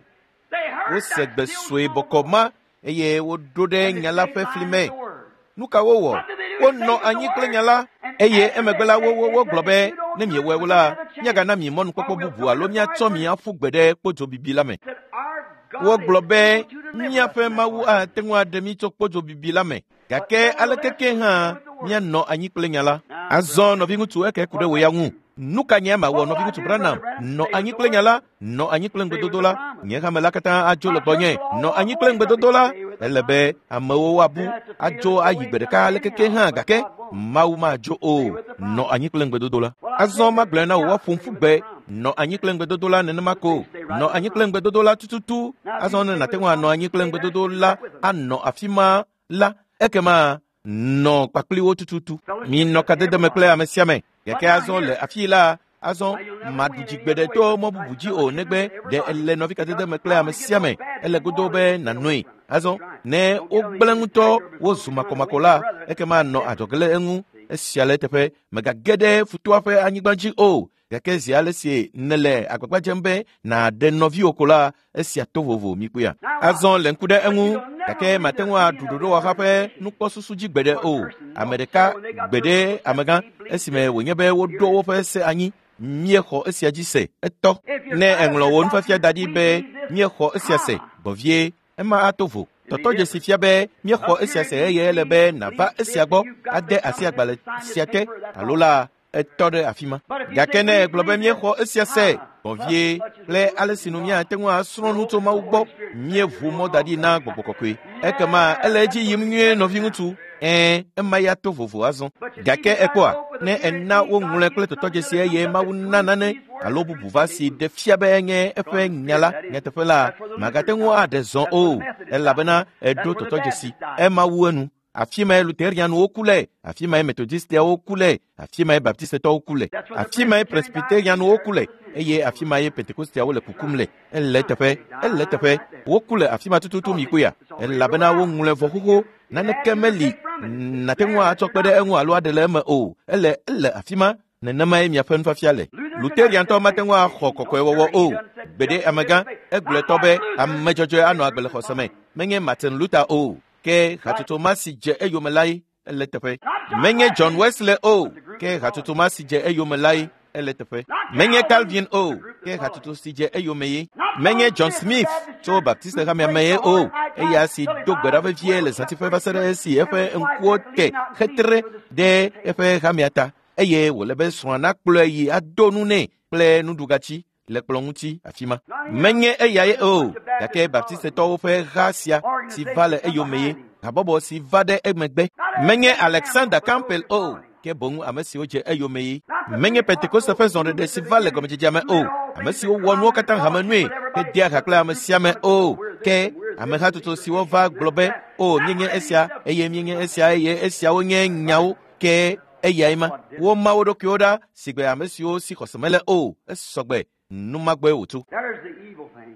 They heard Wose that gbe still sue small bɔkɔ voice. ma eye woɖo ɖe And they nya la stayed ƒe fli behind me. the word. Nu ka wowɔ? Wonɔ anyi kple nya la eye emegbe la wo wogblɔ be ne miewɔe o la, míagana mi mɔnukpɔkpɔ bubu alo míatsɔ mi aƒu gbe ɖe kpodzo bibi la me. Said, Our God Wogblɔ is be able to deliver us míaƒe from that Mawu fire. ate ŋu aɖe mí tso kpodzo bibi la me. Gake aleke ke hã míanɔ anyi kple nya la. Azɔ nɔviŋutsu eke ku ɖe wò ya ŋu. Nu ka nye mawɔ nɔviŋutsu Branham? Nɔ anyi kple nya la, nɔ anyi kple ŋugbedodo la. Nye hame la katã adzo le gbɔnye. Nɔ anyi kple ŋugbedodo la. Ele be amewo woabu adzo ayi gbe ɖeka aleke ke hã gake Mawu madzo o. Nɔ anyi kple ŋugbedodo la. Azɔ magblɔe na wò woaƒom ƒu gbe. Nɔ anyi kple ŋugbedodo la nenema ko. Nɔ anyi kple ŋugbedodo la tututu. Azɔ ne nàte ŋu anɔ anyi kple ŋugbedodo la anɔ afi ma la, ekema nɔ kpakpli wo tututu. Minɔ kadede me kple ame sia ame. Gake azɔ le afii la, azɔ maɖu dzi gbe ɖe to mɔ bubu dzi o negbe ɖe ele nɔvi kadede me kple ame sia ame. Ele godo be nànɔe. Azɔ ne wogblẽ ŋutɔ wozu makɔmakɔ la, ekema nɔ adzɔge le eŋu. Esia le eteƒe. Mègage ɖe futɔa ƒe anyigba dzi o. Gake zi ale si nèle agbagba dzem be nàɖe nɔviwò ko la, esia to vovo mikpɔea. Azɔ le ŋku ɖe eŋu gake mate ŋu aɖu ɖoɖowɔha ƒe nukpɔsusu dzi gbeɖe o. Ame ɖeka gbeɖe amegã esime wònye be woɖo woƒe se anyi. Míexɔ esia dzi se etɔ. Ne èŋlɔ wò nufiafia da ɖi be míexɔ esia se gbɔ vie, ema ato vo. Tɔtɔdzesi fia be míexɔ esia se eye ele be nàva esia gbɔ ade asi agbalẽ sia te alo la etɔ ɖe afi ma. Gake ne ègblɔ be míexɔ esia se gbɔ vie kple ale si nu míate ŋu asrɔ̃ nu tso Mawu gbɔ, míeʋu mɔ da ɖi na gbɔgbɔ kɔkɔe. Ekema ele edzi yim nyuie nɔviŋutsu. Ẽ, ema ya to vovo azɔ. Gake èkpɔa, ne èna woŋlɔe kple tɔtɔdzesi eye Mawu na nane alo bubu va si ɖe fia be enye eƒe nya la nyateƒe la, màgate ŋu aɖe zɔ o elabena èɖo tɔtɔdzesi. Ema wu enu. Afi mae Luterianuwo ku le, afi mae Metodistiawo ku le, afi mae Baptistetɔwo ku le, afi mae Presbyterianuwo ku le, eye afi mae Pentekostiawo le kukum le. Ele teƒe, ele teƒe. Woku le afi ma tututu mi kpɔea, elabena woŋlɔe vɔ xoxo. Naneke meli nàte ŋu atsɔ kpe ɖe eŋu alo aɖe le eme o. Ele ele afi ma. Nenemae miaƒe nufiafia le. Luteriantɔ mate ŋu axɔ kɔkɔewɔwɔ o. Gbeɖe amegã egblɔe tɔ be ame dzɔdzɔe anɔ agbe le xɔse me. Menye Martin Luther o, ke hatsotso ma si dze eyome lae ele teƒe. Menye John Wesley o, ke hatsotso ma si dze eyome lae ele teƒe. Menye Calvin o, ke hatsotso si dze eyome ye. Menye John Smith tso Baptiste hamea me ye o, eya si do gbe ɖa vevie le zãtiƒe va se ɖe esi eƒe ŋkuwo te xetre ɖe eƒe hamea ta eye wòle be srɔ̃a nakplɔe yi ado nu nɛ kple nuɖugatsi le kplɔ̃ ŋuti afi ma. Menye eyae o, gake Baptistetɔwo ƒe ha sia si va le eyome ye, habɔbɔ si va ɖe emegbe. Menye Alexander Campbell o, ke boŋ ame siwo dze eyome ye. Menye Pentekoste ƒe zɔɖeɖe si va le gɔmedzedzea me o, ame siwo wɔ nuwo katã hame nue hedea ha kple ame sia ame o, ke amehatsotso siwo va gblɔ be, o míenye esia, eye míenye esia, eye esiawo nye nyawo, ke eyae ma. Woma wo ɖokuiwo ɖa si gbe ame siwo si xɔse mele o. Esɔgbe numagbɔe wòtso. There's the evil thing.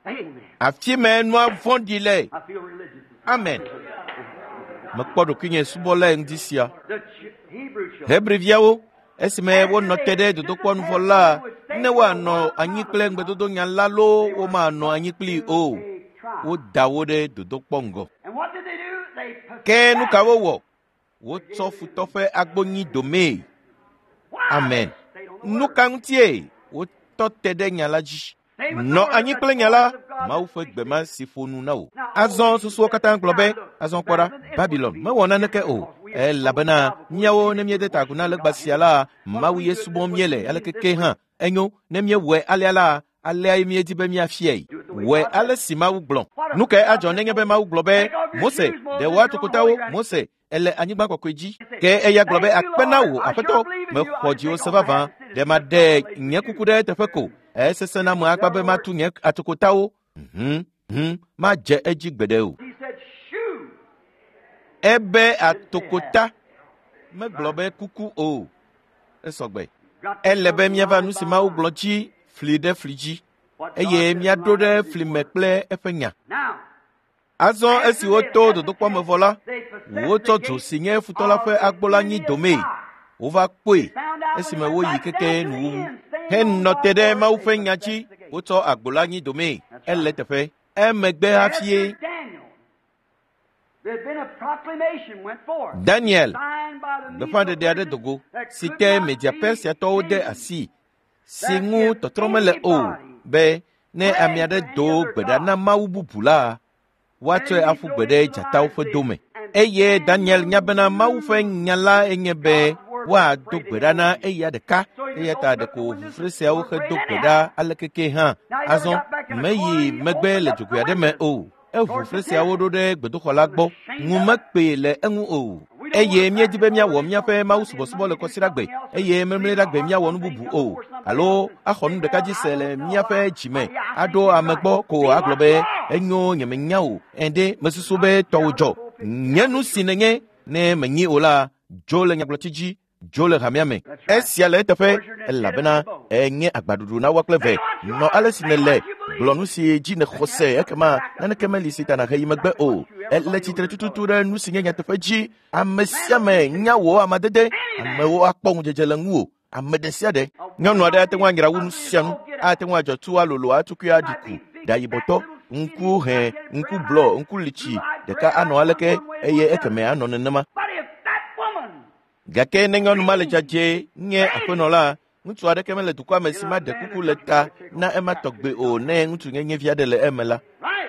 Amen. Afi mae nua vɔ̃ɖi le. I feel religious. Amen. Mekpɔ ɖokuinye subɔlae ŋdi sia. The Ch- Hebrew children. Hebriviawo esime wonɔ te ɖe dodokpɔ nuvɔ la, ne woanɔ anyi kple ŋugbedodonya la loo womanɔ anyi kplii o. Woda wo ɖe dodokpɔ ŋgɔ. And what did they do? They Ke nu ka wowɔ? Wotsɔ futɔ ƒe agbonyi domee. Amen. Nu ka ŋutie wotɔ te ɖe nya la dzi? Nɔ anyi kple nya la, Mawu ƒe gbe ma si ƒo nu na wò. Azɔ susuwo katã gblɔ be, azɔ kpɔ ɖa, Babilon mewɔ naneke o, elabena míawo ne míede ta agu na legba sia la, Mawu ye subɔm míele aleke ke hã. Enyo, ne míewɔe alea la, aleae míedi be míafiae. Wɔe ale si Mawu gblɔ. Nu kae adzɔ nenye be Mawu gblɔ be, Mose, ɖe wò atokotawo, Mose, ele anyigba kɔkɔe dzi. Ke eya gblɔ be akpe na wò, aƒetɔ, mexɔ dziwò se vavã. Ɖe maɖe nye kuku ɖe eteƒe ko. Esesẽ na ame akpa be matu nye atokotawo. Hum, hum, madze edzi gbeɖe o. He said, Shoe. Ebe atokota megblɔ be kuku o. Esɔgbe. Ele be míava nu si Mawu gblɔ dzi fli ɖe fli dzi eye míaɖo ɖe fli me kple eƒe nya. Now, Azɔ esi woto dodokpɔ me vɔ la, wotsɔ dzo si nye futɔ la ƒe agbo la nyi domee. Wova kpɔe esime woyi keke nuwuwu henɔ te ɖe Mawu ƒe nya dzi. Wotsɔ agbo la nyi domee. Ele teƒe. Emegbe hafie after Daniel, there had been a proclamation went forth. Daniel signed by the gbeƒãɖeɖe aɖe do go si te Media Persiatɔwo de asi si ŋu tɔtrɔ mele o be ne ame aɖe do gbe ɖa na Mawu bubu la, woatsɔe aƒu gbe ɖe dzatawo ƒe dome. Eye Daniel nya bena Mawu ƒe nya la enye be woado gbe ɖa na eya ɖeka eya ta ɖeko ʋufre siawo hedo gbe ɖa aleke ke hã. Azɔ meyi megbe le dzogoe aɖe me o. Eʋu fre siawo ɖo ɖe gbedoxɔ la gbɔ. Ŋu mekpee le eŋu o. Eye míedi be míawɔ míaƒe Mawu subɔsubɔ le kɔsiɖagbe eye memleɖagbe míawɔ nu bubu o alo axɔ nu ɖeka dzi se le míaƒe dzime aɖo ame gbɔ ko agblɔ be enyo nyemenya o ende mesusu be tɔwò dzɔ. Nye nu si nènye ne menyi o la, dzo le nyagblɔtsi dzi dzo le hamea me. Esia le eteƒe elabena enye agbaɖuɖu na woa kple ve. Nɔ ale si nèle, gblɔ nu si dzi nèxɔ se ekema naneke meli si ta nàhe yi megbe o. Ele tsitre tututu ɖe nu si nye nyateƒe dzi. Ame sia ame nya wò amadede. Amewo akpɔ ŋudzedze le ŋuwò. Ame ɖe sia ɖe. Nyɔnu aɖe ate ŋu anyra wu nu sia nu. Ate ŋu adzɔ tu alolo atukui aɖi ku. Ɖa yibɔtɔ, ŋku hẽ, ŋku blɔ, ŋku litsi ɖeka anɔ aleke eye ekeme anɔ nenema. But if that woman Gake ne nyɔnu ma le dzadzɛ nye aƒenɔ la, ŋutsu aɖeke mele dukɔa me si maɖe kuku le ta na ema tɔgbe o ne ŋutsu nyenye vi aɖe le eme la.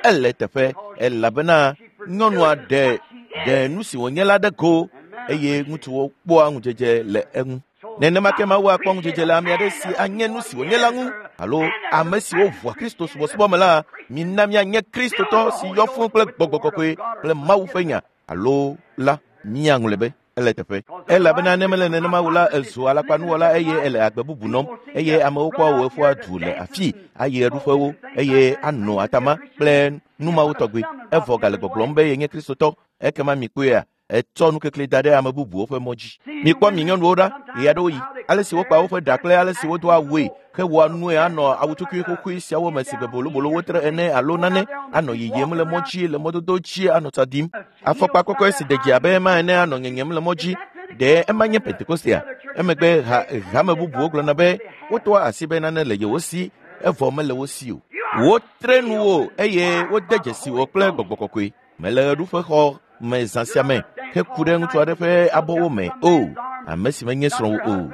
Ele teƒe elabena nyɔnua ɖe ɖe nu si wònye la ɖe go eye ŋutsuwo kpɔa ŋudzedze le eŋu. Nenema ke Mawu akpɔ ŋudzedze le ame aɖe si anye nu si wònye la ŋu alo ame siwo ʋua Kristo subɔsubɔ me la, mina míanye Kristotɔ si yɔ fũu kple gbɔgbɔ kɔkɔe kple Mawu ƒe nya alo la míaŋlɔe be ele teƒe. Elabena ne mele nenema o la, ezu alakpanuwɔla eye ele agbe bubu nɔm eye amewo kpɔa wò eƒua du le afii ayi ɣeɖuƒewo eye anɔ atama kple nu mawo tɔgbi. Evɔ gale gbɔgblɔm be yenye Kristotɔ. Ekema mikpɔea, etsɔ nukekli da ɖe ame bubuwo ƒe mɔ dzi. Mikpɔ mi nyɔnuwo ɖa ɣeaɖewoɣi, ale si wokpa woƒe ɖa kple ale si wodoa awue hewɔa nue anɔ awutukui xoxoe siawo me si be bolobolo wotre ene alo nane anɔ yiyim le mɔ dzi le mɔdodo dzi anɔ tsa ɖim. Afɔkpa kɔkɔe si de dzi abe ema ene anɔ nyenyem le mɔ dzi. Ɖe ema nye Pentekostea? Emegbe ha hame bubuwo gblɔna be wotoa asi be nane le yewo si evɔ mele wo si o. Wotre nuwo eye wode dzesi wo kple gbɔgbɔ kɔkɔe. Mele ɣeɖuƒexɔ me zã sia me heku ɖe ŋutsu aɖe ƒe abɔwo me o, ame si menye srɔ̃wò o.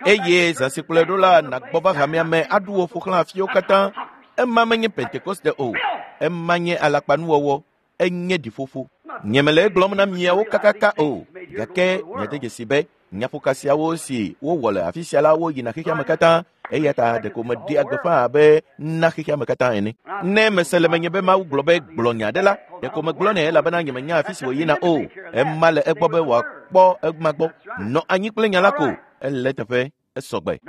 Eye zã si kplɔe ɖo la nàgbɔ va hamea me aɖu wò ƒo xlã afiwo katã. Ema menye Pentekoste o. Ema nye alakpanuwɔwɔ. Enye ɖiƒoƒo. Nyemele egblɔm na miawo kakaka o, gake miade dzesi be nyaƒoka siawo si wowɔ le afi sia la woyina xexea me katã eya ta ɖeko meɖea gbeƒã abe na xexea me katã ene. Ne mese le menye be Mawu gblɔ be gblɔ nya aɖe la, ɖeko megblɔnɛ elabena nyemenya afi si wòyina o. Ema le egbɔ be wòakpɔ ema gbɔ. Nɔ anyi kple nya la ko. Ele eteƒe. Esɔgbe.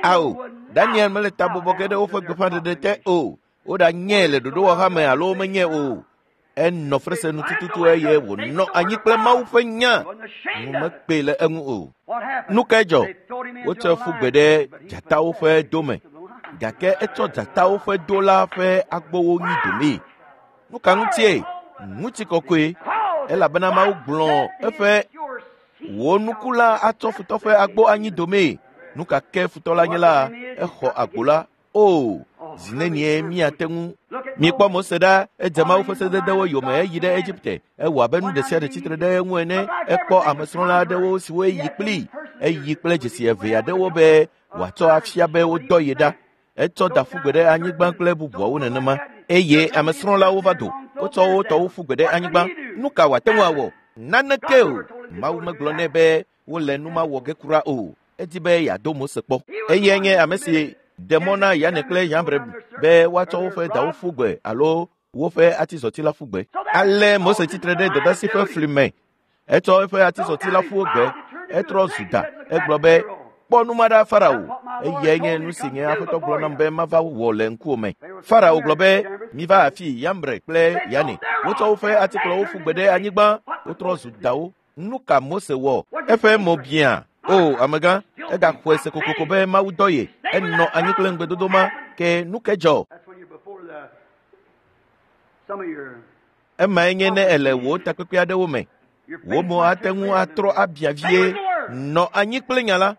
Ao, Daniel mele ta bɔbɔ ge ɖe woƒe gbeƒãɖeɖe te o. Woɖanyɛ le ɖoɖowɔha me alo womenyɛ o. Enɔ frese nu tututu eye wònɔ anyi kple Mawu ƒe nya. Nu mekpee le eŋu o. Nu kae dzɔ? Wotsɔe ƒu gbe ɖe dzatawo ƒe do me. Gake etsɔ dzatawo ƒe do la ƒe agbowo nyi domee. Nu ka ŋutie? Ŋutikɔkɔe. Elabena Mawu gblɔ eƒe wò nuku la atsɔ futɔ ƒe agbo anyi domee. Nu ka ke futɔ la nye la, exɔ agbo la. O, zi nenie míate ŋu. Mikpɔ Mose ɖa, edze Mawu ƒe sededewo yome eyi ɖe Egipte. Ewɔ abe nu ɖe sia ɖe tsitre ɖe eŋu ene. Ekpɔ amesrɔ̃la aɖewo siwo eyi kplii. Eyi kple dzesi eve aɖewo be wòatsɔ afia be wodɔ ye ɖa. Etsɔ da ƒu gbe ɖe anyigba kple bubuawo nenema. Eye amesrɔ̃lawo va do. Wotsɔ wo tɔwo ƒu gbe ɖe anyigba. Nu ka wòate ŋu awɔ? Naneke o. Mawu megblɔ nɛ be wole nu ma wɔ ge kura o. Edi be yeado Mose kpɔ. Eyae nye ame si ɖe mɔ na Yane kple Yambre be woatsɔ woƒe dawo ƒu gbe alo woƒe atizɔti la ƒu gbe. Ale Mose tsitre ɖe dɔdasi ƒe fli me. Etsɔ eƒe atizɔti la ƒu gbe. Etrɔ zu da. Egblɔ be, kpɔ nu ma ɖa Farao. Eyae nye nu si nye Aƒetɔ gblɔ nam be mava wɔ le ŋkuwò me. Farao gblɔ be, miva afi Yambre kple Yane. Wotsɔ woƒe atikplɔwo ƒu gbe ɖe anyigba. Wotrɔ zu dawo. Nu ka Mose wɔ? Eƒe mo biã. O, amegã, egaxɔe se kokoko be Mawu dɔ ye. Enɔ anyi kple ŋugbedodo ma. Ke nu ke dzɔ? Emae nye ne ele wò takpekpe aɖewo me. Wò mo ate ŋu atrɔ abia vie. Nɔ anyi kple nya la.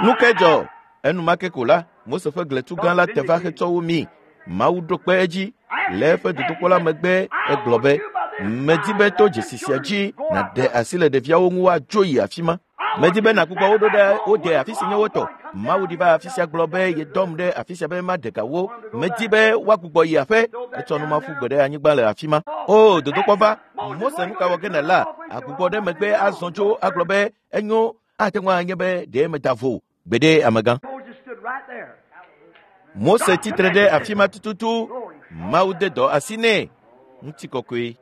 Nu ke dzɔ? Enumake ko la, Mose ƒe gletu gã la te va hetsɔ wo mi. Mawu ɖo kpe edzi. Le eƒe dodokpɔ la megbe, egblɔ be, medi be to dzesi sia dzi nàɖe asi le ɖeviawo ŋu woadzo yi afi ma. Medi be nàgbugbɔ wo ɖo ɖe wo de afi si nye wo tɔ. Mawu ɖi va afi sia gblɔ be yedɔm ɖe afi sia be maɖe ga wo. Medi be woagbugbɔ yi aƒe. Etsɔ nu ma ƒu gbe ɖe anyigba le afi ma. O, dodokpɔ va. Mose nu ka wɔ ge nèla? Agbugbɔ ɖe megbe azɔ tso agblɔ be enyo ate ŋu anye be ɖe meda vo gbeɖe amegã. Mose tsitre ɖe afi ma tututu. Mawu de dɔ asi nɛ. Ŋutikɔkɔe.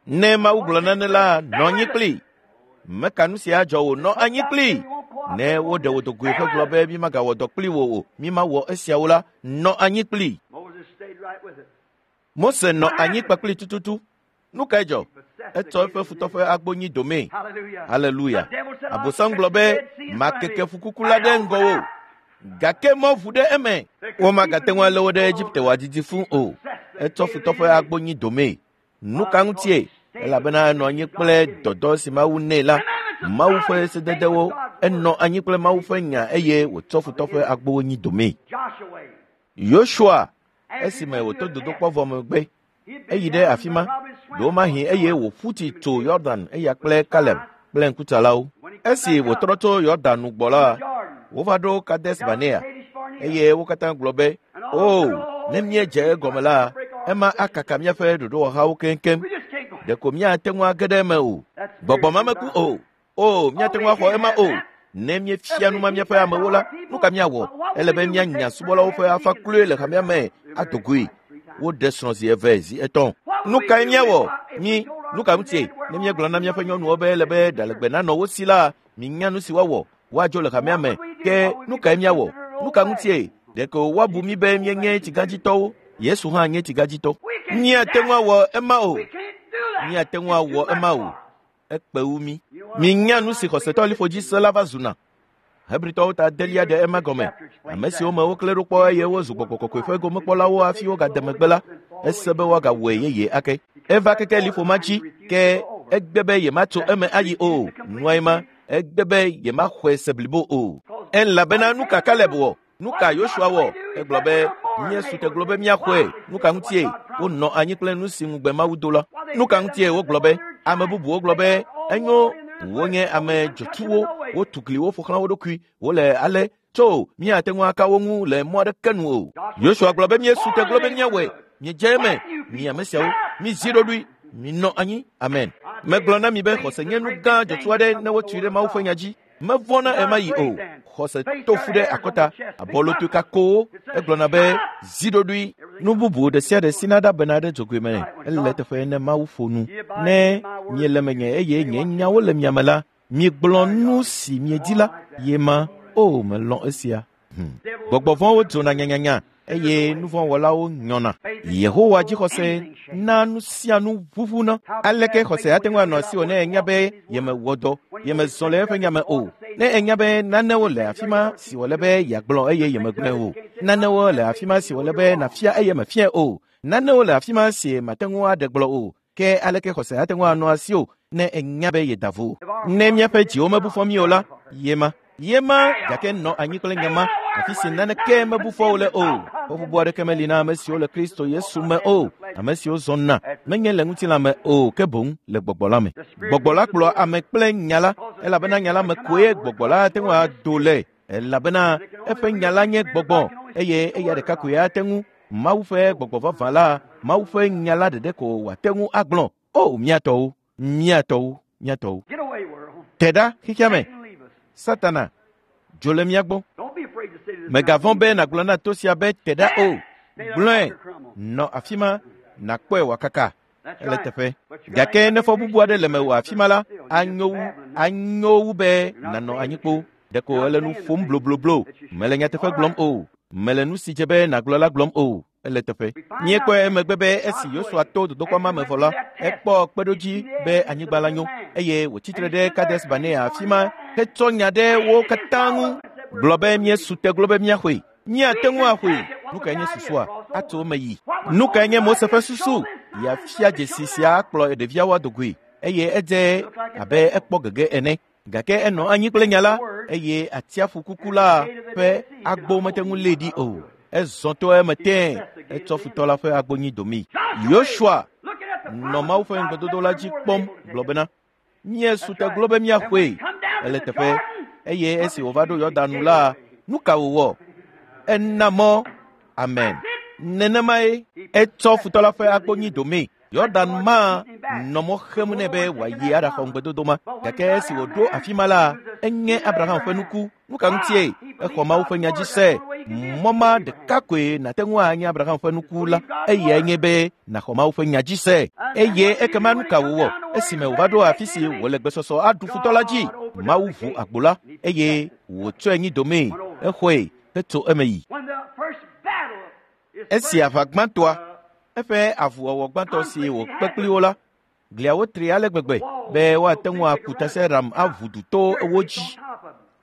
Ne Mawu gblɔ nane la, nɔ anyi kplii. Meka nu sia dzɔ wò, nɔ anyi kplii. Ne woɖe wò dogoe ƒe gblɔ be mímagawɔ dɔ kpli wò o, mímawɔ esiawo la, nɔ anyi kplii. Mose nɔ anyi kpakplii tututu. Nu kae dzɔ? Etsɔ eƒe futɔ ƒe agbo nyi domee. Haleluya. Abosam gblɔ be, makeke ƒukuku la ɖe ŋgɔwò. Gake mɔ ʋu ɖe eme. Womagate ŋu alé wo ɖe Egipte wòadidi fũu o. Etsɔ futɔ ƒe agbo nyi domee. Nu ka ŋutie? Elabena enɔ anyi kple dɔdɔ si Mawu nɛ la, Mawu ƒe sededewo. Enɔ anyi kple Mawu ƒe nya eye wòtsɔ futɔ ƒe agbowo nyi domee. Yosua, esime wòto dodokpɔ vɔ megbe, eyi ɖe afi ma, ɖewomahi eye wòƒu tsi tso Yɔdan eya kple Kaleb kple ŋkutsalawo. Esi wòtrɔ tso Yɔdan nu gbɔ la, wova ɖo Kades Barnea eye wo katã gblɔ be, o, ne míedze egɔme la, ema akaka míaƒe ɖoɖowɔhawo keŋkeŋ. Ɖeko míate ŋu age ɖe eme o. Gbɔgbɔ ma meku o. O, míate ŋu axɔ ema o. Ne míefia nu ma míaƒe amewo la, nu ka míawɔ? Ele be míanya subɔlawo ƒe afa kloe le hamea me ado goe. Woɖe srɔ̃ zi eve, zi etɔ̃. Nu kae míawɔ? Mí, nu ka ŋutie? Ne míegblɔ na míaƒe nyɔnuwo be ele be ɖalegbe nanɔ wo si la, minya nu si woawɔ. Woadzo le hamea me. Ke nu kae míawɔ? Nu ka ŋutie? Ɖeko woabu mí be míenye tsigadzitɔwo. Yesu hã nye tsigadzitɔ. Míate ŋu awɔ ema o. Míate ŋu awɔ ema o. Ekpe wu mí. Minya nu si xɔsetɔ liƒodzisela la va zuna. Hebritɔwo ta adelia ɖe ema gɔme. Ame siwo me woklẽ ɖo kpɔ eye wozu gbɔgbɔ kɔkɔe ƒe gomekpɔlawo hafi wogade megbe la, ese be woagawɔe yeye ake. Eva keke liƒo ma dzi ke egbe be yematso eme ayi o. Nuae ma, egbe be yemaxɔe se blibo o. Elabena nu ka Kaleb wɔ? Nu ka Yosua wɔ? Egblɔ be, míesu te gblɔ be míaxɔe. Nu ka ŋutie? Wonɔ anyi kple nu si ŋugbe Mawu do la. Nu ka ŋutie wogblɔ be, ame bubuwo gblɔ be, enyo, wonye ame dzɔtsuwo, wotu gliwo ƒo xlã wo ɖokui, wole ale, tso míate ŋu aka wo ŋu le mɔ aɖeke nu o. Yosua gblɔ be míesu te gblɔ be míawɔe. Miedze eme, mi ame siawo, mizi ɖoɖoe, minɔ anyi. Amen. Megblɔ na mi be xɔse nye nu gã dzɔtsu aɖe ne wotui ɖe Mawu ƒe nya dzi. Mevɔ̃na ema yi o. Xɔse to fu ɖe akɔta, abɔlotoe kakowo. Egblɔna be zi ɖoɖoe. Nu bubu ɖe sia ɖe si nada bena ɖe dzogoe me ele teƒe ne Mawu ƒo nu. Ne miele menye eye nye nyawo le mia me la, miegblɔ nu si miedi la, ye ma. O, melɔ̃ esia. Gbɔgbɔ vɔ̃wo dzona nyanyanya eye nu vɔ̃ wɔlawo nyɔna. Yehowa dzixɔse na nu sia nu ʋuʋuna. Aleke xɔse ate ŋu anɔ asiwò ne ènya be yemewɔ dɔ, yemezɔ le eƒe nya me o? Ne ènya be nanewo le afi ma si wòle be yeagblɔ eye yemegblɔe o. Nanewo le afi ma si wòle be nàfia eye mèfiae o. Nanewo le afi ma si màte ŋu aɖe gblɔ o. Ke aleke xɔse ate ŋu anɔ asiwò ne ènya be yeda vo? Ne míaƒe dziwo mebu fɔ mí o la, ye ma. Ye ma gake nɔ anyi kple nya ma, afi si naneke mebu fɔ wo le o. Fɔbubu aɖeke meli na ame siwo le Kristo Yesu me o, ame siwo zɔna menye le ŋutilã me o, ke boŋ le gbɔgbɔ la me. Gbɔgbɔ la kplɔa ame kple nya la, elabena nya la me koe gbɔgbɔ la ate ŋu ado le, elabena eƒe nya la nye gbɔgbɔ eye eya ɖeka koe ate ŋu Mawu ƒe gbɔgbɔ vavã la, Mawu ƒe nya la ɖeɖe ko wòate ŋu agblɔ. O, mía tɔwo, mía tɔwo, mía tɔwo. Get away, world. Te ɖa xexea me. Satan, leave us. Satana, dzo le mía gbɔ. Don't be afraid to say to this Mègavɔ̃ mountain, be nàgblɔ na to sia be te ɖa o. Gblɔe, nɔ afi ma, nàkpɔe wòakaka. That's Ele right. teƒe. But you gotta Gake ne fɔ bubu aɖe le mewò afi ma la, anyo wu, anyo wu be nànɔ anyi kpo. Ɖeko ele nu ƒom blobloblo. Mele nyateƒe gblɔm o. Mele nu si dze be nàgblɔ la gblɔm o. Ele teƒe. Míekpɔe emegbe be esi Yosua to dodokpɔ ma me vɔ la, ekpɔ kpeɖodzi be anyigba la nyo eye wòtsitre ɖe Kades Barnea afi ma hetsɔ nya ɖe wo katã ŋu. Gblɔ be míesu te gblɔ be míaxɔe. Míate ŋu axɔe. Nu kae nye susua? Atso eme yi. Nu kae nye Mose ƒe susu? Yeafia dzesi sia akplɔ ɖeviawo ado goe eye edze abe ekpɔ gege ene. Gake enɔ anyi kple nya la eye atsiaƒu kuku la ƒe agbo mete ŋu lée ɖi o. Ezɔ to eme tẽe etsɔ futɔ la ƒe agbo nyi domii. Yosua Looking at the nɔ Mawu ƒe ŋugbedodo la dzi kpɔm gblɔ bena, míesu te gblɔ be míaxɔe. Ele teƒe eye esi wòva ɖo Yɔdan nu la, nu ka wòwɔ? Ena mɔ. Amen. Nenemae etsɔ futɔ la ƒe agbo nyi domii. Yɔdan ma nɔ mɔ xem nɛ be wòayi aɖaxɔ ŋugbedodo ma. Gake esi wòɖo afi ma la, enye Abraham ƒe nuku. Nu ka ŋutie? Exɔ Mawu ƒe nya dzi se. Mɔ ma ɖeka koe nàte ŋu anye Abraham ƒe nuku la, eyae nye be nàxɔ Mawu ƒe nya dzi se. Eye ekema nu ka wòwɔ esime wòva ɖo afi si wòle gbesɔsɔ aɖu futɔ la dzi? Mawu ʋu agbo la eye wòtsɔe nyi domee. Exɔe hetso eme yi. When the first battle is Esi aʋa gbãtɔa, eƒe avuwɔwɔ gbãtɔ si wòkpe kpli wo la, gliawo tri ale gbegbe be woate ŋu aku tasiaɖam aʋu du to wo dzi.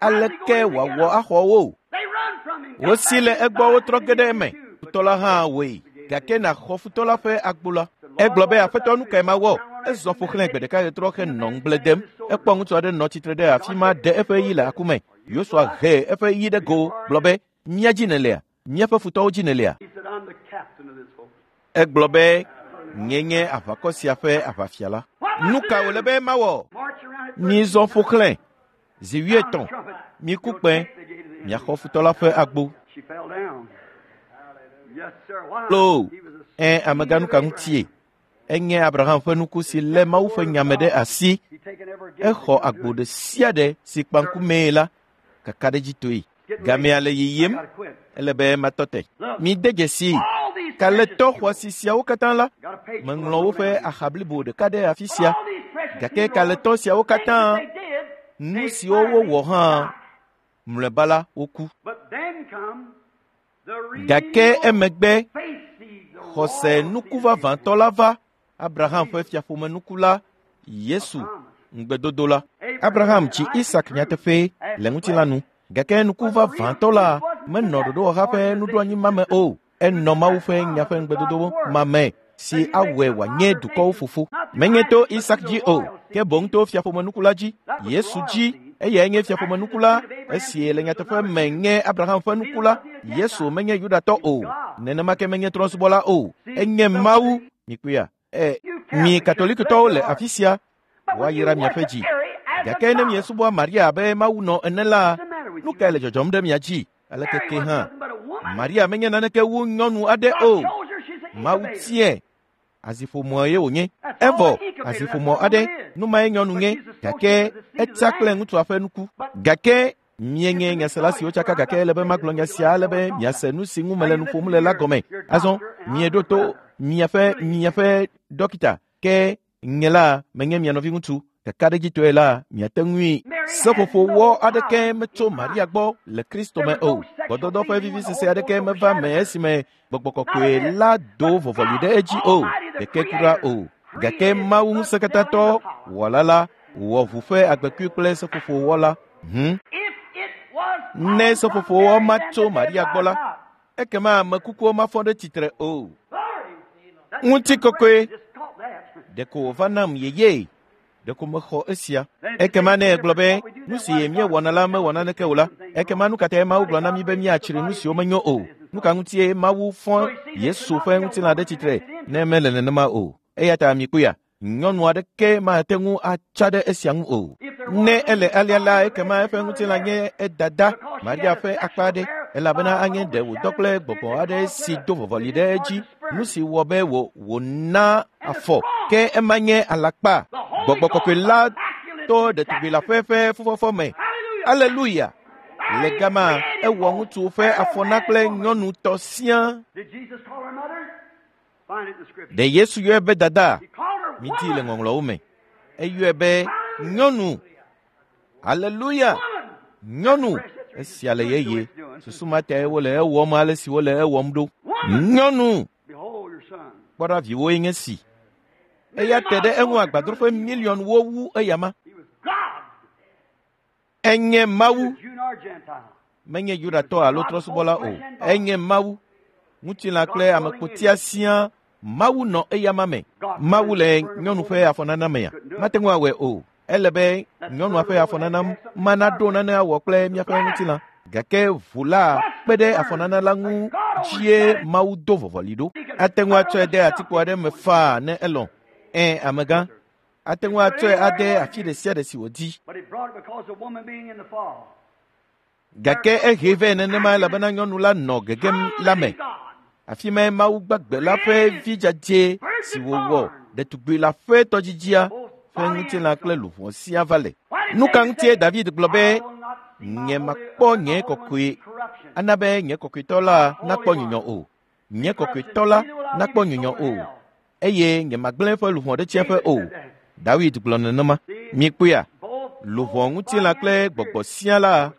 Aleke wòawɔ axɔ wo? They run from him. Wosi le egbɔ wotrɔ ge ɖe eme. Futɔ la hã wɔe. Gake nàxɔ futɔ la ƒe agbo la. Egblɔ be aƒetɔ nu kae mawɔ? Ezɔ ƒo xlãe gbe ɖeka ɣetrɔ henɔ ŋugble dem. Ekpɔ ŋutsu aɖe nɔ tsitre ɖe afi ma ɖe eƒe ɣi le aku me. Yosua he eƒe ɣi ɖe go gblɔ be, mía dzi nèlea? Míaƒe futɔwo dzi nèlea? He said, I'm the captain of this host. Egblɔ be, nye nye aʋakɔ sia ƒe aʋafia la. Nu ka wòle be mawɔ? March around it. Mizɔ ƒo xlãe zi wuietɔ̃. Miku kpẽ, miaxɔ futɔ la ƒe agbo. She fell down. Yes, sir. Why? Lo, He was a ẽ amegã nu ka ŋutie? Enye Abraham ƒe nuku si lé Mawu ƒe nya me ɖe asi. He taken every gate Exɔ agbo ɖe sia ɖe si kpa ŋkumee la kakaɖedzitɔe. Gamea le yiyim, Gotta quit. ele be matɔ te. Mide dzesii, All these kalẽtɔ xɔasi siawo katã la, got a page meŋlɔ woƒe axa blibo ɖeka ɖe afi sia. All these precious Gake heroes, kalẽtɔ siawo katã, things that they did, nu they siwo wowɔ hã, Mlɔeba la woku. Gake emegbe xɔse nuku vavãtɔ la va, Abraham ƒe fiaƒomenuku la, Yesu ŋugbedodo la. Abraham tsi Isak nyateƒe le ŋutilã nu, gake nuku vavãtɔ la menɔ ɖoɖowɔha ƒe nuɖoanyi ma me o. Enɔ Mawu ƒe nya ƒe ŋugbedodo ma me si awɔe wòanye dukɔwo fofo. Menye to Isak dzi o, ke boŋ to fiaƒomenuku la dzi, Yesu dzi. Eyae nye fiaƒomenuku la, esi le nyateƒe me nye Abraham ƒe nuku la. Yesu menye Yudatɔ o, nenema ke menye trɔ̃subɔla o. Enye Mawu. Mikpɔea? Mi Katolikitɔwo le afi sia, woayra miaƒe dzi. Gake ne miesubɔa Maria abe Mawu nɔ ene la, nu kae le dzɔdzɔm ɖe mia dzi? Aleke ke hã, Maria menye naneke wu nyɔnu aɖe o. Mawu tiae. Aziƒomɔ ye wònye. Evɔ aziƒomɔ aɖe, nu mae nyɔnu nye, gake etsa kple ŋutsua ƒe nuku. Gake mienye nyasela siwo tsaka, gake ele be magblɔ nya sia ale be miase nu si ŋu mele nu ƒom le la gɔme. Azɔ mieɖo to miaƒe dɔkita, ke nye la menye mia nɔviŋutsu. Kakaɖedzitɔe la miate ŋui. Seƒoƒowɔ aɖeke metso Maria gbɔ le Kristo me o. Gbɔdɔdɔ ƒe vivisese aɖeke meva me esime gbɔgbɔ kɔkɔe la do vɔvɔli ɖe edzi o, ɖeke kura o. Gake Mawu ŋusẽkatãtɔ wɔla la wɔ ʋu ƒe agbekui kple seƒoƒowɔ la. Ne seƒoƒowɔ ma tso Maria gbɔ la, ekema ame kukuwo mafɔ ɖe tsitre o. Ŋutikɔkɔe ɖeko wòva nam yeye. Ɖeko mexɔ esia. Ekema ne egblɔ be nu si míewɔna la mewɔ naneke o la, ekema nu ka tae Mawu gblɔ na mí be míatsri nu siwo menyo o? Nu ka ŋutie Mawu fɔ Yesu ƒe ŋutilã ɖe tsitre ne mele nenema o? Eya ta mikpɔea, nyɔnu aɖeke mate ŋu atsa ɖe esia ŋu o. Ne ele alea la, ekema eƒe ŋutilã nye edada Maria ƒe akpa aɖe, elabena anye ɖe wòdɔ kple gbɔgbɔ aɖe si do vɔvɔli ɖe edzi, nu si wɔ be wòna afɔ, ke ema nye alakpa. Gbɔgbɔ kɔkɔe la to ɖetugbi la ƒe fufɔfɔ me. Aleluya! Le gama ewɔ ŋutsu ƒe afɔ na kple nyɔnu tɔ siaa. Ɖe Yesu yɔe be dada? Midi le ŋɔŋlɔwo me. Eyɔe be nyɔnu. Aleluya! Nyɔnu. Esia le yeye. Susu ma tae wole ewɔm ale si wole ewɔm ɖo. Nyɔnu. Kpɔ ɖa viwoe nye si. Eya te ɖe eŋu agbadroƒe miliɔnwo wu eyama. Enye Mawu. Menye Yudatɔ alo trɔ̃subɔla o. Enye Mawu. Ŋutilã kple amekpotia siaa Mawu nɔ eyama me. Mawu le nyɔnu ƒe afɔnana mea? Mate ŋu awɔe o. Ele be nyɔnua ƒe afɔnana mana ɖo nane awɔ kple míaƒe ŋutilã. Gake ʋu la kpe ɖe afɔnana la ŋu dzie Mawu do vɔvɔli ɖo. Ate ŋu atsɔe de atikpo aɖe me faa ne elɔ̃. Ẽ, amegã. Ate ŋu atsɔe ade afi ɖe sia ɖe si wòdi. Gake ehe vɛ nenema elabena nyɔnu la nɔ gegem la me. Afi mae Mawu gbagbe la ƒe vi dzadzɛ si wòwɔ ɖetugbi la ƒe tɔdzidzia ƒe ŋutilã kple luʋɔ siaa va le. Nu ka ŋutie David gblɔ be, nye makpɔ nye kɔkɔe, ana be nye kɔkɔetɔ la nakpɔ nyunyɔ o. Nye kɔkɔetɔ la nakpɔ nyunyɔ o, eye nye magblẽ eƒe luʋɔ ɖe tsiẽƒe o. David gblɔ nenema. Mikpɔea, luʋɔ ŋutilã kple gbɔgbɔ sia la,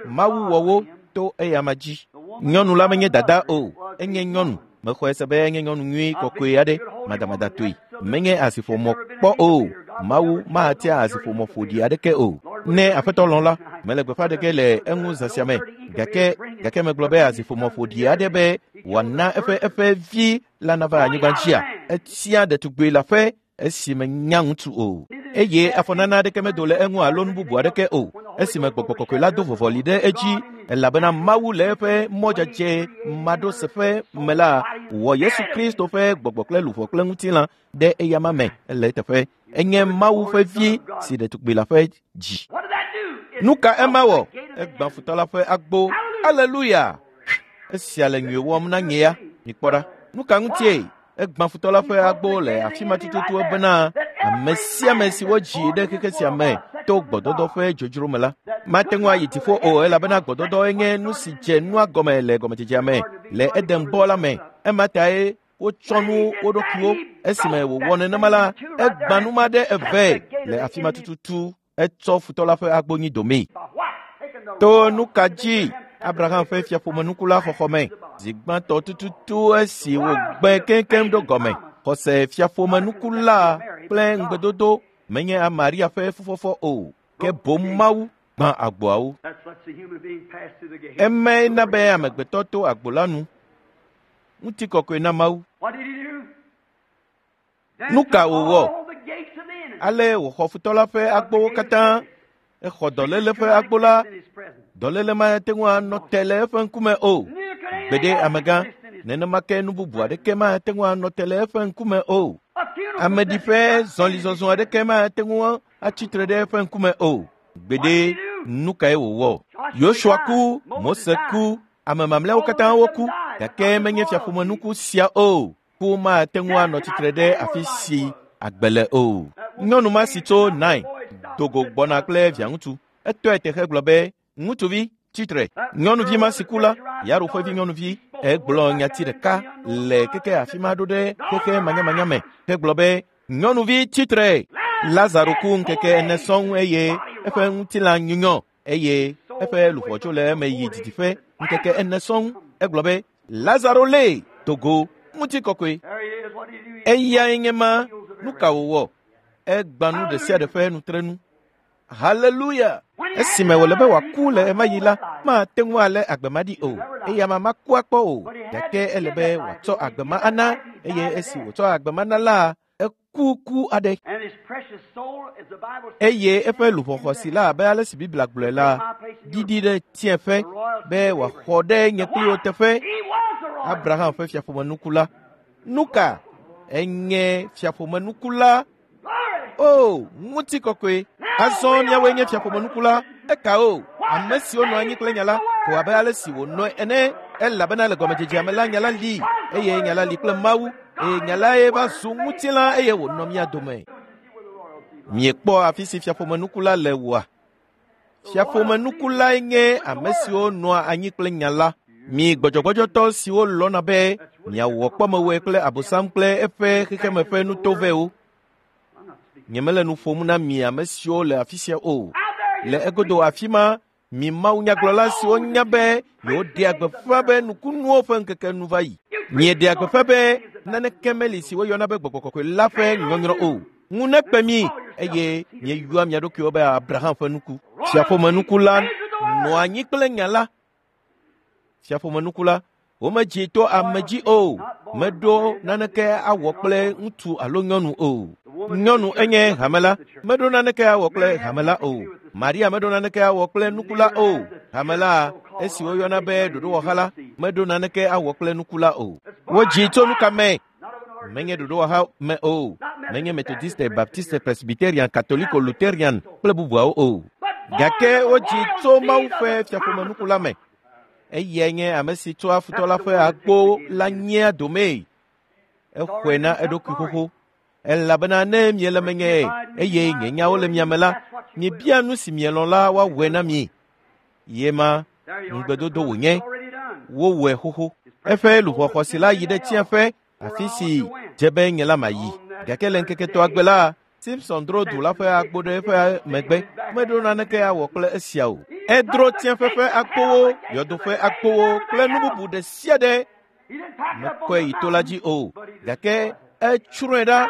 Mawu wɔ wo to eyama dzi. Nyɔnu la menye dada o, enye nyɔnu. Mexɔe se be enye nyɔnu nyui kɔkɔe aɖe, madamada-toe. Menye asiƒomɔ kpɔ o. Mawu matia asiƒomɔ ƒoɖi aɖeke o. Ne Aƒetɔ lɔ̃ la, mele gbeƒã ɖe ge le eŋu zã sia me. Gake megblɔ be asiƒomɔ ƒoɖi aɖe be wòana eƒe vi la nava anyigba dzia, etia ɖetugbi la ƒe esime nya ŋutsu o. Eye afɔnana aɖeke medo le eŋu alo nu bubu aɖeke o. Esime gbɔgbɔ kɔkɔe la do vɔvɔli ɖe edzi, elabena Mawu le eƒe mɔ dzadzɛ maɖoseƒe me la wɔ Yesu Kristo ƒe gbɔgbɔ kple luʋɔ kple ŋutilã ɖe eyama me le eteƒe. Enye Mawu ƒe vi si ɖetugbi la ƒe dzi. Nu ka ema wɔ? Egbã futɔ la ƒe agbo. Aleluya! Esia le nyui wɔm na nye ya. Mikpɔ ɖa. Nu ka ŋutie? Egbã futɔ la ƒe agbo le afi ma tututu bena ame sia ame si wodzi ɖe xexe sia me to gbɔdɔdɔ ƒe dzodzro me la mate ŋu ayi dziƒo o, elabena gbɔdɔdɔ nye nu si dze nua gɔme le gɔmedzedzea me le Eden bɔ la me. Ema tae wotsɔ nu wo ɖokuiwo. Esime wòwɔ nenema la, egbã nu ma ɖe eve le afi ma tututu. Etsɔ futɔ la ƒe agbo nyi domee. To nu ka dzi Abraham ƒe fiaƒomenuku la xɔxɔ me zi gbãtɔ tututu esi wògbẽ keŋkeŋ ɖo gɔme. Xɔse fiaƒomenuku la kple ŋugbedodo menye Maria ƒe fufɔfɔ o, ke boŋ Mawu gbã agboawo. Emae na be amegbetɔ to agbo la nu. Ŋutikɔkɔe na Mawu. Nu ka wòwɔ? Ale wòxɔ futɔ la ƒe agbowo katã. Exɔ dɔléle ƒe agbo la. Dɔléle mate ŋu anɔ te le eƒe ŋkume o. Gbeɖe amegã, nenema ke nu bubu aɖeke mate ŋu anɔ te le eƒe ŋkume o. Ameɖiƒe zɔlizɔzɔ aɖeke mate ŋu atsitre ɖe eƒe ŋkume o. Gbeɖe, nu kae wòwɔ? Yosua ku, Mose ku, ame mamlɛawo katã woku, gake menye fiaƒomenuku sia o. Ku mate ŋu anɔ tsitre ɖe afi si agbe le o. Nyɔnu ma si tso Nain do go gbɔna kple viaŋutsu. Etɔe te hegblɔ be, ŋutsuvi, tsitre. Nyɔnuvi ma si ku la, Yairo ƒe vi nyɔnuvi, egblɔ nyati ɖeka le keke afi ma ɖo ɖe xexe manyamanya me hegblɔ be, nyɔnuvi tsitre. Lazaro ku ŋkeke ene sɔŋ eye eƒe ŋutilã nyunyɔ eye eƒe luʋɔ tso le eme yi didiƒe ŋkeke ene sɔŋ. Egblɔ be, Lazaro lée do go. Ŋutikɔkɔe. Eyae nye ma. Nu ka wòwɔ? Egbã nu ɖe sia ɖe ƒe nutrenu. Haleluya! Esime wòle be wòaku le ema yi la, mate ŋu alé agbe ma ɖi o. Eya ma maku akpɔ o. Gake ele be wòatsɔ agbe ma ana eye esi wòtsɔ agbe ma na la, eku ku aɖe. Eye eƒe luʋɔ xɔasi la abe ale si Biblia gblɔe la, ɖiɖi ɖe tsiẽƒe be wòaxɔ ɖe nye kpli wo teƒe. Abraham ƒe fiaƒomenuku la. Nu ka? Enye fiaƒomenuku la. O, ŋutikɔkɔe. Azɔ míawoe nye fiaƒomenuku la. Eka o, ame siwo nɔ anyi kple nya la, ko abe ale si wònɔe ene. Elabena le gɔmedzedzea me la, nya la li, eye nya la li kple Mawu, eye nya lae va zu ŋutilã eye wònɔ mía dome. Miekpɔ afi si fiaƒomenuku la le oa? Fiaƒomenuku lae nye ame siwo nɔa anyi kple nya la. Mi gbɔdzɔgbɔdzɔtɔ siwo lɔ̃na be miawɔ kpɔmewɔe kple Abosam kple eƒe xexeme ƒe nutovɛwo. Nyemele nu ƒom na mi ame siwo le afi sia o. Le egodo afi ma, mi mawunyagblɔla siwo nya be yewoɖea gbeƒã be nukunuwo ƒe ŋkeke nu va yi. Mieɖea gbeƒã be naneke meli si woyɔna be gbɔgbɔ kɔkɔe la ƒe nyɔnyrɔ o. Ŋu nekpe mi eye mieyɔa mia ɖokuiwo be Abraham ƒe nuku. Fiaƒomenuku la nɔ anyi kple nya la. Fiaƒomenuku la, womedzi to ame dzi o. Meɖo naneke awɔ kple ŋutsu alo nyɔnu o. Nyɔnu enye hame la, meɖo naneke awɔ kple hame la o. Maria meɖo naneke awɔ kple nuku la o. Hame la, esi woyɔna be ɖoɖowɔha la, meɖo naneke awɔ kple nuku la o. Wodzi tso nu ka me? Menye ɖoɖowɔha me o. Menye Methodiste, Baptiste, Presbyterian, Katoliko, Lutherian kple bubuawo o. Gake wodzi tso Mawu ƒe fiaƒomenuku la me. Eyae nye ame si tsɔa futɔ la ƒe agbo la nyea domee. Exɔe na eɖokui xoxo. Elabena ne miele menye eye nye nyawo le mia me la, miebia nu si mielɔ̃ la woawɔe na mi. Ye ma ŋugbedodo wònye. Wowɔe xoxo. Eƒe luʋɔ xɔasi la yi ɖe tsiẽƒe, afi si dze be nye la mayi. Gake le ŋkeke etɔ̃a gbe la, Simpson dro du la ƒe agbo ɖe eƒe megbe. Meɖo naneke awɔ kple esia o. Edro tsiẽƒe ƒe agbowo, yɔdo ƒe agbowo kple nu bubu ɖe sia ɖe. Mekɔe yi to la dzi o, gake etsrɔ̃e ɖa.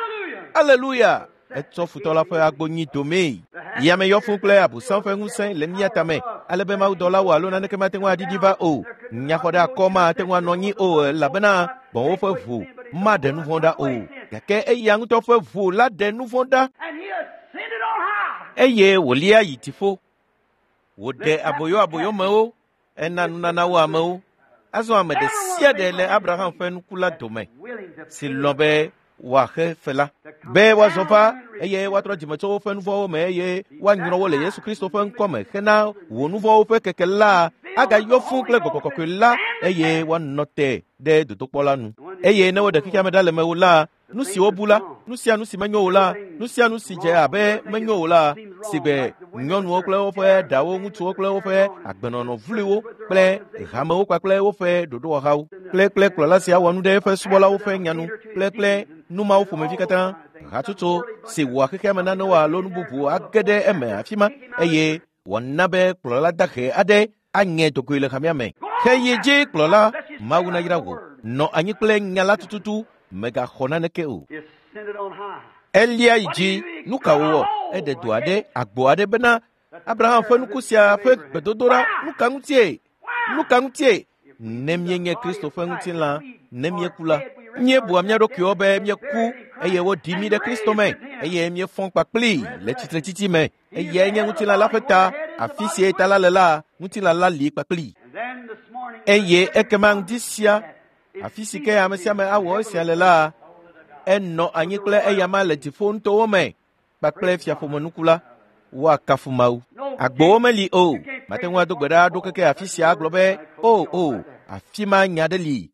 Aleluya! Etsɔ futɔ la ƒe agbo nyi domee. Yame yɔ fũ kple Abosam ƒe ŋusẽ le mía tame, ale be mawudɔlawo alo naneke mate ŋu aɖiɖi va o. Nyaxɔ ɖe akɔ mate ŋu anɔ anyi o elabena gbɔ̃wo ƒe ʋu maɖe nu vɔ̃ ɖa o. Gake eya ŋutɔ ƒe ʋu la ɖe nu vɔ̃ ɖa. Eye wòlia yi dziƒo. Wòɖe aboyo aboyomewo, ena nunanawo amewo. Azɔ ame ɖe sia ɖe le Abraham ƒe nuku la dome si lɔ̃ be wòaxe fe la, be woazɔ va eye woatrɔ dzime tso woƒe nu vɔ̃wo me eye woanyrɔ wo le Yesu Kristo ƒe ŋkɔ me hena wò nu vɔ̃wo ƒe keke la agayɔ fũ kple gbɔgbɔ kɔkɔe la eye woanɔ te ɖe dodokpɔ la nu. Eye ne woɖe xexea me ɖa le mewò la, nu si wobu la, nu sia nu si menyo o la, nu sia nu si dze abe menyo o la, si gbe nyɔnuwo kple woƒe ɖawo, ŋutsuwo kple woƒe agbenɔnɔ vloewo kple hamewo kpakple woƒe ɖoɖowɔhawo kple kplɔla sia wɔ nu ɖe eƒe subɔlawo ƒe nyanu kple nu mawo ƒomevi katã, hatsotso si wɔa xexea me nanewo alo nu bubu age ɖe eme afi ma eye Wòana be kplɔla dahe aɖe aŋe dogoe le hamea me. Xeyi dzi kplɔla, Mawu nayra wò. Nɔ anyi kple nya la tututu, mègaxɔ naneke o. Elia yi dzi, nu ka wòwɔ? Eɖe do aɖe, agbo aɖe bena Abraham ƒe nuku sia ƒe gbedodoɖa, nu ka ŋutie? Nu ka ŋutie? Ne míenye Kristo ƒe ŋutilã, ne míeku la, míebua mía ɖokuiwo be míeku eye woɖi mí ɖe Kristo me eye míefɔ kpakplii le tsitretsitsi me. Eyae nye ŋutilã la ƒe ta. Afi si ta la le la, ŋutilã la li kpakplii. Eye ekema ŋdi sia, afi si ke ame sia ame awɔ esia le la, enɔ anyi kple eyama le dziƒo nutowo me kpakple fiaƒomenuku la. Woakafu Mawu. Agbowo meli o. Mate ŋu ado gbe ɖa ɖo keke afi sia agblɔ be, o o, afi ma nya ɖe li.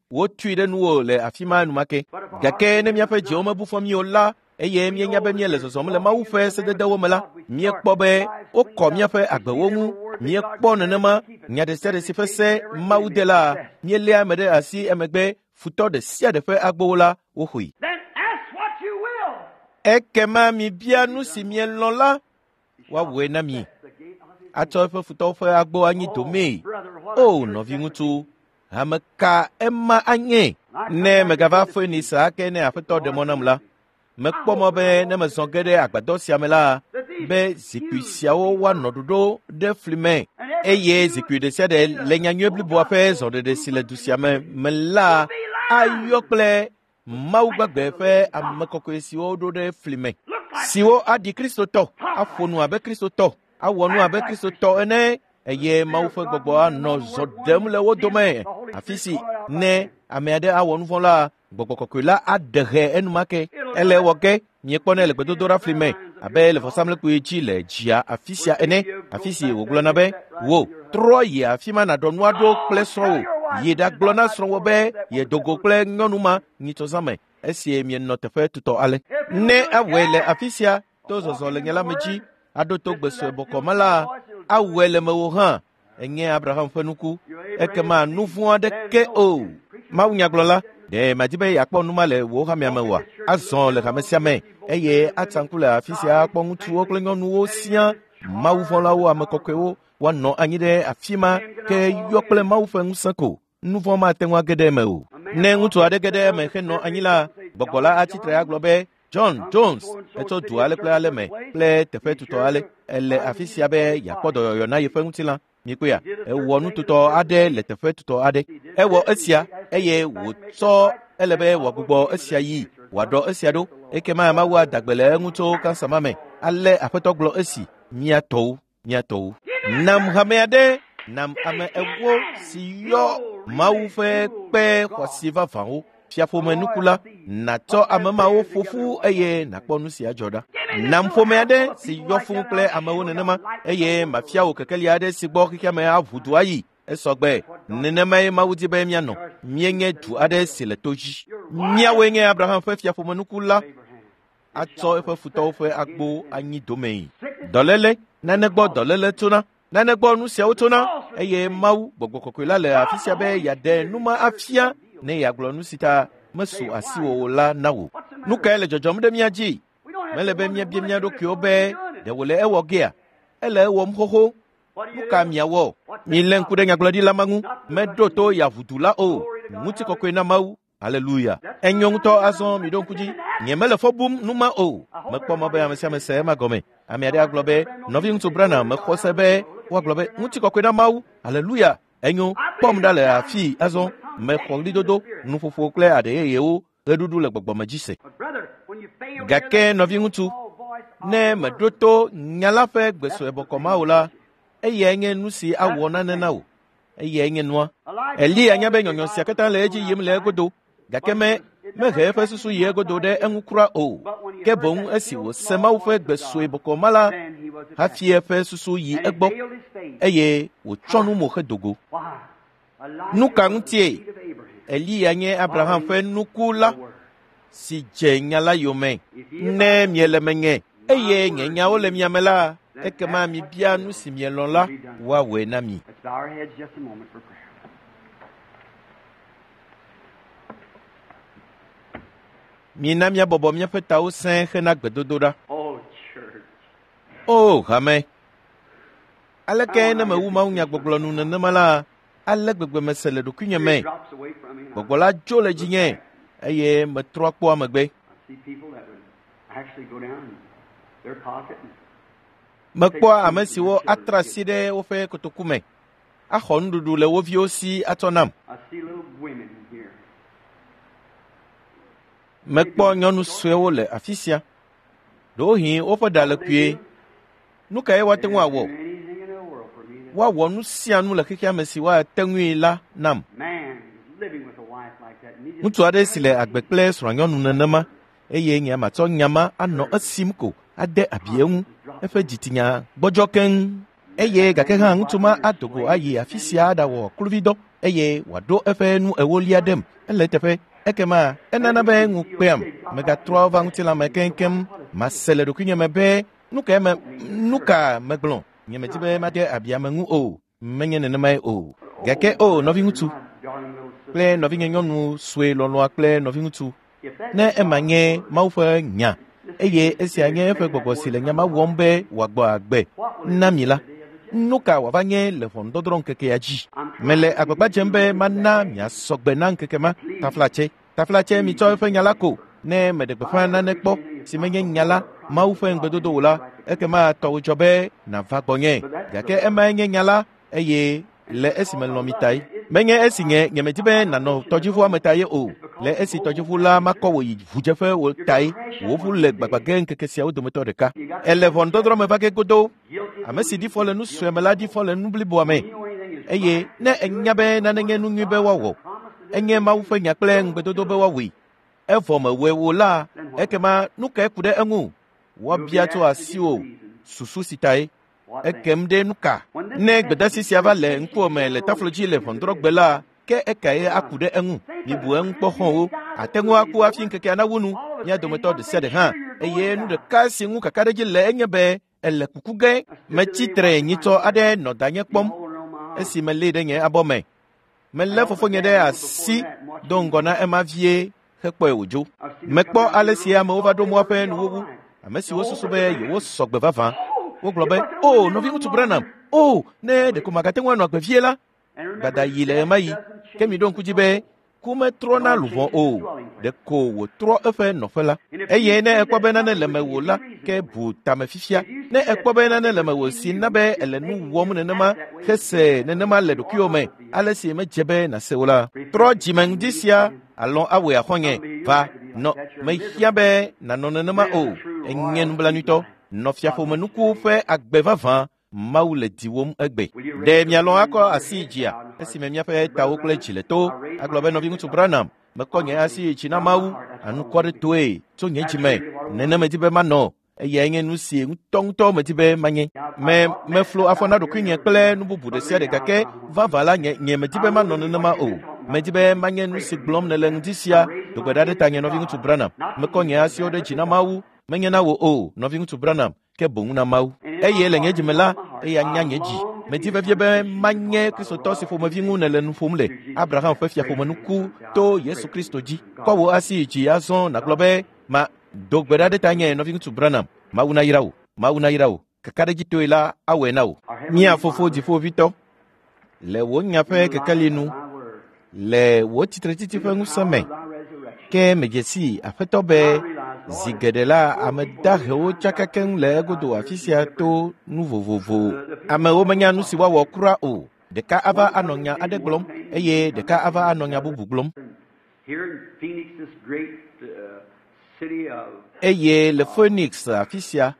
Wotui ɖe nuwò le afi ma enumake. Gake ne míaƒe dziwo mebu fɔ mí o la, eye míenya be míele zɔzɔm le Mawu ƒe sededewo me la, míekpɔ be wokɔ míaƒe agbewo ŋu. Míekpɔ nenema nya ɖe sia ɖe si ƒe se Mawu de la, míeléa eme ɖe asi emegbe futɔ ɖe sia ɖe ƒe agbowo la woxɔe. Ekema mibia nu si mielɔ̃ la, woawɔe na mi. Atsɔ eƒe futɔwo ƒe agbo anyi domee. O nɔviŋutsu, hame ka ema anye? Ne megava Foenisa ake ne Aƒetɔ ɖe mɔ nam la, mekpɔ mɔ be ne mezɔ ge ɖe agbadɔ sia me la, be zikpui siawo woanɔ ɖoɖo ɖe fli me eye zikpui ɖe sia ɖe le nyanyui bliboa ƒe zɔɖeɖe si le du sia me me la ayɔ kple Mawu gbagbe ƒe ame kɔkɔe siwo ɖo ɖe fli me, siwo aɖi Kristotɔ, aƒo nu abe Kristotɔ, awɔ nu abe Kristotɔ ene, eye Mawu ƒe gbɔgbɔ anɔ zɔ ɖem le wo dome. Afi si ne ame aɖe awɔ nu vɔ̃ la, gbɔgbɔ kɔkɔe la aɖe hɛ enumake. Ele ewɔ ge miekpɔnɛ le gbedodoɖa fli me abe le vɔsamlekpui dzi le dzia afi sia ene, afi si wògblɔna be, wò trɔ yi afi ma nàɖɔ nua ɖo kple srɔ̃wò. Yi ɖagblɔ na srɔ̃wò be yedo go kple nyɔnu ma nyitsɔzã me esi mienɔ teƒe tutɔ ale. Ne awɔe le afi sia to zɔzɔ le nye la me dzi aɖo to gbe sue bɔkɔ me la, awɔe le mewò hã. Enye Abraham ƒe nuku. Ekema nu vɔ̃ aɖeke o. Mawu nyagblɔla, ɖe madi be yeakpɔ nu ma le wò hamea me oa? Azɔ le hame sia me eye atsa ŋku le afi sia akpɔ ŋutsuwo kple nyɔnuwo siaa, Mawu vɔ̃lawo, ame kɔkɔewo, woanɔ anyi ɖe afi ma ke yɔ kple Mawu ƒe ŋusẽ ko. Nu vɔ̃ mate ŋu age ɖe eme o. Ne ŋutsu aɖe ge ɖe eme henɔ anyi la, gbɔgbɔ la atsi tre agblɔ be, John Jones etso du ale kple ale me kple teƒe tutɔ ale. Ele afi sia be yeakpɔ dɔyɔyɔ na yeƒe ŋutilã. Mikpɔea, ewɔ nututɔ aɖe le teƒe tutɔ aɖe. Ewɔ esia eye wòtsɔ ele be wòagbugbɔ esia yi, wòaɖɔ esia ɖo. Ekema Mawu ada gbe le eŋu tso kansa ma me. Ale Aƒetɔ gblɔ esi, mía tɔwo, mía tɔwo. Nam hame aɖe, nam ame ewo si yɔ Mawu ƒe kpe xɔasi vavãwo. Fiaƒome nuku la, nàtsɔ ame mawo ƒo ƒu eye nàkpɔ nu si adzɔ ɖa. Nam ƒome aɖe si yɔ fũu kple amewo nenema eye mafia wò kekeli aɖe si gbɔ xexea me aʋu du ayi. Esɔgbe, nenemae Mawu di be míanɔ. Míenye du aɖe si le to dzi. Míawoe nye Abraham ƒe fiaƒomenuku la atsɔ eƒe futɔwo ƒe agbo anyi domee. Dɔléle, nane gbɔ dɔléle tsona, nane gbɔ nu siawo tsona eye Mawu gbɔgbɔ kɔkɔe la le afi sia be yeaɖe nu ma afia ne yeagblɔ nu si ta mesu asiwò o la na wò. Nu kae le dzɔdzɔm ɖe mía dzi? Mele be míabia mía ɖokuiwo be ɖe wòle ewɔ gea? Ele ewɔm xoxo. Nu ka miawɔ? Milé ŋku ɖe nyagblɔɖila ma ŋu. Meɖo to yaʋudu la o. Ŋutikɔkɔe na Mawu. Aleluya. Enyo ŋutɔ azɔ miɖo ŋku dzi. Nyemele fɔ bum nu ma o. Mekpɔ mɔ be ame sia ame se ema gɔme. Ame aɖe agblɔ be, nɔviŋutsu Branham, mexɔ se be woagblɔ be ŋutikɔkɔe na Mawu. Aleluya. Enyo, kpɔm ɖa le afii azɔ. Mexɔ ɣlidodo, nuƒoƒo kple aɖe yeyewo ɣeɖuɖu le gbɔgbɔme dzi se. Gake nɔviŋutsu, ne meɖo to nya la ƒe gbe sue bɔkɔ ma o la, eyae nye nu si awɔ nane na wò. Eyae nye nua. Eliya nya be nyɔnyɔ sia katã le edzi yim le egodo, gake me mehe eƒe susu yi egodo ɖe eŋu kura o. Ke boŋ esi wòse Mawu ƒe gbe sue bɔkɔ ma la, hafi eƒe susu yi egbɔ eye wòtsɔ nu mo hedo go. Nu ka ŋutie? Eliya nye Abraham ƒe nuku la si dze nya la yome. Ne miele menye eye nye nyawo le mia me la, ekema mibia nu si mielɔ̃ la, woawɔe na mi. Let's bow our heads just a moment for prayer. Mina míabɔbɔ míaƒe tawo sẽe hena gbedodoɖa. Oh, church. O hame, Aleke ne mewu mawunyagbɔgblɔ nu nenema la, ale gbegbe mese le ɖokuinye me. Gbɔgbɔ la dzo le dzinye eye metrɔ kpɔ megbe. Mekpɔa ame siwo atra asi ɖe woƒe kotoku me, axɔ nuɖuɖu le wo viwo si atsɔ nam. Mekpɔ nyɔnu suewo le afi sia. Ɖewohĩ woƒe ɖa le kpuie. Nu kae woate ŋu awɔ? Woawɔ nu sia nu le xexea me si woate ŋui la nam. Ŋutsu aɖe si le agbe kple srɔ̃anyɔnu nenema eye nye matsɔ nya ma anɔ esim ko ade abi eŋu. Eƒe dzitsinya gbɔdzɔ keŋ. Eye gake hã ŋutsu ma ado go ayi afi sia aɖawɔ kluvidɔ eye wòaɖo eƒe nu ewolia ɖem. Ele eteƒe. Ekema enana be ŋu kpeam. Megatrɔ va ŋutilã me keŋkeŋ. Mase le ɖokuinye me be nu ka me nu ka megblɔ. Nye medi be made abi ame ŋu o. Menye nenemae o. Gake o nɔviŋutsu kple nɔvinye nyɔnu sue lɔlɔ̃a kple nɔviŋutsu ne ema nye Mawu ƒe nya eye esia nye eƒe gbɔgbɔ si le nya ma wɔm be wòagbɔ agbe na mi la, nu ka wòava nye le ʋɔnudɔdrɔ̃ ŋkekea dzi? Mele agbagba dzem be mana miasɔ gbe na ŋkeke ma. Taflatse, taflatse mitsɔ eƒe nya la ko. Ne meɖe gbeƒã nane kpɔ si menye nya la, Mawu ƒe ŋugbedodo o la, ekema tɔwò dzɔ be nàva gbɔnye. Gake emae nye nya la eye le esi melɔ̃ mi tae. Menye esi nye nyemedi be nànɔ tɔdziʋua me ta ye o. Le esi tɔdziʋu la makɔ wò yi ʋudzeƒe wò tae. Wò ʋu le gbagbã ge ŋkeke siawo dometɔ ɖeka. Ele ʋɔnudɔdrɔ̃ me va ge godoo. Ame si ɖi fɔ le nu sue me la ɖi fɔ le nu bliboa me. Eye ne ènya be nane nye nu nyui be woawɔ, enye Mawu ƒe nya kple ŋugbedodo be woawɔe, evɔ mewɔe o la, ekema nu kae ku ɖe eŋu? Woabia tso asiwò susu si tae. Ekem ɖe nu ka? Ne gbedeasi sia va le ŋkuwò me le taflo dzi le ʋɔnudrɔ̃gbe la, ke ekae aku ɖe eŋu? Mibu eŋu kpɔ xɔ̃wo. Ate ŋu aku hafi ŋkekea nawu nu, mía dometɔ ɖe sia ɖe hã. Eye nu ɖeka si ŋu kakaɖedzi le enye be ele kuku ge. Metsi tre nyitsɔ aɖe nɔ danye kpɔm esi melée ɖe nye abɔ me. Melé fofonye ɖe asi do ŋgɔ na ema vie hekpɔe wòdzo. Mekpɔ ale si amewo va ɖo mɔa ƒe nuwuwu. Ame siwo susu be yewosɔ gbe vavã. Wogblɔ be, “O, nɔviŋutsu Branham, o, ne ɖeko magate ŋu anɔ agbe vie la.” Gbada yi le ɣemaɣi. Ke miɖo ŋku dzi be ku metrɔna luʋɔ o, ɖeko wòtrɔ eƒe nɔƒe la. Eye ne èkpɔ be nane le mewò la, ke bu tame fifia. Ne èkpɔ be nane le mewò si na be èle nu wɔm nenema hese nenema le ɖokuiwò me, ale si medze be nàse o la, trɔ dzime ŋdi sia alɔ̃ awɔe axɔ̃nye. Va, nɔ, mehiã be nànɔ nenema o. Enye nublanuitɔ. Nɔ fiaƒomenuku ƒe agbe vavã Mawu le diwòm egbe. Ɖe mialɔ̃ akɔ asi yi dzia esime míaƒe tawo kple dzi le to agblɔ be nɔviŋutsu Branham, mekɔ nye asi yi dzi na Mawu anukwaretɔe tso nye dzi me. Nene medi be manɔ. Eyae nye nu si ŋutɔŋutɔ medi be manye. Me meflo afɔ na ɖokuinye kple nu bubu ɖe sia ɖe gake vavã la nye nye medi be manɔ nenema o. Medi be manye nu si gblɔm nèle ŋdi sia. Do gbe ɖa ɖe tanye nɔviŋutsu Branham. Mekɔ nye asiwo ɖe dzi na Mawu. Menye na wò o, nɔviŋutsu Branham, ke boŋ na Mawu. Eye le nye dzime la, eya nya nye dzi. Medi vevie be manye Kristotɔ si ƒomevi ŋu nèle nu ƒom le, Abraham ƒe fiaƒomenuku to Yesu Kristo dzi. Kɔ wò asi yi dzi azɔ nàgblɔ be, Ma, do gbe ɖa ɖe tanye, nɔviŋutsu Branham. Mawu nayra wò. Mawu nayra wò. Kakaɖedzitɔe la, awɔe na wò. Mía Fofo Dziƒoʋĩtɔ, le wò nya ƒe kekeli nu, le wò tsitretsitsi ƒe ŋusẽ me, ke medze sii, Aƒetɔ be, zi geɖe la, ame dahewo tsaka keŋ le egodo afi sia to nu vovovo. Amewo menya nu si woawɔ kura o. Ɖeka ava anɔ nya aɖe gblɔm eye ɖeka ava anɔ nya bubu gblɔm. Here in Phoenix, this great city of Eye le Phoenix afi sia,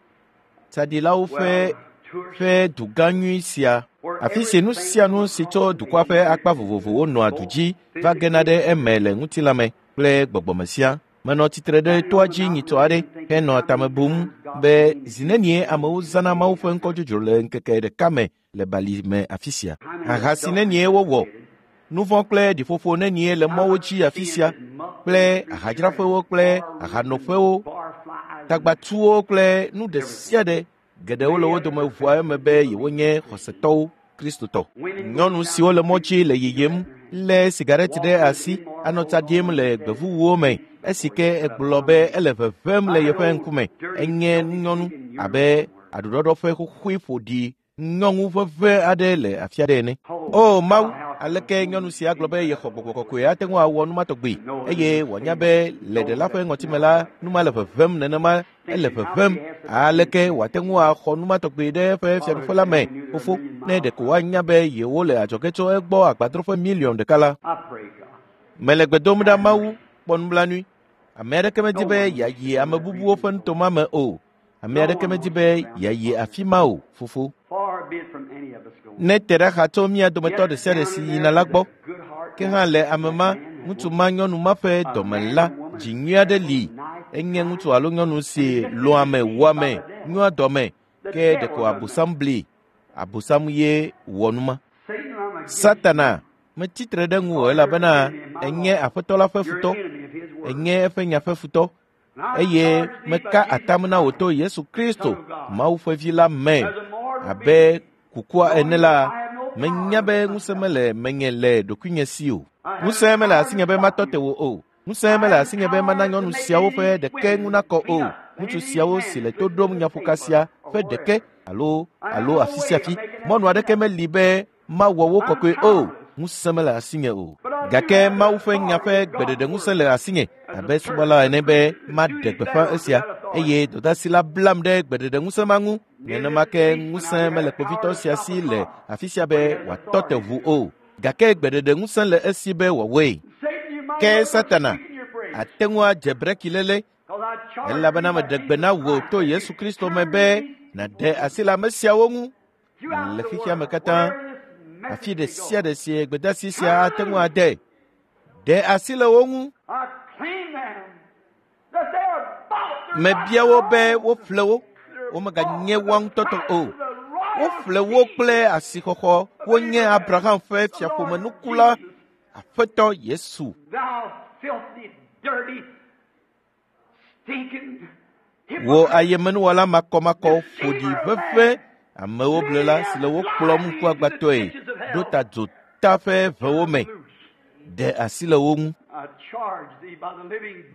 tsaɖilawo ƒe ƒe dugã nyui sia, afi si nu sia nu si tso dukɔa ƒe akpa vovovowo nɔa du dzi va gena ɖe eme le ŋutilãme kple gbɔgbɔme sia. Menɔ tsitre ɖe toa dzi nyitsɔ aɖe henɔ tame bum be zi nenie amewo zãna Mawu ƒe ŋkɔ dzodzro le ŋkeke ɖeka me le bali me afi sia. Aha si nenie wowɔ, nu vɔ̃ kple ɖiƒoƒo nenie le mɔwo dzi afi sia kple ahadzraƒewo kple ahanoƒewo, tagbatuwo kple nu ɖe sia ɖe geɖewo le wo dome ʋua eme be yewonye xɔsetɔwo Kristotɔ. Nyɔnu siwo le mɔ dzi le yiyim lé sigareti ɖe asi anɔ tsa ɖim le gbevuwuwo me esi ke egblɔ be ele ʋeʋẽm le yeƒe ŋkume. Enye nyɔnu abe aɖuɖɔɖɔ ƒe xoxoe ƒoɖi. Nyɔnu ʋeʋẽ aɖe le afi aɖe ene. O Mawu, aleke nyɔnu sia gblɔ be yexɔ gbɔgbɔ kɔkɔe ate ŋu awɔ nu ma tɔgbi eye wòanya be le ɖela ƒe ŋɔtime la nu ma le ʋeʋẽm nenema ele ʋeʋẽm. Aleke wòate ŋu axɔ nu ma tɔgbi ɖe eƒe fiaɖuƒe la me fofo ne ɖeko woanya be yewole adzɔge tso egbɔ agbadroƒe miliɔn ɖeka la. Mele gbe dom ɖa Mawu, kpɔ nublanui. Ame aɖeke medi be yeayi ame bubuwo ƒe nutoma me o. Ame aɖeke medi be yeayi afi ma o, fofo. Ne te ɖa xa tso mía dometɔ ɖe sia ɖe si yina la gbɔ. Ke hã le ame ma, ŋutsu ma, nyɔnu ma ƒe dɔme la, dzi nyui aɖe li. Enye ŋutsu alo nyɔnu si lɔ̃a ame, wua ame, nyoa dɔme. Ke ɖeko Abosam bli. Abosam ye wɔ nu ma. Satana metsi tre ɖe ŋuwò elabena enye Aƒetɔ la ƒe futɔ. Enye eƒe nya ƒe futɔ. Eye meka atam na wò to Yesu Kristo, Mawu ƒe vi la me abe kukua ene la, menya be ŋusẽ mele menye le ɖokuinye si o. Ŋusẽ mele asinye be matɔ te wò o. Ŋusẽ mele asinye be mana nyɔnu siawo ƒe ɖeke ŋu nakɔ o. Ŋutsu siawo si le to ɖom nyaƒoka sia ƒe ɖeke alo alo afi sia afi. Mɔnu aɖeke meli be mawɔ wo kɔkɔe o. Ŋusẽ mele asinye o. Gake Mawu ƒe nya ƒe gbeɖeɖe ŋusẽ le asinye abe subɔla ene be maɖe gbeƒã esia eye dɔdeasi la blam ɖe gbeɖeɖe ŋusẽ ma ŋu. Nenema ke ŋusẽ mele kpovitɔ sia si le afi sia be wòatɔ te ʋu o. Gake gbeɖeɖe ŋusẽ le esi be wòawɔe. Ke Satana ate ŋu adze breki léle elabena meɖe gbe na wò to Yesu Kristo me be nàɖe asi le ame siawo ŋu le xexea me katã. Afi ɖe sia ɖe si gbedeasi sia ate ŋu ade. Ɖe asi le wo ŋu. Mebia wo be woƒle wo. Womeganye woa ŋutɔ tɔ o. Woƒle wo kple asixɔxɔ. Wonye Abraham ƒe fiaƒomenukula, Aƒetɔ Yesu. Wò ayemenuwɔla makɔmakɔ ƒo ɖi ʋeʋẽ amewo blela si le wo kplɔm ŋkuagbãtɔe ɖo ta dzota ƒe ʋewo me. Ɖe asi le wo ŋu.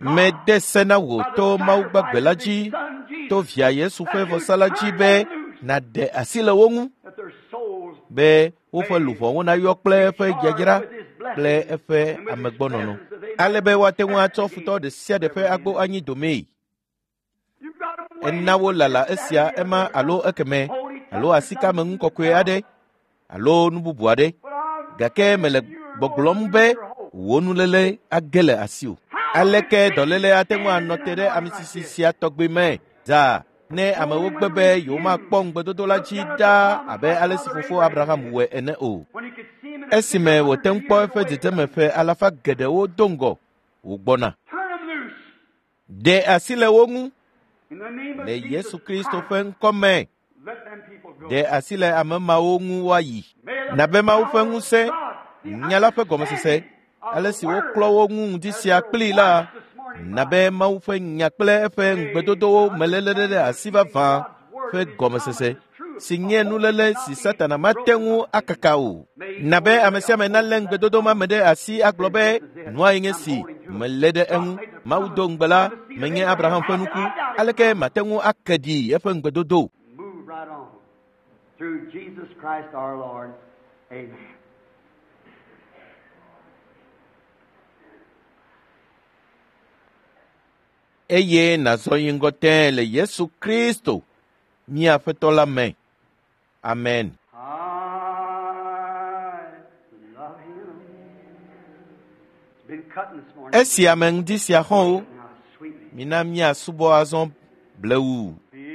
Mede se na wò to Mawu gbagbe la dzi, to via Yesu ƒe vɔsa la dzi be nàɖe asi le wo ŋu be woƒe luʋɔwo nayɔ kple eƒe dzadzra kple eƒe amegbɔnɔnɔ, ale be woate ŋu atsɔ futɔ ɖe sia ɖe ƒe agbo anyi domee. Ena wo lala esia ema alo ekeme alo asikame ŋu kɔkɔe aɖe alo nu bubu aɖe. Gake mele gbɔgblɔm be wò nuléle age le asiwò. Aleke dɔléle ate ŋu anɔ te ɖe ame sisi sia tɔgbi me zaa ne amewo gbe be yewomakpɔ ŋugbedodo la dzi ɖaa abe ale si fofo Abraham wɔe ene o. Esime wòte ŋu kpɔ eƒe dzedzeme ƒe alafa geɖewo do ŋgɔ wògbɔna. Ɖe asi le wo ŋu le Yesu Kristo ƒe ŋkɔ me. Ɖe asi le ame mawo ŋu woayi. Nabe Mawu ƒe ŋusẽ, nya la ƒe gɔmesese, ale si woklɔ wo ŋu ŋdi sia kplii la, nabe Mawu ƒe nya kple eƒe ŋugbedodowo meléle ɖe asi vavã ƒe gɔmesese si nye nuléle si Satana mate ŋu akaka o. Nabe ame sia ame nalé ŋugbedodo ma me ɖe asi agblɔ be nua ye nye si melé ɖe eŋu. Mawu do ŋugbe la, menye Abraham ƒe nuku. Aleke mate ŋu ake ɖi eƒe ŋugbedodo? Move right on through Jesus Christ our Lord. Amen. Eye nàzɔ yi ŋgɔ tẽe le Yesu Kristo, mía Aƒetɔ la me. Amen. I love him. It's been cutting this morning. Esi ame ŋdi sia xɔ̃wo, Now, sweetly. mina míasubɔ azɔ blewu. Because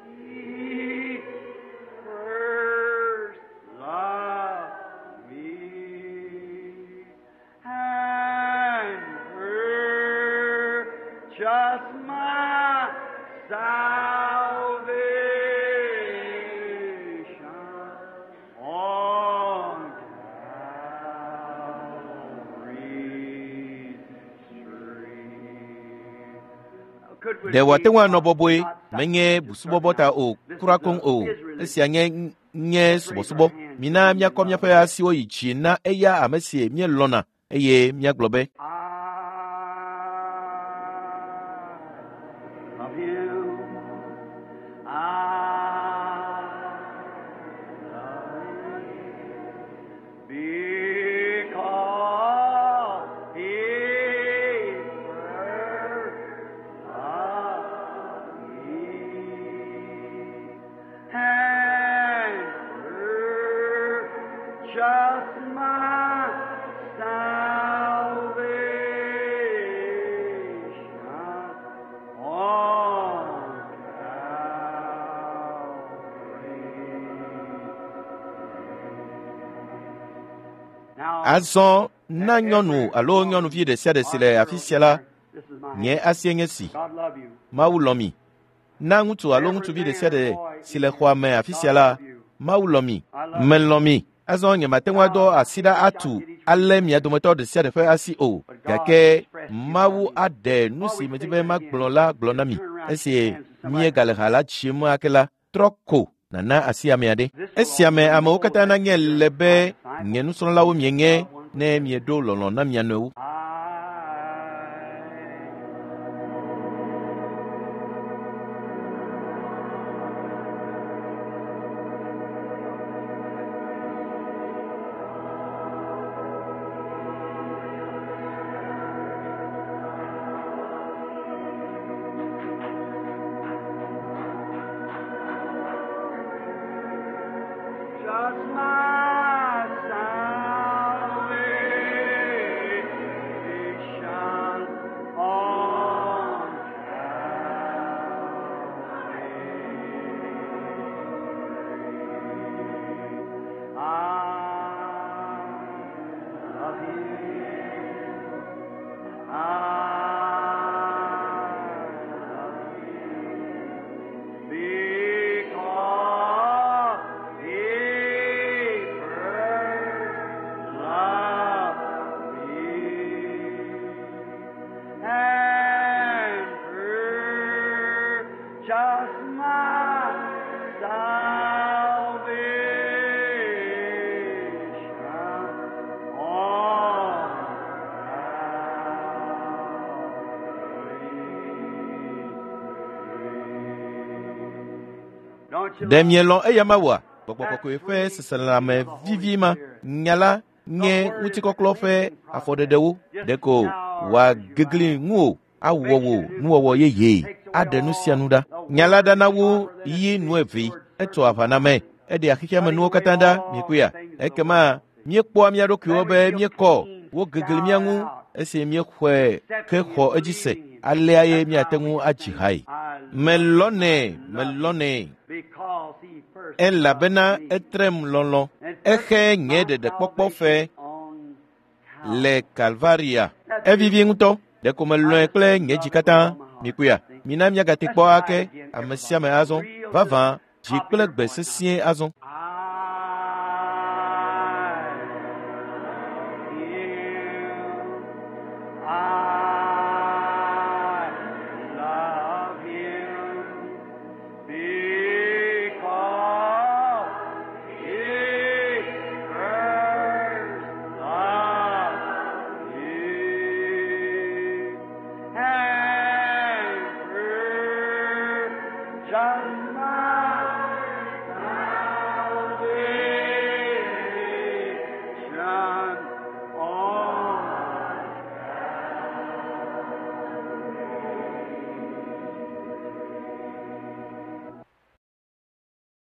he first loved me and purchased my salvation on Calvary's tree. Ɖe wòate ŋu anɔ bɔbɔe menye busubɔbɔ ta o, kura koŋ o. Esia nye nye subɔsubɔ. Mina míakɔ míaƒe asiwo yi dzi na eya ame si míelɔ̃na eye míagblɔ be, I love him. I Azɔ na nyɔnu alo nyɔnuvi ɖe sia ɖe si le afi sia la, nye asie nye si. Mawu lɔ̃ mi. Na ŋutsu alo ŋutsuvi ɖe sia ɖe si le xɔa me afi sia la, Mawu lɔ̃ mi. Melɔ̃ mi. Azɔ nyemate ŋu adɔ asi ɖa atu alé mia dometɔ ɖe sia ɖe ƒe asi o, gake Mawu aɖe nu si medi be magblɔ la gblɔ na mi. Esi míegale ha la dzim ake la, trɔ ko nàna asi ame aɖe. Esia me amewo katã nanye le be nye nusrɔ̃lawo mienye ne mieɖo lɔlɔ̃ na mia nɔewo. Just my salvation on Calvary. I love you. I love you. Because he first loved me and purchased my salvation on Calvary. Ɖe mielɔ̃ eya Mawua? Gbɔgbɔ kɔkɔe ƒe seselelãme vivi ma, nya la nye ŋutikɔklɔ ƒe afɔɖeɖewo. Ɖeko wòagegli ŋuwò, awɔ wò nuwɔwɔ yeyee, aɖe nu sia nu ɖa. Nya la ɖana wu yi nu evee, etsoa aʋa na ame, eɖea xexea me nuwo katã ɖa, miekpɔea? Ekema míekpɔa mía ɖokuiwo be míekɔ, wogegli mía ŋu esi míexɔe hexɔ edzi se. Alea ye míate ŋu adzi hae. Melɔ̃nɛ, melɔ̃nɛ. Because he first Elabena loved me. etrem lɔlɔ̃. Exe nye ɖeɖekpɔkpɔ fe On Calvary. le Kalvaria. Evivi ŋutɔ. Ɖeko melɔ̃e kple nye dzi katã. Mikpɔea? Mina míagate kpɔ ake ame sia ame azɔ. Vavã, dzi kple gbe sesĩe azɔ. I